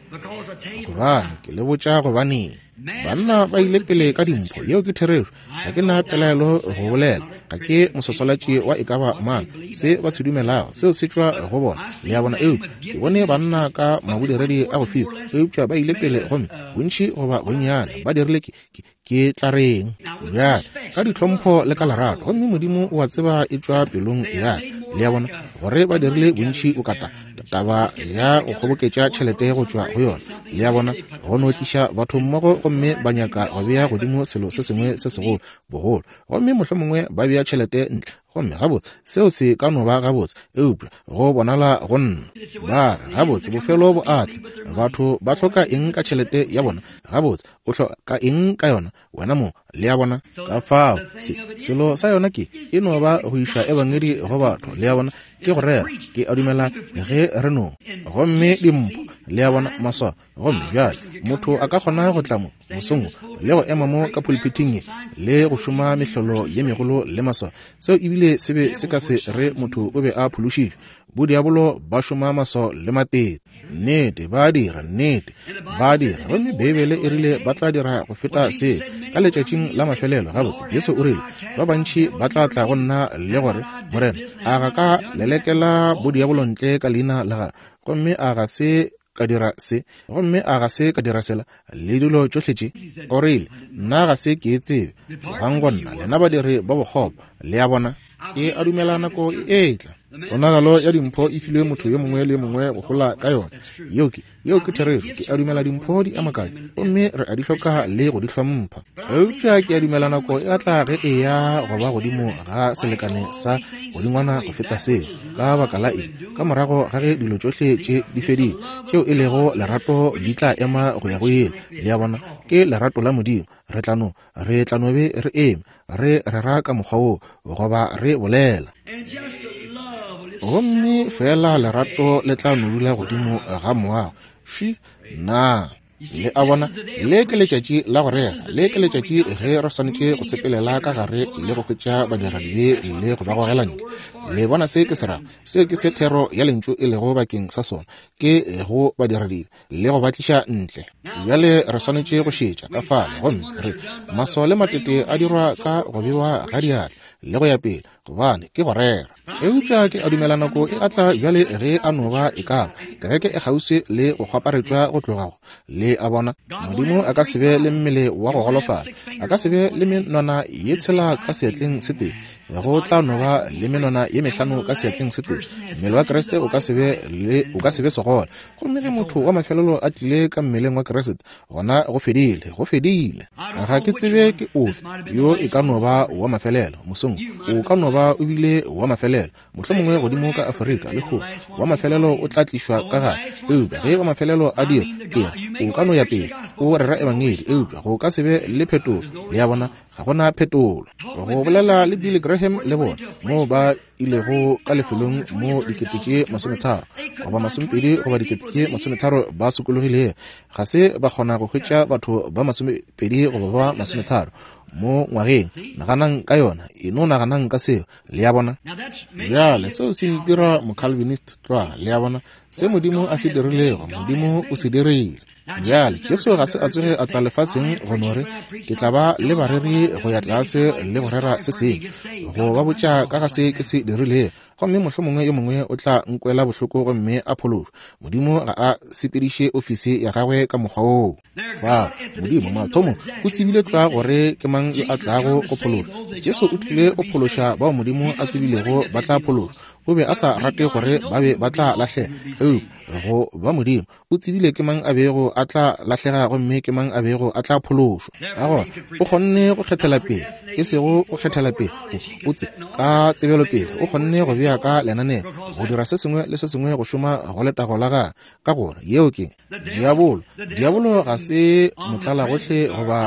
gobane ke le botša gobaneng. Banna ba ile pele ka dimpho, yeo ke therešo. Ga ke na pelaelo go bolela, ga ke moswaswalatši wa e ka ba mang. Se ba se dumelago, seo se tšwa go bona, le a bona. Eupša ke bone banna ka mabodiredi a go fiwa, eupša ba ile pele gomme bontši goba bonnyane ba dirile ke, ke, ke tla reng bjale ka ditlhompho le ka lerato, gomme Modimo o a tseba e tšwa pelong ya ka, le a bona, gore ba dirile bontši o kata taba ya go kgoboketša tšhelete go tšwa go yona, le a bona, go no tliša batho mmogo, gomme ba nyaka go bea godimo selo se sengwe se segolo bogolo, gomme mohlomongwe ba bea tšhelete ntle, gomme gabotse seo se ka no ba gabotse, eupša go bonala go nna ba re gabotse bofelo bo a tla. Batho ba hloka eng ka tšhelete ya bona? Gabotse o hloka eng ka yona wena mo? Le a bona? Ka fao se selo sa yona ke e no ba go iša ebangedi go batho, le a bona, ke go rera. Ke a dumela ge re no gomme dimpho, le a bona, maswao. Gomme bjale motho a ka kgona go tla mo mosong wo le go ema mo ka pulpithing ye le go šoma mehlolo ye megolo le maswao, seo ebile se be se ka se re motho o be a phološitšwe. Bodiabolo ba šoma maswao le matete. Nnete, ba a dira, nnete, ba a dira. Gomme Beibele e rile ba tla dira go feta se ka letšatšing la mafelelo. Gabotse, Jesu o rile, ba bantši ba tla tla go nna le gore, Morena, a ga ka lelekela bodiabolo ntle ka leina la gago, gomme a ga se ka dira se, gomme a ga se ka dira sela, le dilo tšohle tše? O rile, Nna ga se ke e tsebe. Tlogang go nna, lena badiri ba bokgopo. Le a bona? Ke a dumela nako e etla. Ponagalo ya dimpho e filwe motho yo mongwe le yo mongwe go gola ka yona. Yeo ke, yeo ke therešo. Ke a dumela dimpho di a makatša, gomme re a di hloka le go di hlompha. Eupša ke a dumela nako e a tla ge e ya go ba godimo ga selekane sa godingwana go feta seo. Ka baka la eng? Ka morago ga ge dilo tšohle tše di fedile, tšeo e lego lerato di tla ema go ya go ile. Le a bona? Ke lerato la Modimo. Re tla no, re tla no be re eme, re rera ka mokgwa wo, goba re bolela. Gomme feela lerato le tla no dula godimo ga moago. Fši, na le a bona? Le ke letšatši la go rera. Le ke letšatši ge re swanetše go sepelela ka gare le go hwetša badiradibe le go ba gogela ntle. Le bona se ke se rago? Seo ke se thero ya Lentšu e lego bakeng sa sona, ke go badiradibe le go ba tliša ntle. Bjale re swanetše go šetša ka fale, gomme re maswao le matete a dirwa ka go bewa ga diatla le go ya pele, gobane ke go rera. Eupša ke a dumela nako e a tla bjale ge a no ba e ka ba kereke e kgauswi le go kgwaparetšwa go tloga go, le a bona, Modimo a ka se be le mmele wa go golofala, a ka se be le menwana ye tshela ka seatleng se tee, go tla no ba le menwana ye mehlano ka seatleng se tee. Mmele wa Kriste o ka se be le, o ka se be segole. Gomme ge motho wa mafelelo a tlile ka mmeleng wa Kriste, gona go fedile, go fedile. Ga ke tsebe ke ofe yo e ka no ba wa mafelelo mosong, o ka no ba o bile wa mafelelo, mohlomongwe godimo ka Afrika lehono, wa mafelelo o tla tlišwa ka gare. Eupša ge wa mafelelo a dira, ke re, o ka no ya pele o rera ebangedi, eupša go ka se be le phetolo. Le a bona, ga go na phetolo. Go bolela le Billy Graham le bona, moo ba ilego ka lefelong mo 30,000 goba 20 goba 30,000 ba sokologilego, ga se ba kgona go hwetša batho ba 20 goba ba 30 mo ngwageng. Naganang ka yona, e no naganang ka seo. Le a bona? Bjale, seo se ntira Mocalvinist tlwa. Le a bona? Se Modimo a se dirilego, Modimo o se dirile. Bjale, Jesu ga se a tsoge a tla lefaseng go no re, Ke tla ba le bareri go ya tlase le go rera se sengwe, go ba botša ka ga se ke se dirilego, gomme mohlomongwe yo mongwe o tla nkwela bohloko gomme a phološwa. Modimo ga a sepediše ofisi ya gagwe ka mokgwa woo. Fa, Modimo mathomo o tsebile tlwa gore ke mang yo a tlago go phološwa. Jesu o tlile go phološa bao Modimo a tsebilego ba tla phološwa. O be a sa rate gore ba be ba tla lahlega, eupša go ba Modimo o tsebile ke mang a bego a tla lahlega gomme ke mang a bego a tla phološwa. Ka gona o kgonne go kgethela pele, e sego go kgethela pele, o tse ka tsebelopele o kgonne go bea ka lenaneo go dira se sengwe le se sengwe go šoma go letago la gagwe, ka gore yeo ke diabolo. Diabolo ga se motlalagohle goba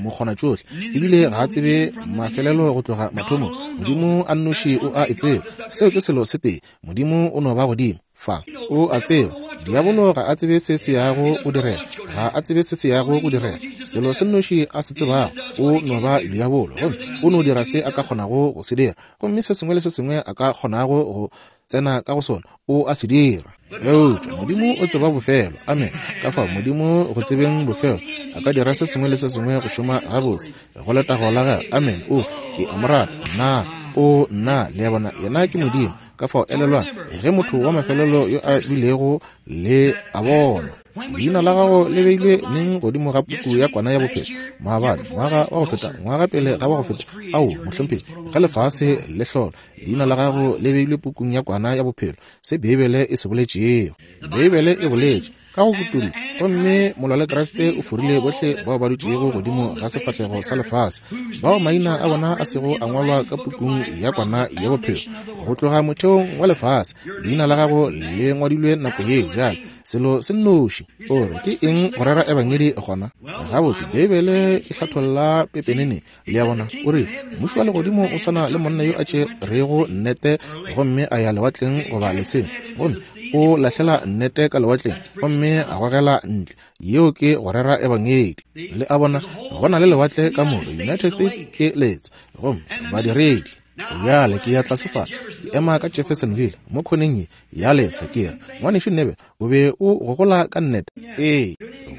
mokgonatšohle, ebile ga a tsebe mafelelo go tloga mathomong. Modimo a nnoši o a e tseba. Seo ke selo se tee. Modimo o no ba godimo fa, o a tseba. Diabolo ga a tsebe se se yago go direga, ga a tsebe se se yago go direga. Selo se nnoši a se tsebago, o no ba diabolo, gomme o no dira se a ka kgonago go se dira, gomme se sengwe le se sengwe a ka kgonago go tsena ka go sona, o a se dira. Eupša Modimo o tseba bofelo. Amen. Ka fao Modimo go tsebeng bofelo a ka dira se sengwe le se sengwe go šoma gabotse go letago la gagwe. Amen. O, ke a mo rata. Nna, o, nna, le a bona, yena ke Modimo. Ka fao elelwang, ge motho wa mafelelo yo a bilego le a bona, leina la gago le beilwe neng godimo ga puku ya kwana ya bophelo? Maabane, ngwaga wa go feta, ngwaga pele ga wa go feta? Ao, mohlomphegi, ge lefase le hlola, leina la gago le beilwe pukung ya kwana ya bophelo, se Beibele e se boletšego. Beibele e boletše ka go kutullo, gomme molwa le Kriste o forile bohle bao ba dutšego godimo ga sefahlego sa lefase, bao maina a bona a sego a ngwalwa ka pukung ya kwana ya bophelo go tloga motheong wa lefase. Leina la gago le ngwadilwe nako yeo. Bjale selo se nnoši o re ke eng go rera ebangedi gona? Gabotse, Beibele e hlatholla pepenene. Le a bona? O re, Mmušo wa legodimo o swana le monna yo a tšerego nnete gomme a ya lewatleng goba letsheng, gomme o lahlela nnete ka lewatleng gomme a gogela ntle. Yeo ke go rera ebangedi. Le a bona? Go na le lewatle ka moka. United States ke letsha, gomme badiredi. Bjale ke ya tlase fa, ke ema ka Jeffersonville mo khoneng ye ya letsha, ke re, Ngwanešu Neville, o be o gogola ka nnete? Ee,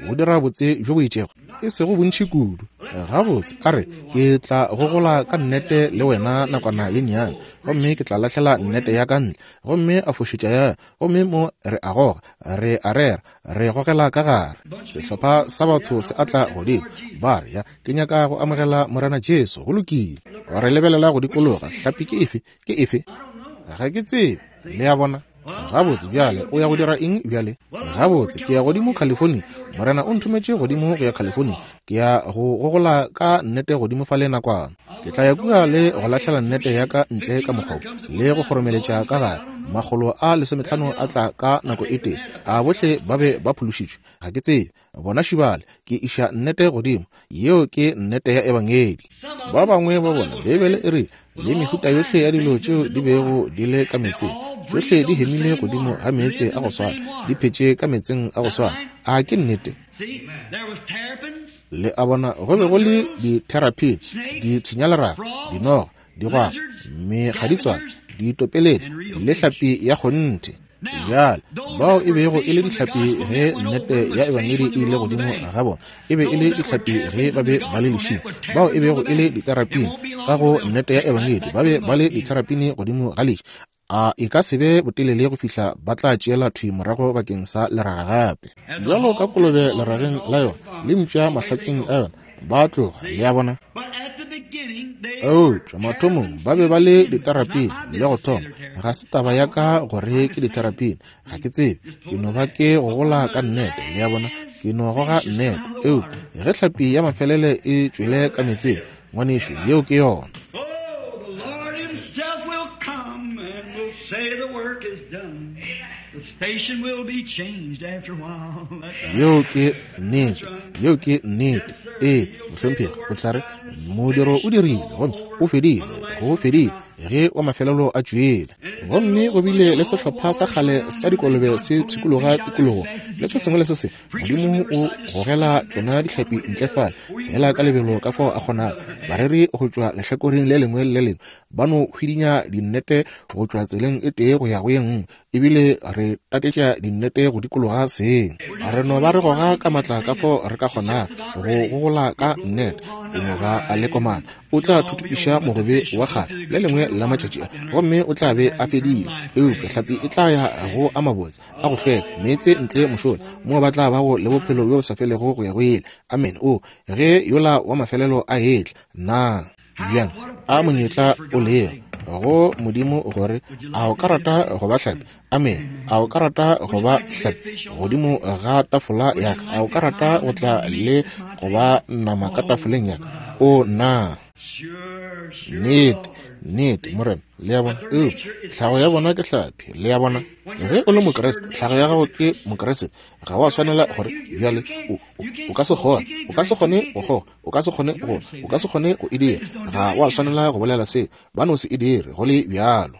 go dira botse bjo bo itšego, e sego bontši kudu. Gabotse, a re, ke tla gogola ka nnete le wena nakwana ye nnyane, gomme ke tla lahlela nnete ya ka ntle. Gomme a fošetša ya, gomme mo re a goga, re a rera, re gogela ka gare. Sehlopha sa batho se atla godimo, ba re, Ya, ke nyaka go amogela Morena Jesu. Go lokile. Re lebelela go dikologa, hlapi ke efe? Ke efe? Ga ke tsebe. Le a bona? Gabotse, bjale o ya go dira eng bjale? Gabotse, ke ya godimo California. Morena o nthometše godimo go ya California. Ke ya go gogola ka nnete godimo fale nakwana. Ke tla ya kua le go lahlela nnete ya ka ntle ka mokgwa wo, le go kgoromeletša ka gare. Makgolo a lesometlhano a tla ka nako e tee. A bohle ba be ba phološitšwe? Ga ke tsebe. Bona šibale, ke iša nnete godimo. Yeo ke nnete ya Ebangedi. Ba bangwe ba bona, Beibele e rile, le mehuta yohle ya dilo tšeo di bego di le ka meetseng, tšohle di hemile godimo ga meetse a go swana, di phetše ka meetseng a go swana. A ke nnete? Le a bona, go be go le ditherapine, ditshenyaleraga, dinoga, digwagwa, mekgaditswane, ditopeledi le hlapi ya kgonthe. Bjale, bao e bego e le dihlapi ge nnete ya Ebangedi e ile godimo ga bona, e be e le dihlapi ge ba be ba le lešing. Bao e bego e le diterapine ka go nnete ya Ebangedi, ba be ba le diterapine godimo ga leši. A e ka se be botelele go fihla ba tla tšeela thwi morago bakeng sa leraga gape. Bjalo ka kolobe lerageng la yona, le mpša mahlakeng a yona, ba tloga, le a bona. Eupša mathomong ba be ba le diterapine le go thoma. Ga se taba ya ka gore ke diterapine, ga ke tsebe. Ke no ba ke gogola ka nnete, le a bona, ke no goga nnete. Eupša ge hlapi ya mafelele e tšwele ka meetseng, ngwanešu, yeo ke yona. Yeo ke nnete. Yeo ke nnete. Ee, mohlomphegi, o tla re, Modiro o dirilwe, gomme o fedile, go fedile, ge wa mafelelo a tšwele. Gomme go bile le sehlopha sa kgale sa dikolobe se pshikologa tikologo, le se sengwe le se sengwe. Modimo o gogela tšona dihlapi ntle fale, feela ka lebelo ka fao a kgonago. Bareri go tšwa lehlakoreng le lengwe le le lengwe ba no hwidinya dinnete go tšwa tseleng e tee go ya go ye nngwe, ebile re tatetša dinnete go dikologa seng. Re no ba re goga ka matla ka fao re ka kgonago go gogola ka nnete. O no ba a le komana. O tla thuthupiša mogobe wa kgale le lengwe la matšatši a, gomme o tla be a fedile. Eupša hlapi e tla ya go a mabotse a go hlweka, meetse ntle mošola, moo ba tla bago le bophelo bjo bo sa felego go ya go ile. Amen. O, ge yola wa mafelelo a etla, na bjang a monyetla o lego go Modimo gore a o ka rata go ba hlapi? Amen. A o ka rata go ba hlapi godimo ga tafola ya ka? A o ka rata go tla le go ba nama ka tafoleng ya ka? O na nnete, nnete, Morena, le a bona. Eupša tlhago ya bona ke hlapi, le a bona. Ge o le Mokriste, tlhago ya gago ke Mokriste. Ga wa swanela gore bjale o ka se kgone, o ka se kgone go kgoga, o ka se kgone go, o ka se kgone go e dira. Ga wa swanela go bolela seo, ba no se e dire go le bjalo.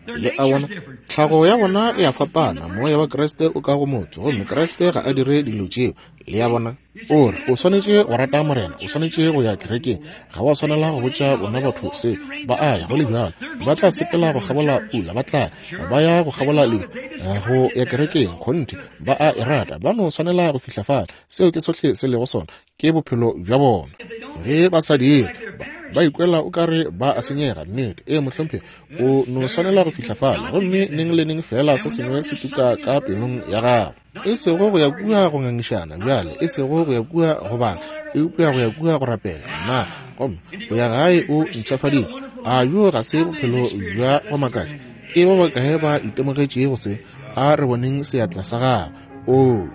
Le a bona, tlhago ya bona e a fapana. Moya wa Kriste o ka go motho, gomme Kriste ga a dire dilo tšeo. Le a bona? O re, o swanetše go rata Morena, o swanetše go ya kerekeng. Ga wa swanela go botša bona batho se. Ba a ya go le bjalo. Ba tla sepela go kgabola pula, ba tla ba ya go kgabola lehu, go ya kerekeng. Kgonthe, ba a e rata. Ba no swanela go fihla fale. Seo ke sohle se lego sona, ke bophelo bja bona. Ge ba sa dire, ba ikwela o ka re ba a senyega. Nnete. Ee, mohlomphegi, o no swanela go fihla fale, gomme neng le neng fela se sengwe se tuka ka pelong ya gago. E sego go ya kua go ngangišana bjale, e sego go ya kua go bala, eupša go ya kua go rapela. Na gomme o ya gae o mpshafaditšwe. A bjo ga se bophelo bja go makatša? Ke ba bakae ba itemogetšego se? A re boneng seatla sa gago. Oo,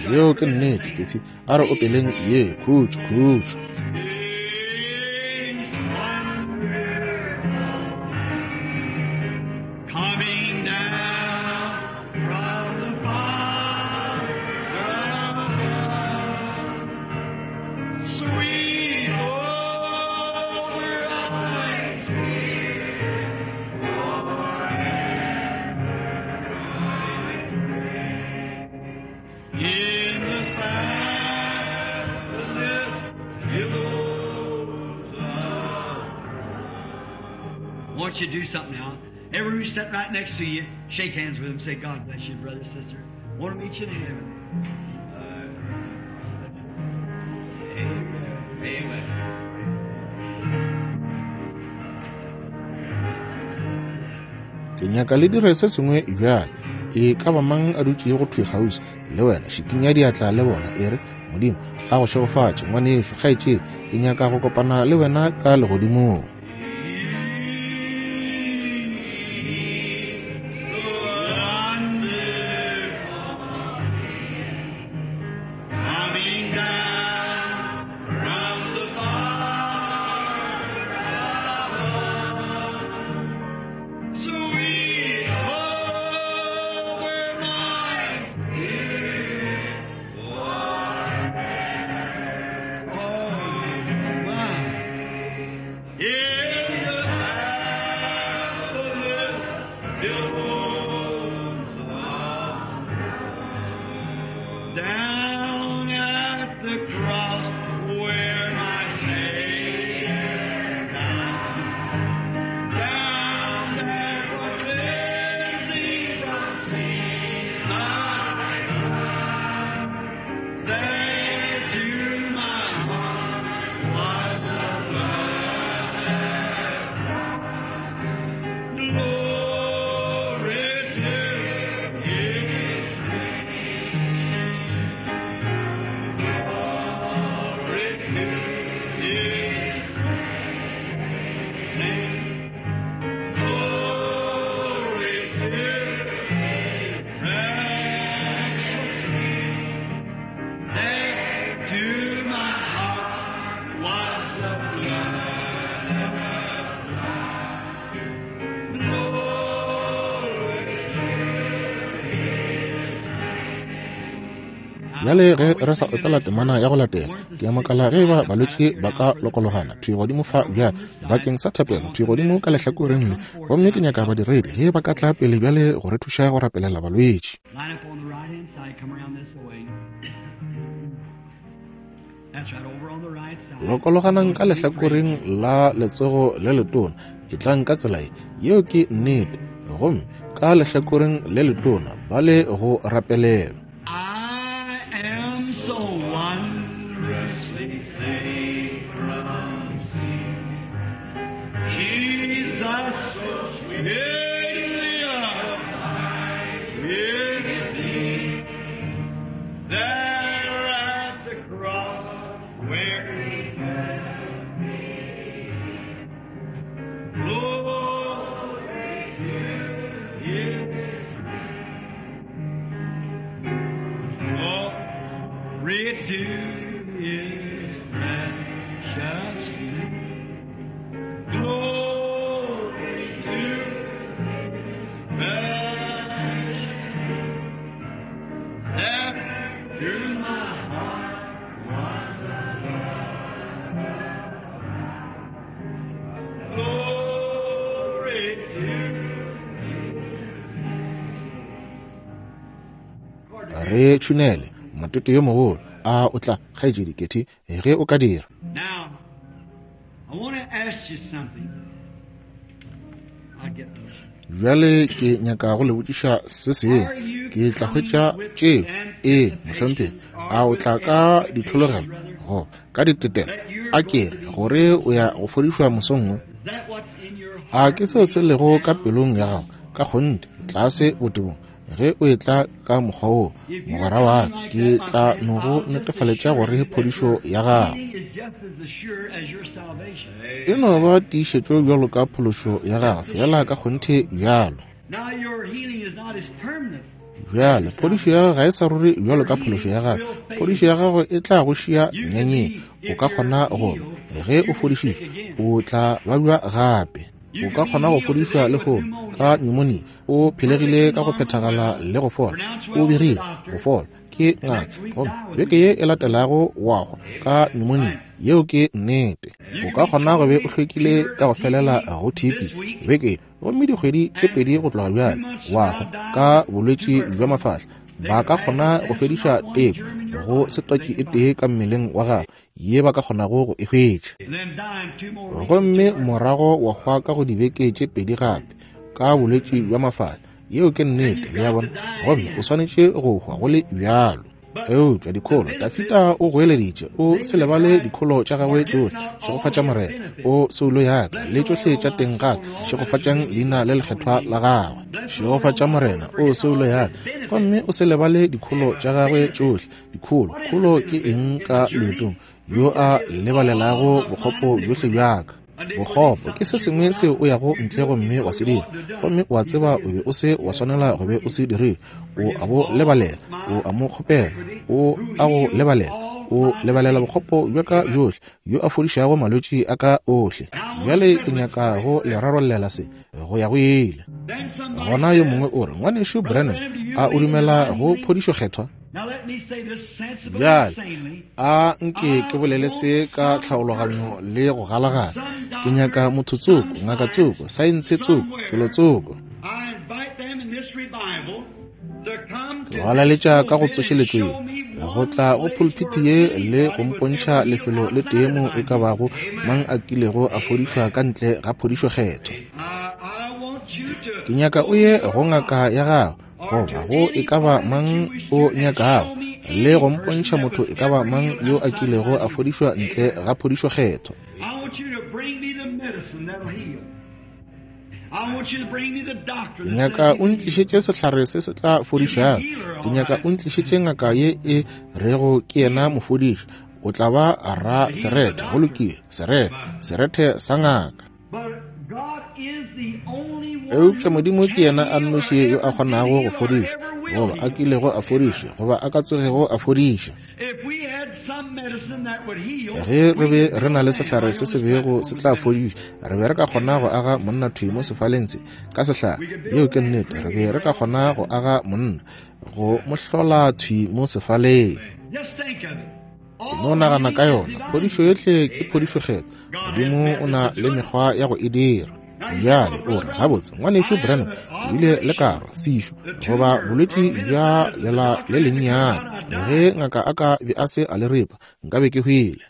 yeo ke nnete, Ketty. A re opeleng ye, khutšo, khutšo. Coming down from the Father above, sweet over my spirit in the fastness billows of. Want you to do something now. Everyone who's sitting right next to you, shake hands with them. Say, God bless you, brother, sister. Want to meet you in heaven. Amen. Amen. Ke nyaka le dire se sengwe bjale. E ka ba mang a dutšego thwi kgauswi le wena, šikinya diatla le bona, e re, Modimo a go šegofatše, ngwanešu, kgaetšedi. Ke nyaka go kopana le wena ka legodimong. Coming down from the Father above, sweet over my spirit, oh my, in the fastness billows of down at the cross where my Savior died. Down there for cleansing from sin I cried. There to my heart was the blood. Bjale ge re sa opela temana ya go latela, ke a makala ge eba balwetši ba ka lokologana thwi godimo fa bjale bakeng sa thapelo, thwi godimo ka lehlakoreng le. Gomme ke nyaka badiredi ge ba ka tla pele bjale go re thuša go rapelela balwetši. Lokologanang ka lehlakoreng la letsogo le letona, etlang ka tsela ye, yeo ke nnete, gomme ka lehlakoreng le letona ba le go rapelelwa. I am so wondrously safe from sin. Jesus, sweetly abide with me. There at the cross where he met me. Glory to his Glory to his precious name. Glory to his precious name. There through my heart was a love. Glory to his Re tšhunele motete yo mogolo, a o tla, kgaetšedi Ketty, ge o ka dira. Now, I want to ask you something. I'll get those. Bjale ke nyaka go le botšiša se sengwe. Ke tla hwetša tšeo. Ee, mohlomphegi. A o tla ka ditlhologelo go ka ditetelo? A ke re gore o ya go fodišwa mosong wo? Is that what's in your A heart? ke seo se lego ka pelong ya gago ka kgonthe, tlase botebong? Ge o etla ka mokgwa woo, mogwera wa ka, ke tla no go netefaletša gore phodišo ya gago Healing is just as assured as your salvation. e no ba tiišetšo bjalo ka phološo ya gago, fela ka kgonthe bjalo. Now your healing is not as permanent. Bjale phodišo ya gago ga e sa ruri bjalo ka phološo ya gago. Phodišo ya gago e tla go šia nyanyeng. O ka kgona go ba, ge o fodišitšwe, o tla babja gape. O ka kgona go fodišwa lehono ka pneumonia, o phelegile ka go phethagala le go fola, o begile go fola ke ngaka, gomme beke ye e latelago wa hwa ka pneumonia. Yeo ke nnete. O ka kgona go be o hlwekile ka go felela go TB beke ye, gomme dikgwedi tše pedi go tloga bjale wa hwa ka bolwetši bja mafahla. Ba ka kgona go fediša teko go setwatši e tee ka mmeleng wa gago ye ba ka kgonago go e hwetša, And then die in 2 more weeks. gomme morago wa hwa ka go dibeke tše pedi gape ka bolwetši bja mafahla. Yeo ke nnete, le a bona, gomme o swanetše go hwa go le bjalo. Eupša dikholo, Dafida o goeleditše, o se lebale dikholo tša gagwe tšohle. Šegofatša Morena, o soulo ya ka, le tšohle tša teng ga ka, šegofatšang leina le lekgethwa la gagwe. Šegofatša Morena, o soulo ya ka, gomme o se lebale dikholo tša gagwe tšohle. Dikholo, kholo ke eng ka leetong? Yo a lebalelago bokgopo bjohle bja ka. Bokgopo ke se sengwe seo o yago ntle gomme wa se dira, gomme o a tseba o be o se wa swanela go be o se dirile. O a bo lebalela, o a mo kgopela, o a go lebalela, o lebalela bokgopo bja ka bjohle, yo a fodišago malwetši a ka ohle. Bjale ke nyaka go le rarollela se go ya go ile. Then somebody Gona yo mongwe o re, Ngwanešu Branham, a o dumela go phodišo kgethwa? Now let me say this sensibly Bjale and sanely. a nke ke bolele se ka tlhaologanyo le go galagala. Ke nyaka motho tsoko, ngaka tsoko, saense tsoko, felo tsoko. I invite them in this revival to come Ke to ba laletša ka go this pulpit and tsošeletšo ye, show me go one tla go place pulpiti where ye le go anybody was mpontšha ever healed lefelo le tee outside mo of e ka my bago mang a kilego a fodišwa ka ntle ga phodišo kgethwa. I want you to Ke nyaka o ye go ngaka ya gago, goba go e ka ba mang o nyakago, le go mpontšha motho e ka ba mang yo a kilego a fodišwa ntle ga phodišo kgethwa. I want you to bring me the medicine that'll heal. I want you to bring me the doctor Ke that nyaka says o he can heal. ntlišetše sehlare se se tla fodišago. Ke nyaka o ntlišetše ngaka ye e rego ke yena mofodiši. O tla ba ra serethe, go lokile, serethe, serethe sa ngaka. But God is the only one Eupša who Modimo ke can yena a heal or nnoši yo a ever did kgonago go heal or fodiša, ever will goba a heal. kilego a fodiša, goba a ka tsogego a fodiša. Ge re be re na le sehlare se se bego se tla fodiša, re be re ka kgona go aga monna thwi mo sefaleng se ka sehlare. Yeo ke nnete. Re be re ka kgona go aga monna, go mo hlola thwi mo sefaleng. E no nagana ka yona. Phodišo yohle ke phodišo kgethwa. Modimo o na le mekgwa ya go e dira. Bjale o re, Gabotse, Ngwanešu Branham, ke bile le karo, sešo, goba bolwetši bja lela le lennyane. Ge ngaka a ka be a se a le ripa, nkabe ke hwile.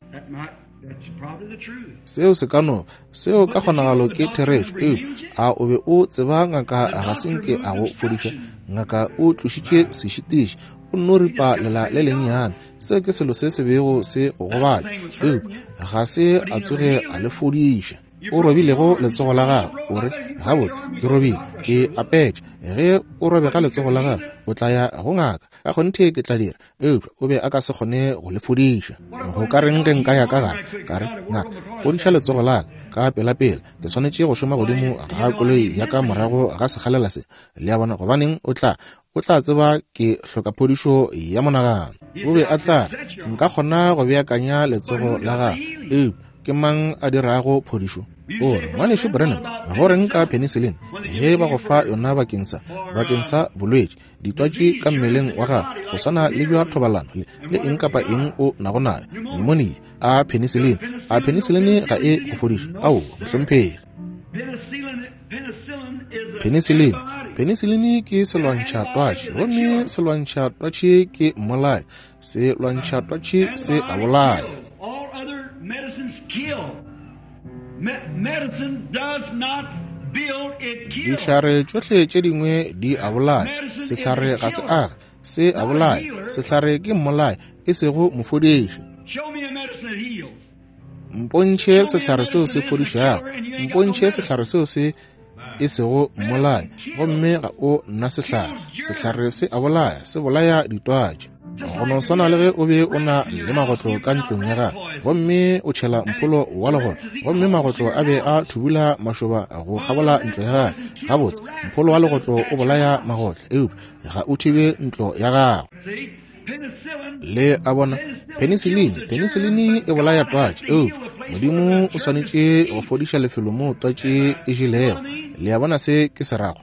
Seo se ka no, seo ka kgonagalo ke therešo, eupša a o be o tseba ngaka ga se nke a go fodiša? Ngaka o tlošitše sešitiši, o nno ripa lela le lennyane. Seo ke selo se se bego se go gobatša, eupša ga se a tsoge a le fodiša. O robilego letsogo la gago, o re, Gabotse, ke robile, ke apetše. Ge o robega letsogo la gago, o tla ya go ngaka. Ka kgonthe ke tla dira, eupša o be a ka se kgone go le fodiša. Go ka reng ge nka ya ka gare, ka re, Ngaka, fodiša letsogo la ka ka pelapela, ke swanetše go šoma godimo ga koloi ya ka morago ga sekgalela se. Le a bona? Gobaneng, o tla, o tla tseba ke hloka phodišo ya monagano. O be a tla re, Nka kgona go beakanya letsogo la gago, eupša ke mang a dirago phodišo? O re, Ngwanešu Branham, go reng ka penicillin ge ba go fa yona bakeng sa, bakeng sa bolwetši, ditwatši ka mmeleng wa gago, go swana le bja thobalano le, le eng kapa eng o nago nayo, pneumonia, a penicillin, a penicillin ga e go fodiše? Aowa, mohlomphegi. Penicillin, penicillin ke selwantšha-twatši, gomme selwantšha-twatši ke mmolai. Selwantšha-twatši se a bolaya. Dihlare tšohle tše dingwe di a bolaya. Sehlare ga se age, se a bolaya. Sehlare ke mmolai, e sego mofodiši. Mpontšhe sehlare seo se fodišago, mpontšhe sehlare seo se e sego mmolai, gomme ga o nna sehlare. Sehlare se a bolaya, se bolaya ditwatši. Go no swana le ge o be o na le magotlo ka ntlong ya gago, gomme o tšhela mpholo wa legotlo, gomme magotlo a be a thubula mašoba go kgabola ntlo ya gago. Gabotse, mpholo wa legotlo o bolaya magotlo, eupša ga o thibe ntlo ya gago. Le a bona, penicillin, penicillin e bolaya twatši, eupša Modimo o swanetše go fodiša lefelo moo twatši e jelego. Le a bona se ke se rago?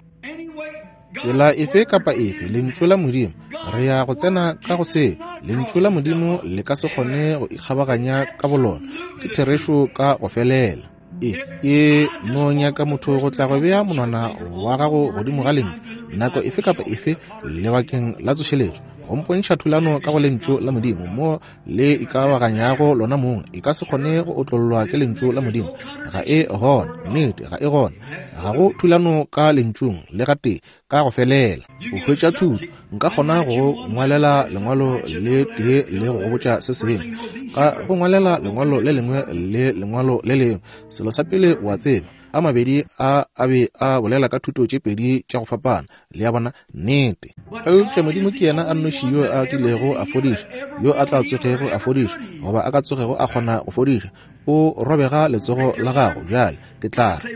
Tsela efe kapa efe, Lentšu la Modimo, re ya go tsena ka go seo. Lentšu la Modimo le ka se kgone go ikgabaganya ka bolona. Ke therešo ka go felela. E, e no nyaka motho go tla go bea monwana wa gago godimo ga lentšu nako efe kapa efe lebakeng la tsošeletšo, go mpontšha thulano ka go Lentšu la Modimo mo le ikabaganyago lona mong. E ka se kgone go otlollwa ke Lentšu la Modimo. Ga e gona. Nnete, ga e gona. Ga go thulano ka Lentšung le gatee, ka go felela. O hwetša thuto. Nka kgona go ngwalela lengwalo le tee le go go botša se sengwe, ka go ngwalela lengwalo le lengwe le lengwalo le lengwe. Selo sa pele o a tseba, a mabedi a a be a bolela ka thuto tše pedi tša go fapana. Le a bona? Nnete. Eupša Modimo ke yena a nnoši yo a kilego a fodiša, yo a tla tsogego a fodiša, goba a ka tsogego a kgona go fodiša. O robega letsogo la gago bjale, ke tla re,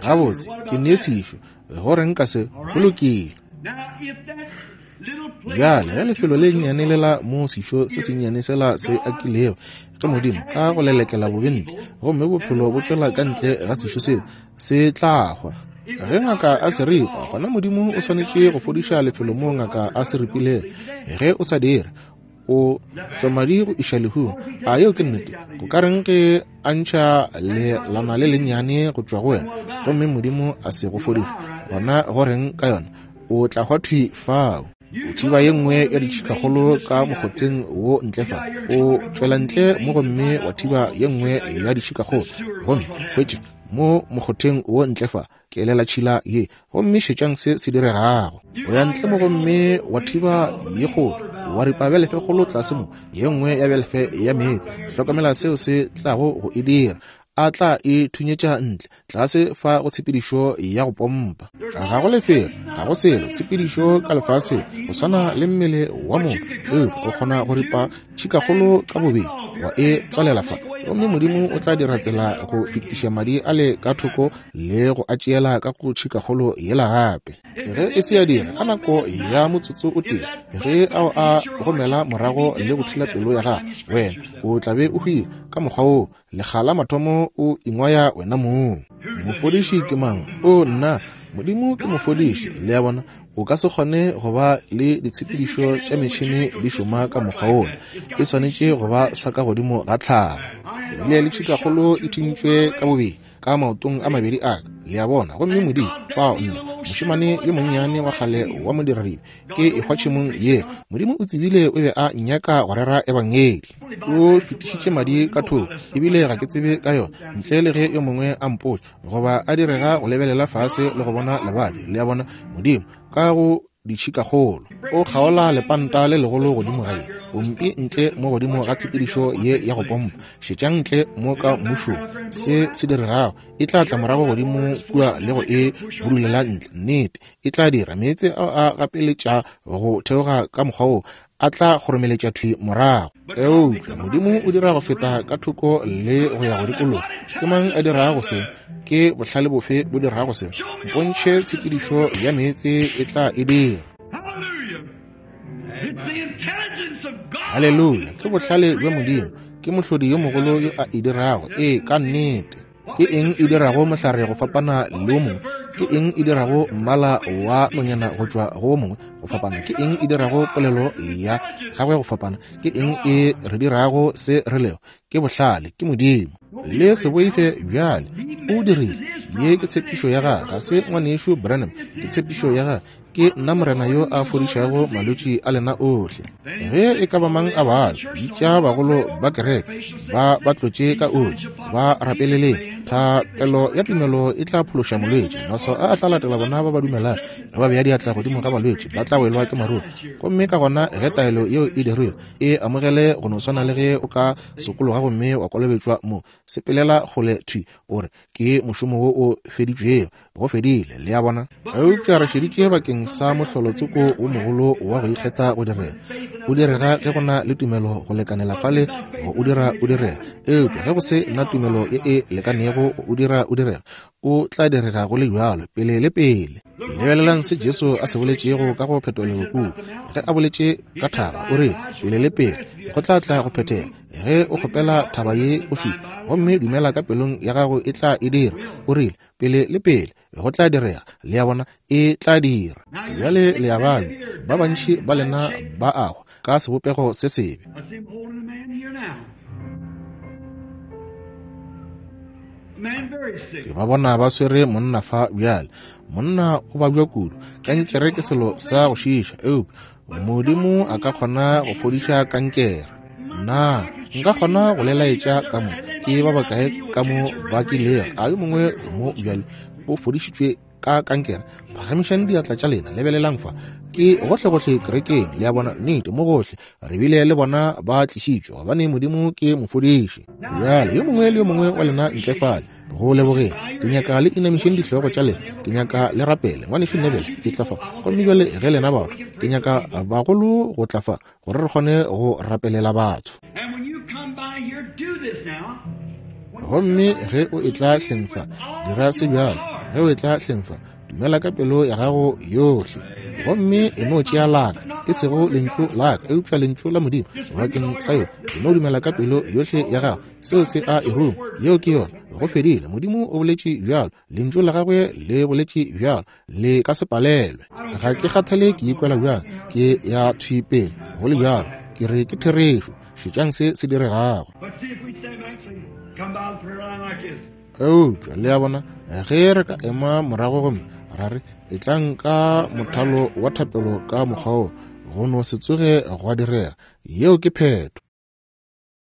Gabotse, ke ne sešo. Go reng ka se? Go lokile. Bjale, ge lefelo le nnyane lela mo sešo se sennyane sela se akilego ke Modimo ka go lelekela bobe ntle, gomme bophelo bo tšwela ka ntle ga sešo seo, se tla hwa. Ge ngaka a se ripa, gona Modimo o swanetše go fodiša lefelo moo ngaka a se ripilego. Ge o sa dire, o tšwa madi go iša lehung. A yeo ke nnete? Go ka reng ge a ntšha lelana le lennyane go tšwa go wena, gomme Modimo a se go fodiše? Gona go reng ka yona? O tla hwa thwi fao. O thiba ye nngwe ya ditšhikakgolo ka mokgotheng wo ntle fa. O tšwela ntle mo gomme wa thiba ye nngwe ya ditšhikakgolo, gomme hwetše mo mokgotheng wo ntle fa, kelela tšhila ye, gomme šetšang se se diregago. O ya ntle mo gomme wa thiba ye kgolo, wa ripa belefe kgolo tlase mo, ye nngwe ya belefe ya meetse. Hlokomela seo se tlago go e dira. A tla e thunyetša ntle, tlase fa go tshepedišo ya go pompa. Ga go lefelo, ga go selo, tshepedišo ka lefaseng, go swana le mmele wa motho, eupša o kgona go ripa tšhikakgolo ka bobedi, wa e tswalela fa. Gomme Modimo o tla dira tsela go fetiša madi ale ka thoko le go a tšeela ka go tšhikakgolo yela gape. Ge e se ya dira, ka nako ya motsotso o tee, ge ao a gomela morago le go thula pelo ya gago, wena o tla be o hwile ka mokgwa woo. Lekga la mathomo o ingwaya wena mong. Mofodiši ke mang? O, nna! Modimo ke mofodiši. Le a bona? O ka se kgone go ba le ditshepedišo tša metšhene di šoma ka mokgwa wola. E swanetše go ba sa ka godimo ga tlhago. Ke bile le tšhikakgolo e thintšwe ka bobedi ka maotong a mabedi a ka, le a bona. Gomme Modimo, fao nna, mošemane yo monnyane wa kgale wa modiradibe, ke ehwa tšhemong ye. Modimo o tsebile o be a nnyaka go rera Ebangedi. O fetišitše madi ka thoko, ebile ga ke tsebe ka yona, ntle le ge yo mongwe a mpotša, goba a direga go lebelela fase le go bona lebadi. Le a bona, Modimo, ka go ditšhikakgolo, o kgaola lepanta le legolo godimo ga ye pompi ntle mo godimo ga tshepedišo ye ya go pompa. Šetšang ntle mo ka mmušong se se diregago. E tla tla morago godimo kua le go e budulela ntle. Nnete, e tla dira. Meetse ao a gapeletša go theoga ka mokgwa wo, a tla kgoromeletša thwi morago. Eupša Modimo o dira go feta ka thoko le go ya go dikologa. Ke mang a dirago se? Ke bohlale bofe bo dirago se? Mpontšhe tshepedišo ya meetse e tla e dira. Haleluya! Ke bohlale bja Modimo. Ke Mohlodi yo mogolo yo a e dirago. Ee, ka nnete. Ke eng e dirago mohlare go fapana le wo mongwe? Ke eng e dirago mmala wa nonyana go tšwa go wo mongwe go fapana? Ke eng e dirago polelo ya gagwe go fapana? Ke eng e re dirago se re lego? Ke bohlale, ke Modimo. Le se boife bjale. O dirile. Ye ke tshepišo ya gagwe, ga se Ngwanešu Branham, ke tshepišo ya gagwe. Ke nna Morena yo a fodišago malwetši a lena ohle. Ge e ka ba mang a babja, bitša bagolo ba kereke, ba ba tlotše ka oli, ba rapeleleng. Thapelo ya tumelo e tla phološa molwetši. Maswao a a tla latela bona ba ba dumelago. Ge ba bea diatla godimo ga balwetši, ba tla welwa ke maruru. Gomme ka gona ge taelo yeo e dirilwe, e amogele go no swana le ge o ka sokologa gomme wa kolobetšwa mo. Sepelela kgole thwi, o re, Ke mošomo wo o feditšwego. Go fedile, le a bona. Eupša re šeditše bakeng sa mohlolo tsoko wo mogolo wa go ikgetha go direga. O direga ge go na le tumelo go lekanela fale go o dira o direga. Eupša ge go se na tumelo ye e lekanego go o dira o direga, o tla direga go le bjalo, pele le pele. Lebelelang se Jesu a se boletšego ka go phetolelo kua. Ge a boletše ka thaba, o re, pele le pele, go tla tla go phethega. Ge o kgopela thaba ye go šupa, gomme dumela ka pelong ya gago e tla e dira. O rile, pele le pele, go tla direga. Le a bona, e tla dira. Bjale le a babja, ba bantši ba lena ba a hwa ka sebopego se sebe. Ke ba bona ba swere monna fa bjale. Monna o babja kudu. Kankere ke selo sa go šiiša, eupša Modimo a ka kgona go fodiša kankere. Na nka kgona go le laetša ka mo ke ba bakae ka mo ba kilego a yo mongwe mo bjale o fodišitšwe ka kankere? Phagamišang diatla tša lena, lebelelang fa. Ke gohlegohle kerekeng, le a bona, nnete, mo gohle. Re bile le bona ba tlišitšwe, gobane Modimo ke mofodiši. Bjale, yo mongwe le yo mongwe wa lena ntle fale, go lebogeng. Ke nyaka le inamišeng dihlogo tša lena. Ke nyaka le rapele. Ngwanešu Neville, e tla fa. Gomme bjale ge lena batho, ke nyaka bagolo go tla fa, gore re kgone go rapelela batho. Gomme ge o etla hleng fa, dira se bjalo. Ge o etla hleng fa, dumela ka pelo ya gago yohle. Gomme e no tšea laka, e sego lentšu laka, eupša lentšu la Modimo bakeng sa yona. E no dumela ka pelo yohle ya gago. Seo se a e ruma. Yeo ke yona. Go fedile. Modimo o boletše bjalo. Lentšu la gagwe le boletše bjalo. Le ka se palelwe. Ga ke kgathale ke ikwela bjang, ke ya thwi pele, go le bjalo. Ke re ke therešo. Šetšang se se diregago. Eupša, le a bona, ge re ka ema morago gomme ra re, Etlang ka mothalo wa thapelo ka mokgwa wo, go no se tsoge gwa direga. Yeo ke phetho.